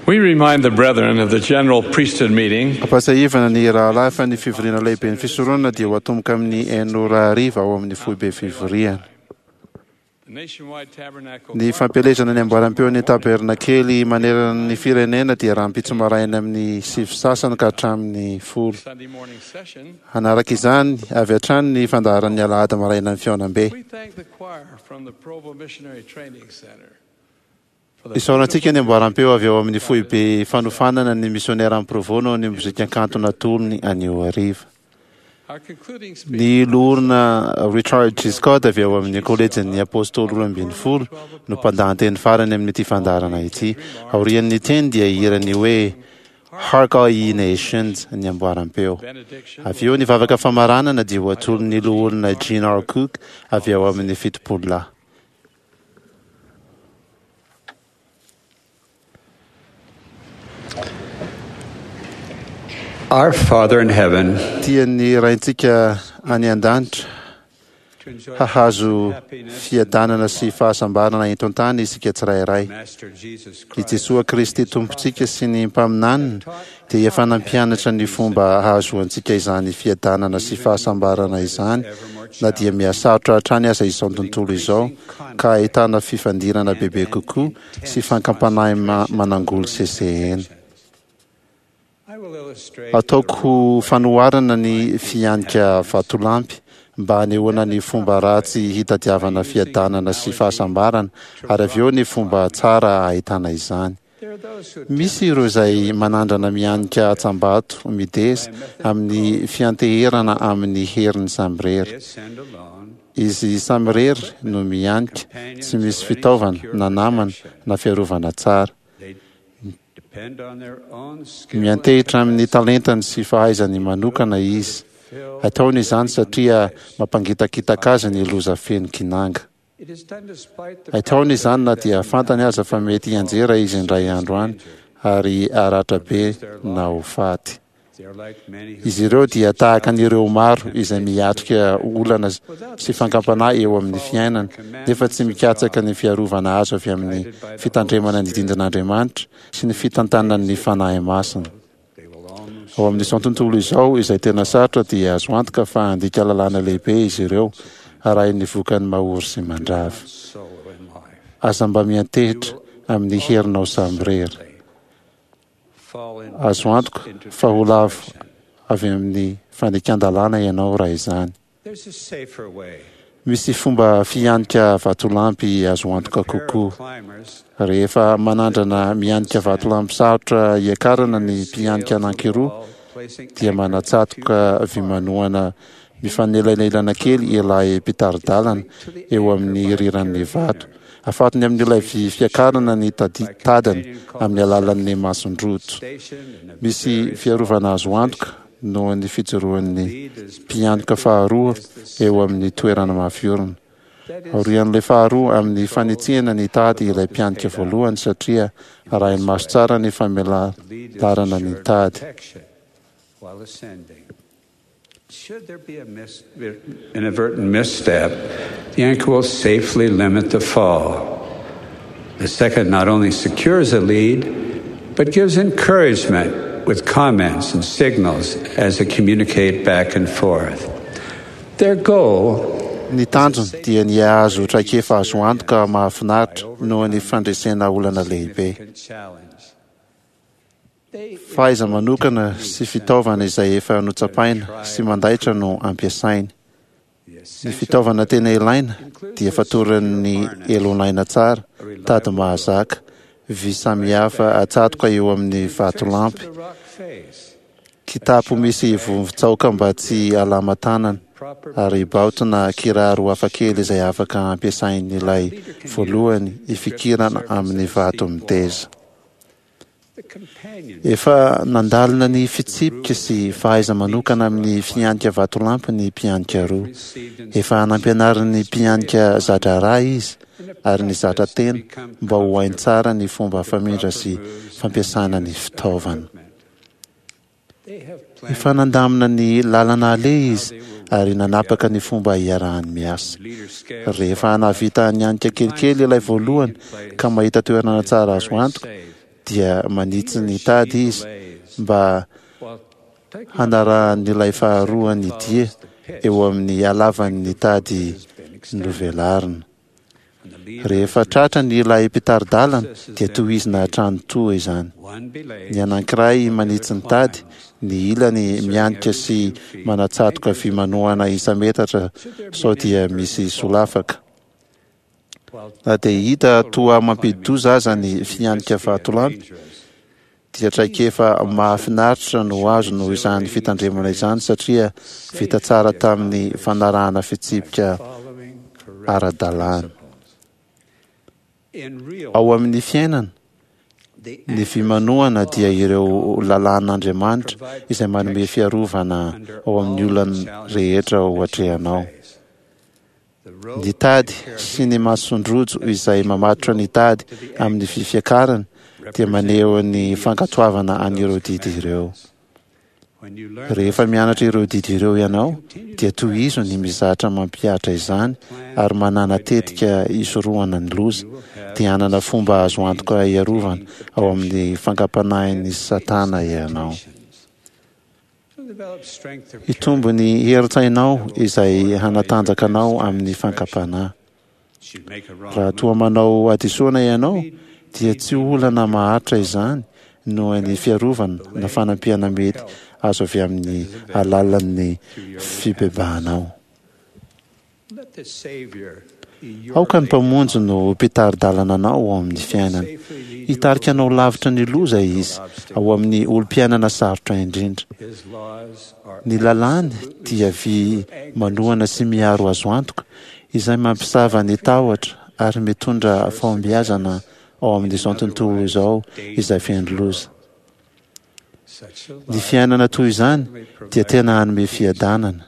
We remind the brethren of the general priesthood meeting Ampahatsiahivana ny rahalahy fa ny fivoriana lehibe ny fisoronana dia ho atomboka amin'ny enina ora hariva ao amin'ny foibe fivoriana. The nationwide tabernacle Ny fampielezana ny amboaram-peon'ny tabernakely manerana ny firenena dia rahampitso maraina amin'ny sivy sasany ka hatramin'ny folo. Sunday morning session. Hanaraka izany avy hatrany ny fandaharan'ny alahady maraina ny fihaonambe. We thank the choir from the Provo Missionary Training Center for the Isaorantsika ny amboaram-peo avy ao amin'ny foibe fanofanana ny misionera amin'ny Provo noho ny mozika kanto natolony anio hariva. Our concluding speaker Ny loholona Richard G. Scott avy ao amin'ny kolejin'ny apôstôly roa ambin'ny folo no mpandahateny farany amin'ity fandaharana ity. Aorian'ny teny dia hirany hoe Hark All Ye Nations ny amboaram-peo. Avy eo ny vavaka famaranana dia ho atolon'ny loholona Gene R. Cook avy ao amin'ny fitopolo lahy. Our Father in heaven, Tian'ny raintsika any an-danitra hahazo fiadanana sy fahasambarana eto an-tany isika tsirairay. Master Jesus I Jesoa Kristy Tompontsika sy ny mpaminaniny dia efa nampianatra ny fomba hahazoantsika izany fiadanana sy fahasambarana izany na dia mihasarotra hatrany aza izao tontolo izao ka ahitana fifandirana bebe kokoa sy fankampanahy ma- manangoly sesehena. I will illustrate Ataoko ho fanoharana ny fihanika vatolampy mba hanehoana ny fomba ratsy hitadiavana fiadanana sy fahasambarana ary avy eo ny fomba tsara ahitana izany. There are those who Misy ireo izay manandrana mihanika hatsambato mideza amin'ny fianteherana amin'ny heriny samirery. ascend alone, Izy samirery no mihanika, tsy misy fitaovana na namana na fiarovana tsara. they Miantehitra amin'ny talentany sy fahaizany manokana izy. Ataony izany satria mampangitakitaka azy ny loza feno kinanga. Ataony izany na dia fantany aza fa mety hianjera izy indray andro any ary haratra be na ho faty. Izy ireo dia tahaka an'ireo maro izay miatrika olana sy fakam-panahy eo amin'ny fiainana, nefa tsy mikatsaka ny fiarovana azo avy amin'ny fitandremana ny didin'Andriamanitra sy ny fitantanan'ny Fanahy Masina. Ao amin'izao tontolo izao izay tena sarotra dia azo antoka fa handika lalàna lehibe izy ireo, arahin'ny vokany mahory sy mandrava. Aza mba miantehitra amin'ny herinao samirery. Azo antoka fa ho lavo avy amin'ny fandikan-dalàna ianao raha izany. Misy fomba fihanika vatolampy azo antoka kokoa. Rehefa manandrana mihanika vatolampy sarotra hiakarana ny mpihanika anankiroa, dia manatsatoka vy manohana mifanelanelana kely ilay mpitari-dalana eo amin'ny riran'ny vato. Afatony amin'ilay vy fiakarana ny tadiny amin'ny alalan'ny masondrojo. Misy fiarovana azo antoka noho ny fijoroan'ny mpiantoka faharoa eo amin'ny toerana mafy orina. Aorian'ilay faharoa amin'ny fanitsihana ny tady ilay mpianika voalohany satria arahiny maso tsara ny famelarana ny tady. Should there be a mis- inadvertent misstep, the anchor will safely limit the fall. The second not only secures a lead, but gives encouragement with comments and signals as they communicate back and forth. Their goal Ny tanjony dia ny hahazo traikefa azo antoka mahafinaritra noho ny fandresena olana lehibe. Fahaiza-manokana sy fitaovana izay efa notsapaina sy mandaitra no ampiasainy. Ny fitaovana tena ilaina dia fatoran'ny elonaina tsara, tady mahazaka, vy samihafa atsatoka eo amin'ny vatolampy, kitapo misy vovon-tsaoka mba tsy halama tanana, ary baotina kiraro hafakely izay afaka ampiasain'ilay voalohany hifikirana amin'ny vato miteza. Efa nandalina ny fitsipika sy fahaiza-manokana amin'ny fihanika vatolampy ny mpihanika roa. Efa nampianarin'ny mpihanika za-draharaha izy ary nizatra tena mba ho hainy tsara ny fomba famindra sy fampiasana ny fitaovana. Efa nandamina ny lalana aleha izy ary nanapaka ny fomba hiarahany miasa. Rehefa nahavita nihanika kelikely ilay voalohany ka mahita toerana tsara azo antoka, dia manitsy ny tady izy mba hanarahan'ilay faharoa ny dia eo amin'ny halavan'ny tady novelarina. Rehefa tratra ny ilay mpitari-dalana dia tohizina hatrany toa izany. Ny anankiray manitsy ny tady, ny ilany mihanika sy manatsatoka vy manohana isa-metatra sao dia misy solafaka. Na dia hita toa mampidi-doza aza ny fihanika vatolampy, dia traikefa mahafinaritra no azo noho izany fitandremana izany satria vita tsara tamin'ny fanarahana fitsipika ara-dalàna. Ao amin'ny fiainana, ny vy manohana dia ireo lalàn'Andriamanitra izay manome fiarovana ao amin'ny olana rehetra ho atrehanao. Ny tady sy ny masondrojo izay mamatotra ny tady amin'ny vy fiakarana dia maneho ny fankatoavana an'ireo didy ireo. Rehefa mianatra ireo didy ireo ianao, dia tohizo ny mizatra mampihatra izany ary manana tetika hisorohana ny loza, dia hanana fomba azo antoka hiarovana ao amin'ny fakam-panahin'ny Satana ianao. Hitombo ny herin-tsainao izay hanatanjaka anao amin'ny fakam-panahy. Raha toa manao hadisoana ianao, dia tsy olana maharitra izany noho ny fiarovana na fanampiana mety azo avy amin'ny alalan'ny fibebahanao. Aoka ny Mpamonjy no mpitari-dalana anao ao amin'ny fiainana. Hitarika anao lavitra ny loza Izy ao amin'ny olom-piainana sarotra indrindra. Ny lalàny dia vy manohana sy miaro azo antoka izay mampisava ny tahotra ary mitondra fahombiazana ao amin'izao tontolo izao izay feno loza. Ny fiainana toy izany dia tena hanome fiadanana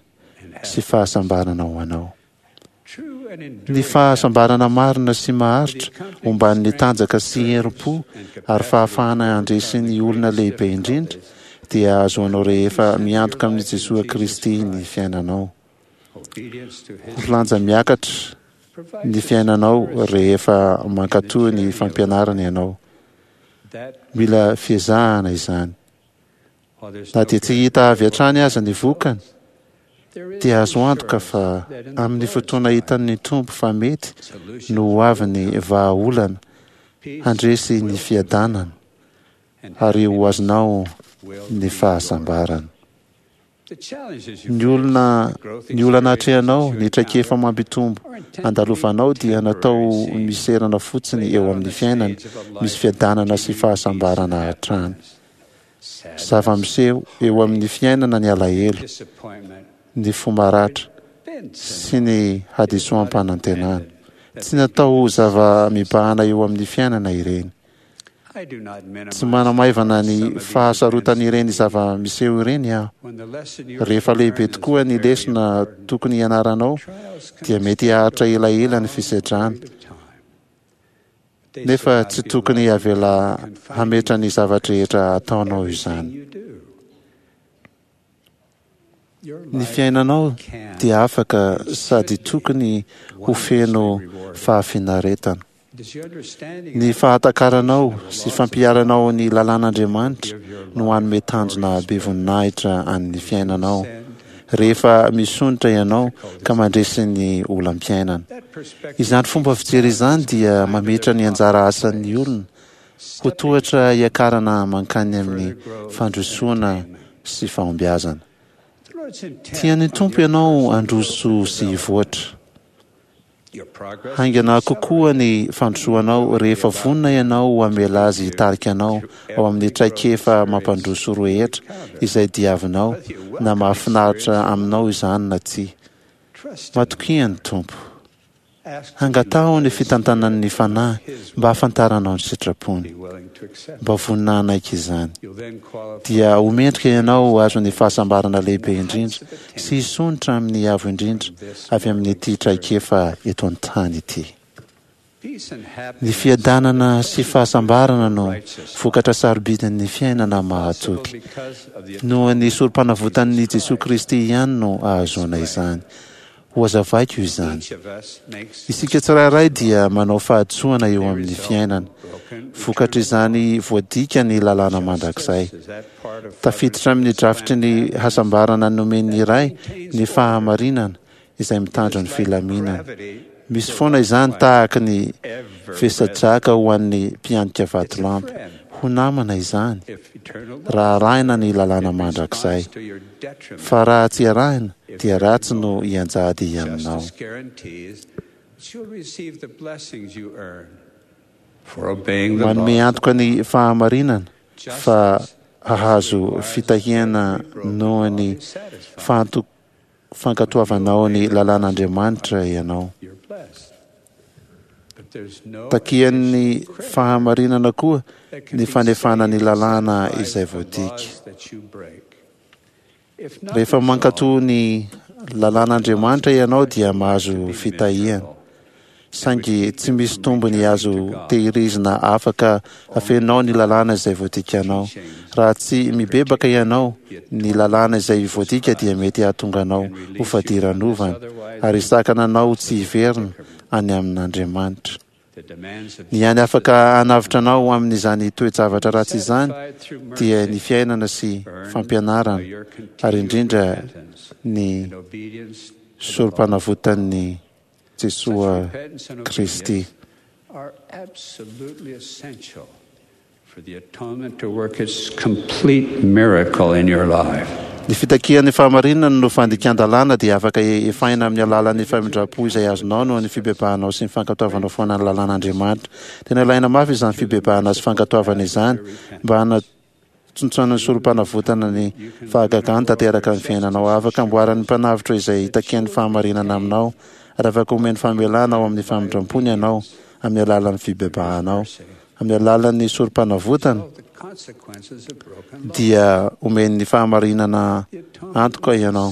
sy fahasambarana ho anao. Ny fahasambarana marina sy maharitra omban'ny tanjaka sy herim-po ary fahafahana handresy ny olona lehibe indrindra dia ahazoanao rehefa miantoka amin'i Jesoa Kristy ny fiainanao. Ho lanja miakatra ny fiainanao rehefa mankatò ny fampianarana ianao. Mila fiezahana izany. Na dia tsy hita avy hatrany aza ny vokany, dia azo antoka fa amin'ny fotoana hitan'ny Tompo fa mety no ho avy ny vahaolana handresy ny fiadanana ary ho azonao ny fahasambarana. Ny olona ny olana atrehanao, ny traikefa mampitombo andalovanao dia natao miserana fotsiny eo amin'ny fiainana, misy fiadanana sy fahasambarana hatrany. Zava-miseho eo amin'ny fiainana ny alahelo, ny fo maratra sy ny hadisoam-panantenana. Tsy natao ho zava-mibahana eo amin'ny fiainana ireny. Tsy manamaivana ny fahasarotan'ireny zava-miseho ireny aho. Rehefa lehibe tokoa ny lesona tokony hianaranao, dia mety haharitra elaela ny fisedrana. Nefa tsy tokony avela hametra ny zava-drehetra ataonao izany. Ny fiainanao dia afaka sady tokony ho feno fahafinaretana. Ny fahatakaranao sy fampiharanao ny lalàn'Andriamanitra no hanome tanjona be voninahitra an'ny fiainanao rehefa misondrotra ianao ka mandresy ny olam-piainana. Izany fomba fijery izany dia mametra ny anjara asan'ny olona ho tohatra hiakarana mankany amin'ny fandrosoana sy fahombiazana. Tian'ny Tompo ianao handroso sy hivoatra. Haingana kokoa ny fandrosoanao rehefa vonona ianao hamela Azy hitarika anao ao amin'ny traikefa mampandroso rehetra izay diavinao, na mahafinaritra aminao izany na tsia. Matokia ny Tompo. Angataho ny fitantanan'ny Fanahy mba hahafantaranao ny sitrapony. Mba vonona hanaiky izany. Dia ho mendrika ianao ho azon'ny fahasambarana lehibe indrindra sy hisondrotra amin'ny avo indrindra avy amin'ity traikefa eto an-tany ity. Ny fiadanana sy fahasambarana no vokatra sarobidin'ny fiainana mahatoky. Noho ny sorom-panavotan'i Jesoa Kristy ihany no ahazoana izany. Hohazavaiko izany. Isika tsirairay dia manao fahadisoana eo amin'ny fiainana. Vokatr'izany voadika ny lalàna mandrakizay. Tafiditra amin'ny drafitry ny hasambarana nomen'ny Ray ny fahamarinana izay mitandro ny filaminana. Misy foana izany tahaka ny vesa-draka ho an'ny mpianika vatolampy. Ho namana izany raha arahina ny lalàna mandrakizay. Fa raha tsy arahina dia ratsy no hianjady aminao. Manome antoka ny fahamarinana fa hahazo fitahiana noho ny fahanto- fankatoavanao ny lalàn'Andriamanitra ianao. Takian'ny fahamarinana koa ny fanefana ny lalàna izay voadika. Rehefa mankatò ny lalàn'Andriamanitra ianao dia mahazo fitahiana. Saingy tsy misy tombony azo tehirizina afaka afeninao ny lalàna izay voadikanao. Raha tsy mibebaka ianao, ny lalàna izay voadika dia mety hahatonga anao ho fadiranovana ary hisakana anao tsy hiverina any amin'Andriamanitra. Ny hany afaka hanavotra anao amin'izany toe-javatra ratsy izany dia ny fiainana sy fampianarana ary indrindra ny sorom-panavotan'i Jesoa Kristy. Ny fitakian'ny fahamarinana no fandikan-dalàna dia afaka efaina amin'ny alalan'ny famindram-po izay azonao noho ny fibebahanao sy ny fankatoavanao foana ny lalàn'Andriamanitra. Tena ilaina mafy izany fibebahana sy fankatoavana izany mba hanatsontsonan'ny sorom-panavotana ny fahagagany tanteraka ny fiainanao. Afaka amboaran'ny Mpanavotra izay itakian'ny fahamarinana aminao ary afaka omeny famelana ao amin'ny famindram-pony ianao amin'ny alalan'ny fibebahanao. Amin'ny alalan'ny sorom-panavotana dia omen'ny fahamarinana antoka ianao.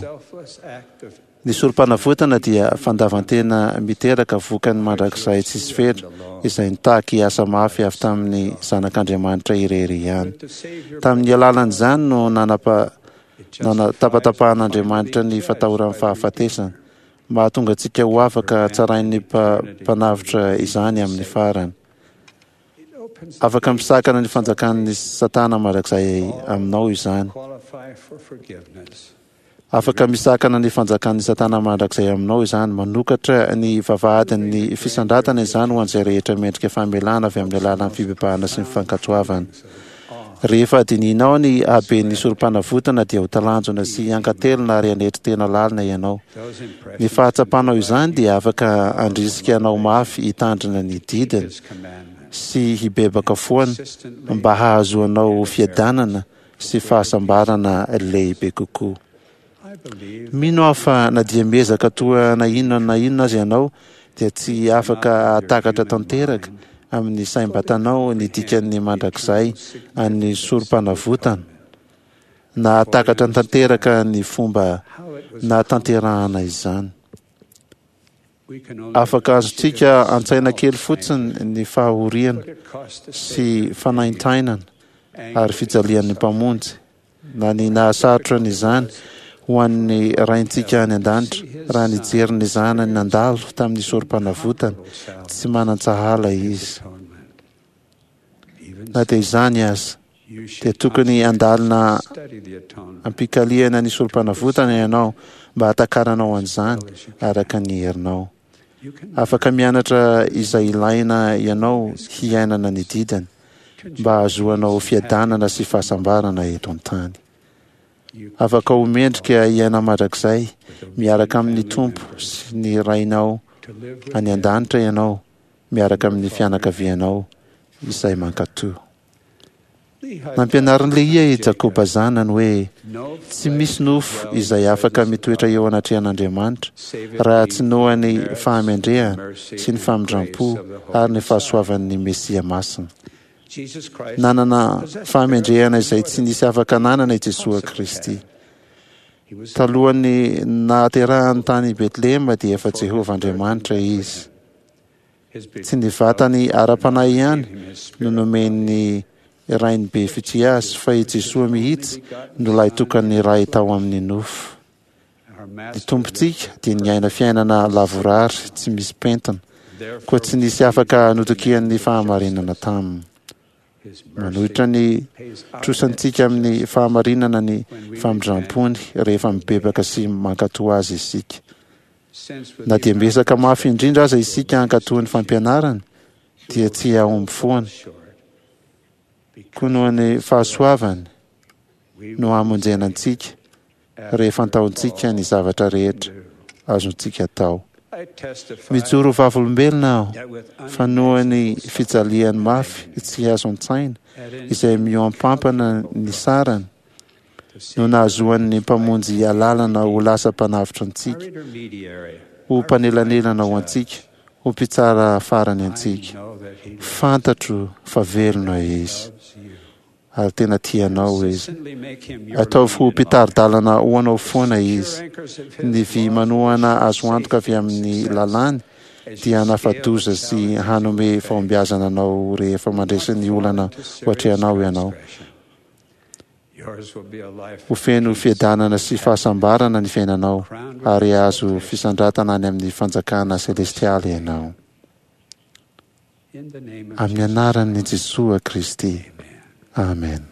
Ny sorom-panavotana dia fandavan-tena miteraka vokany mandrakizay tsisy fetra izay nitaky asa mafy avy tamin'ny Zanak'Andriamanitra irery ihany. Tamin'ny alalan'izany no nanapa nanatapatapahan'Andriamanitra ny fatahoran'ny fahafatesana. Mahatonga antsika ho afaka tsarain'ny mpanavotra izany amin'ny farany. Afaka misakana ny fanjakan'ny Satana mandrakizay aminao izany. Afaka misakana ny fanjakan'ny Satana mandrakizay aminao izany. Manokatra ny vavahadin'ny fisandratana izany ho an'izay rehetra mendrika famelana avy amin'ny alalan'ny fibebahana sy ny fankatoavana. Rehefa adinihinao ny haben'ny sorom-panavotana dia ho talanjona sy hankatelina ary hanetry tena lalina ianao. Ny fahatsapanao izany dia afaka handrisika anao mafy hitandrina ny didiny sy hibebaka foana mba hahazoanao fiadanana sy fahasambarana lehibe kokoa. Mino aho fa na dia miezaka toa na inona na inona aza ianao dia tsy afaka hahatakatra tanteraka amin'ny saim-batanao ny dikan'ny mandrakizay an'ny sorom-panavotana, na hahatakatra tanteraka ny fomba nahatanterahana izany. Afaka azontsika an-tsaina kely fotsiny ny fahoriana sy fanaintainana ary fijalian'ny Mpamonjy, na ny nahasarotra an'izany ho an'ny Raintsika any an-danitra raha nijery ny Zanany nandalo tamin'ny sorom-panavotana tsy manan-tsahala Izy. Na dia izany aza, dia tokony handalina am-pikaliana ny sorom-panavotana ianao mba hahatakaranao an'izany araka ny herinao. Afaka mianatra izay ilaina ianao hiainana ny didiny mba hahazoanao fiadanana sy fahasambarana eto an-tany. Afaka ho mendrika hiaina mandrakizay miaraka amin'ny Tompo sy ny Rainao any an-danitra ianao miaraka amin'ny fianakavianao izay mankatò. Nampianarin'i Lehia i Jakoba zanany hoe tsy misy nofo izay afaka mitoetra eo anatrehan'Andriamanitra raha tsy noho ny fahamendrehana sy ny famindram-po ary ny fahasoavan'ny Mesia Masina. Nanana fahamendrehana izay tsy nisy afaka nanana i Jesoa Kristy. Talohan'ny nahaterahany tany Betlehema dia efa Jehovah Andriamanitra izy. Tsy ny vatany ara-panahy ihany no nomen'ny Rainy be fitia azy, fa i Jesoa mihitsy no lahitokan'ny Ray tao amin'ny nofo. Ny Tompontsika dia niaina fiainana lavorary tsy misy pentina, koa tsy nisy afaka notokian'ny fahamarinana taminy. Manohitra ny trosantsika amin'ny fahamarinana ny famindram-pony rehefa mibebaka sy mankatò azy isika. Na dia miezaka mafy indrindra aza isika hankatò ny fampianarany, dia tsy hahomby foana. Koa noho ny fahasoavany no hamonjena antsika rehefa antaontsika ny zavatra rehetra azontsika atao. Mijoro vavolombelona aho fa noho ny fijaliany mafy tsy azo an-tsaina izay mihoampampana ny sarany no nahazoan'ny Mpamonjy alalana ho lasa mpanavotra antsika, ho mpanelanelana ho antsika, ho mpitsara farany antsika. Fantatro fa velona Izy ary tena tia anao Izy. Ataovy ho mpitari-dalana ho anao foana Izy. Ny vy manohana azo antoka avy amin'ny lalàny dia hanafa-doza sy hanome fahombiazana anao rehefa mandresy ny olana ho atrehanao ianao. Ho feno fiadanana sy fahasambarana ny fiainanao ary hahazo fisandratana any amin'ny fanjakana selestialy ianao. Amin'ny anaran'i Jesoa Kristy. Amen.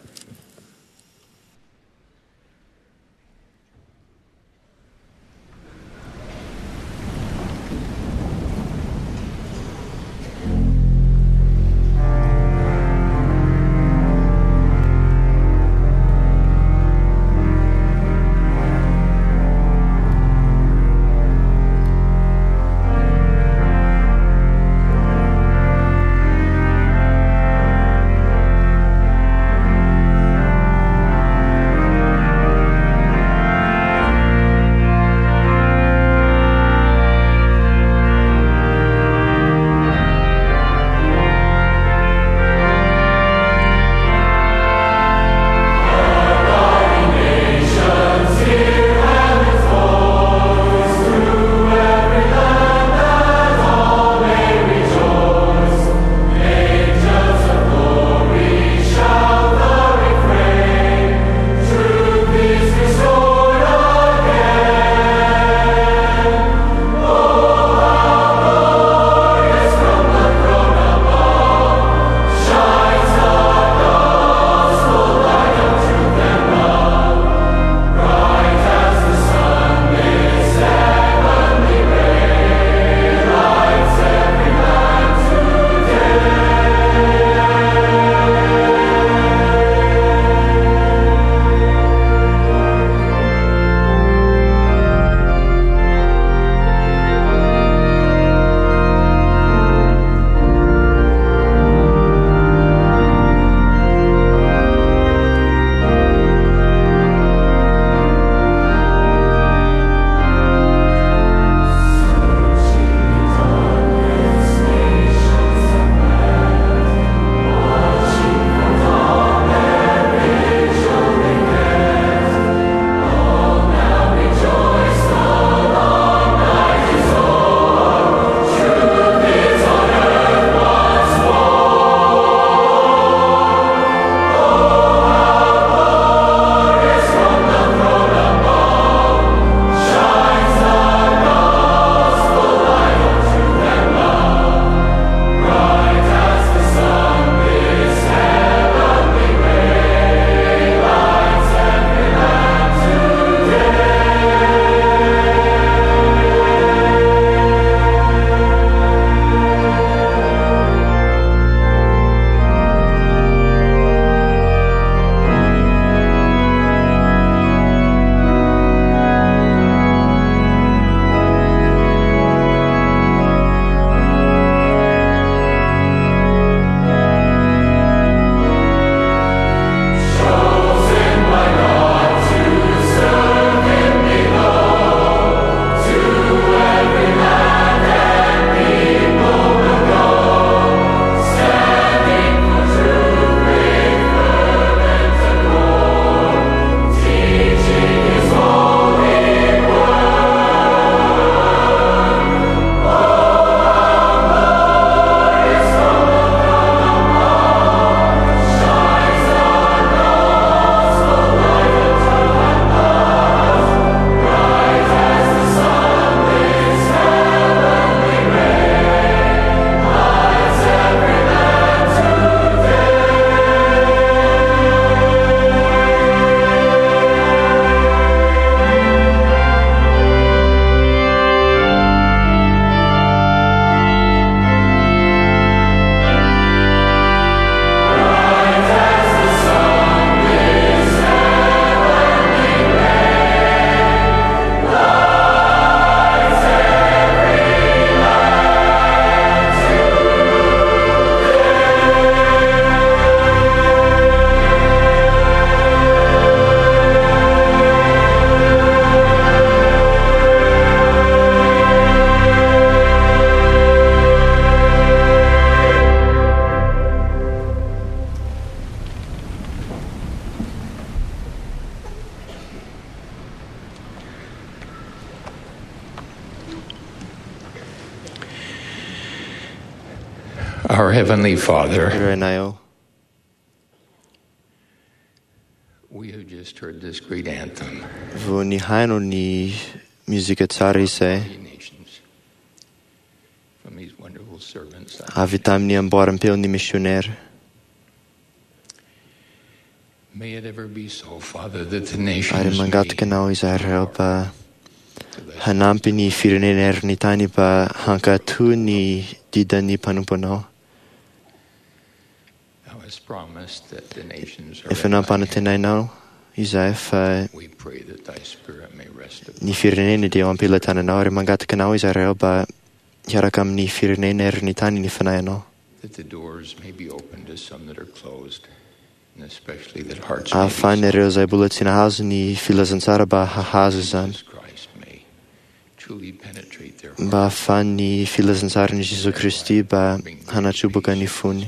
Our Heavenly Father, Rainay ô, we have just heard this great anthem, vao nihaino ny mozika tsara izay nations, from these wonderful servants. avy tamin'ny amboaram-peon'ny missionnaire. May it ever be so, Father, that the Ary nations mangataka anao izahay Ray mba hanampy ny firenena eran'ny tany mba hankatò ny didan'ny mpanomponao. Thou hast promised that the nations are Efa nampanantenainao izahay fa We pray that thy spirit may rest upon ny firenena dia eo am-pelatananao ary mangataka anao izahay Ray mba hiaraka amin'ny firenena eran'ny tany ny fanahinao. that the doors may be opened to some that are closed, and especially that hearts may be Ahafahan'ireo izay mbola tsy nahazo ny filazantsara mba hahazo izany. Christ may truly penetrate their Mba ahafahan'ny filazantsaran'i Jesoa Kristy mba hanatroboka ny fony.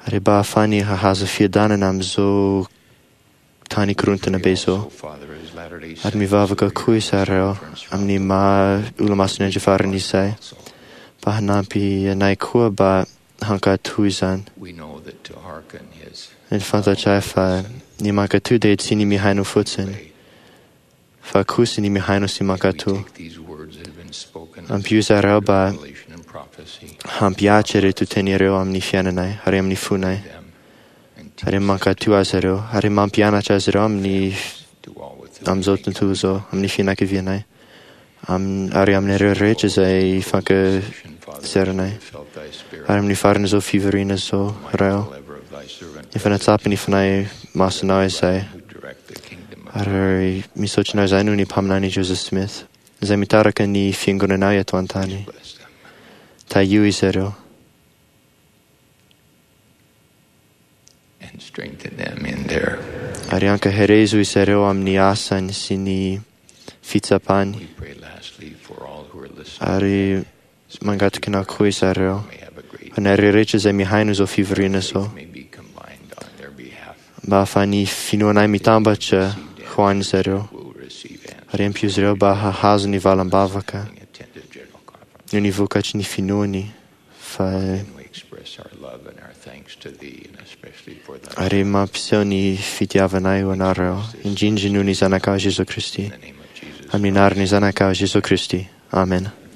Ary mba ahafahany hahazo fiadanana amin'izao tany korontana be izao. Father, as Latter-day Ary mivavaka koa izahay amin'ny maha olo-masin'ny andro farany izay mba hanampy anay koa mba hankatò izany. we know that to hearken is Ny fantatray fa ny mankatò dia tsy ny mihaino fotsiny, fa kosa ny mihaino sy mankatò. these words that have been spoken Ampio izahay mba revelation and prophecy hampiatra ireto teny ireo amin'ny fiainanay ary amin'ny fonay. Ary mankatò azy ireo ary mampianatra azy ireo amin'ny amin'izao tontolo izao, amin'ny fianakavianay, Am- ary amin'ireo rehetra izay ifankazeranay. Ary amin'ny faran'izao fivoriana izao, Ray ô, efa natsapy ny fanahy masinao izay. Ary misaotra anao izay noho ny mpaminany Joseph Smith, izay mitarika ny fiangonanao eto an-tany. Tahio izy ireo. and strengthen them in their Ary ankaherezo izy ireo amin'ny asany sy ny fitsapany. pray lastly for all who are listening Ary mangataka anao koa izy ireo. Anareo rehetra izay mihaino izao fivoriana izao. may be combined on their behalf Mba ahafahan'ny finoanay mitambatra ho an'izy ireo. Ary ampio izy ireo mba hahazo ny valam-bavaka. Noho ny vokatry ny finoany fa we express our love and our thanks to thee and especially for thy ary mampiseho ny fitiavanay ho anareo, indrindra noho ny zanakao Jesoa Kristy. Amin'ny anaran'ny zanakao Jesoa Kristy. Amen. Thank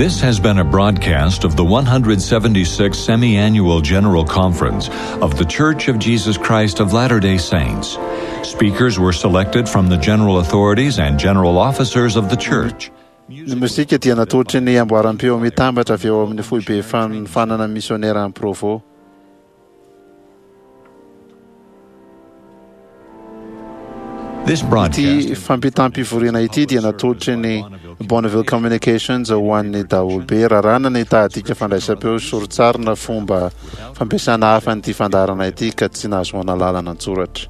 This has been a broadcast of the one hundred seventy-sixth Semi-Annual General Conference of The Church of Jesus Christ of Latter-day Saints. Speakers were selected from the general authorities and general officers of the church. Ny mozika dia natolotry ny amboaram-peo mitambatra avy eo amin'ny foibe fanofanana misionera any Provo. This broadcast Ity fampitam-pivoriana ity dia natolotry ny Bonneville Communications ho an'ny daholobe. Raràna ny tahadika fandraisam-peo sorotsarina fomba fampiasana hafa an'ity fandaharana ity ka tsy nahazoana lalana an-tsoratra.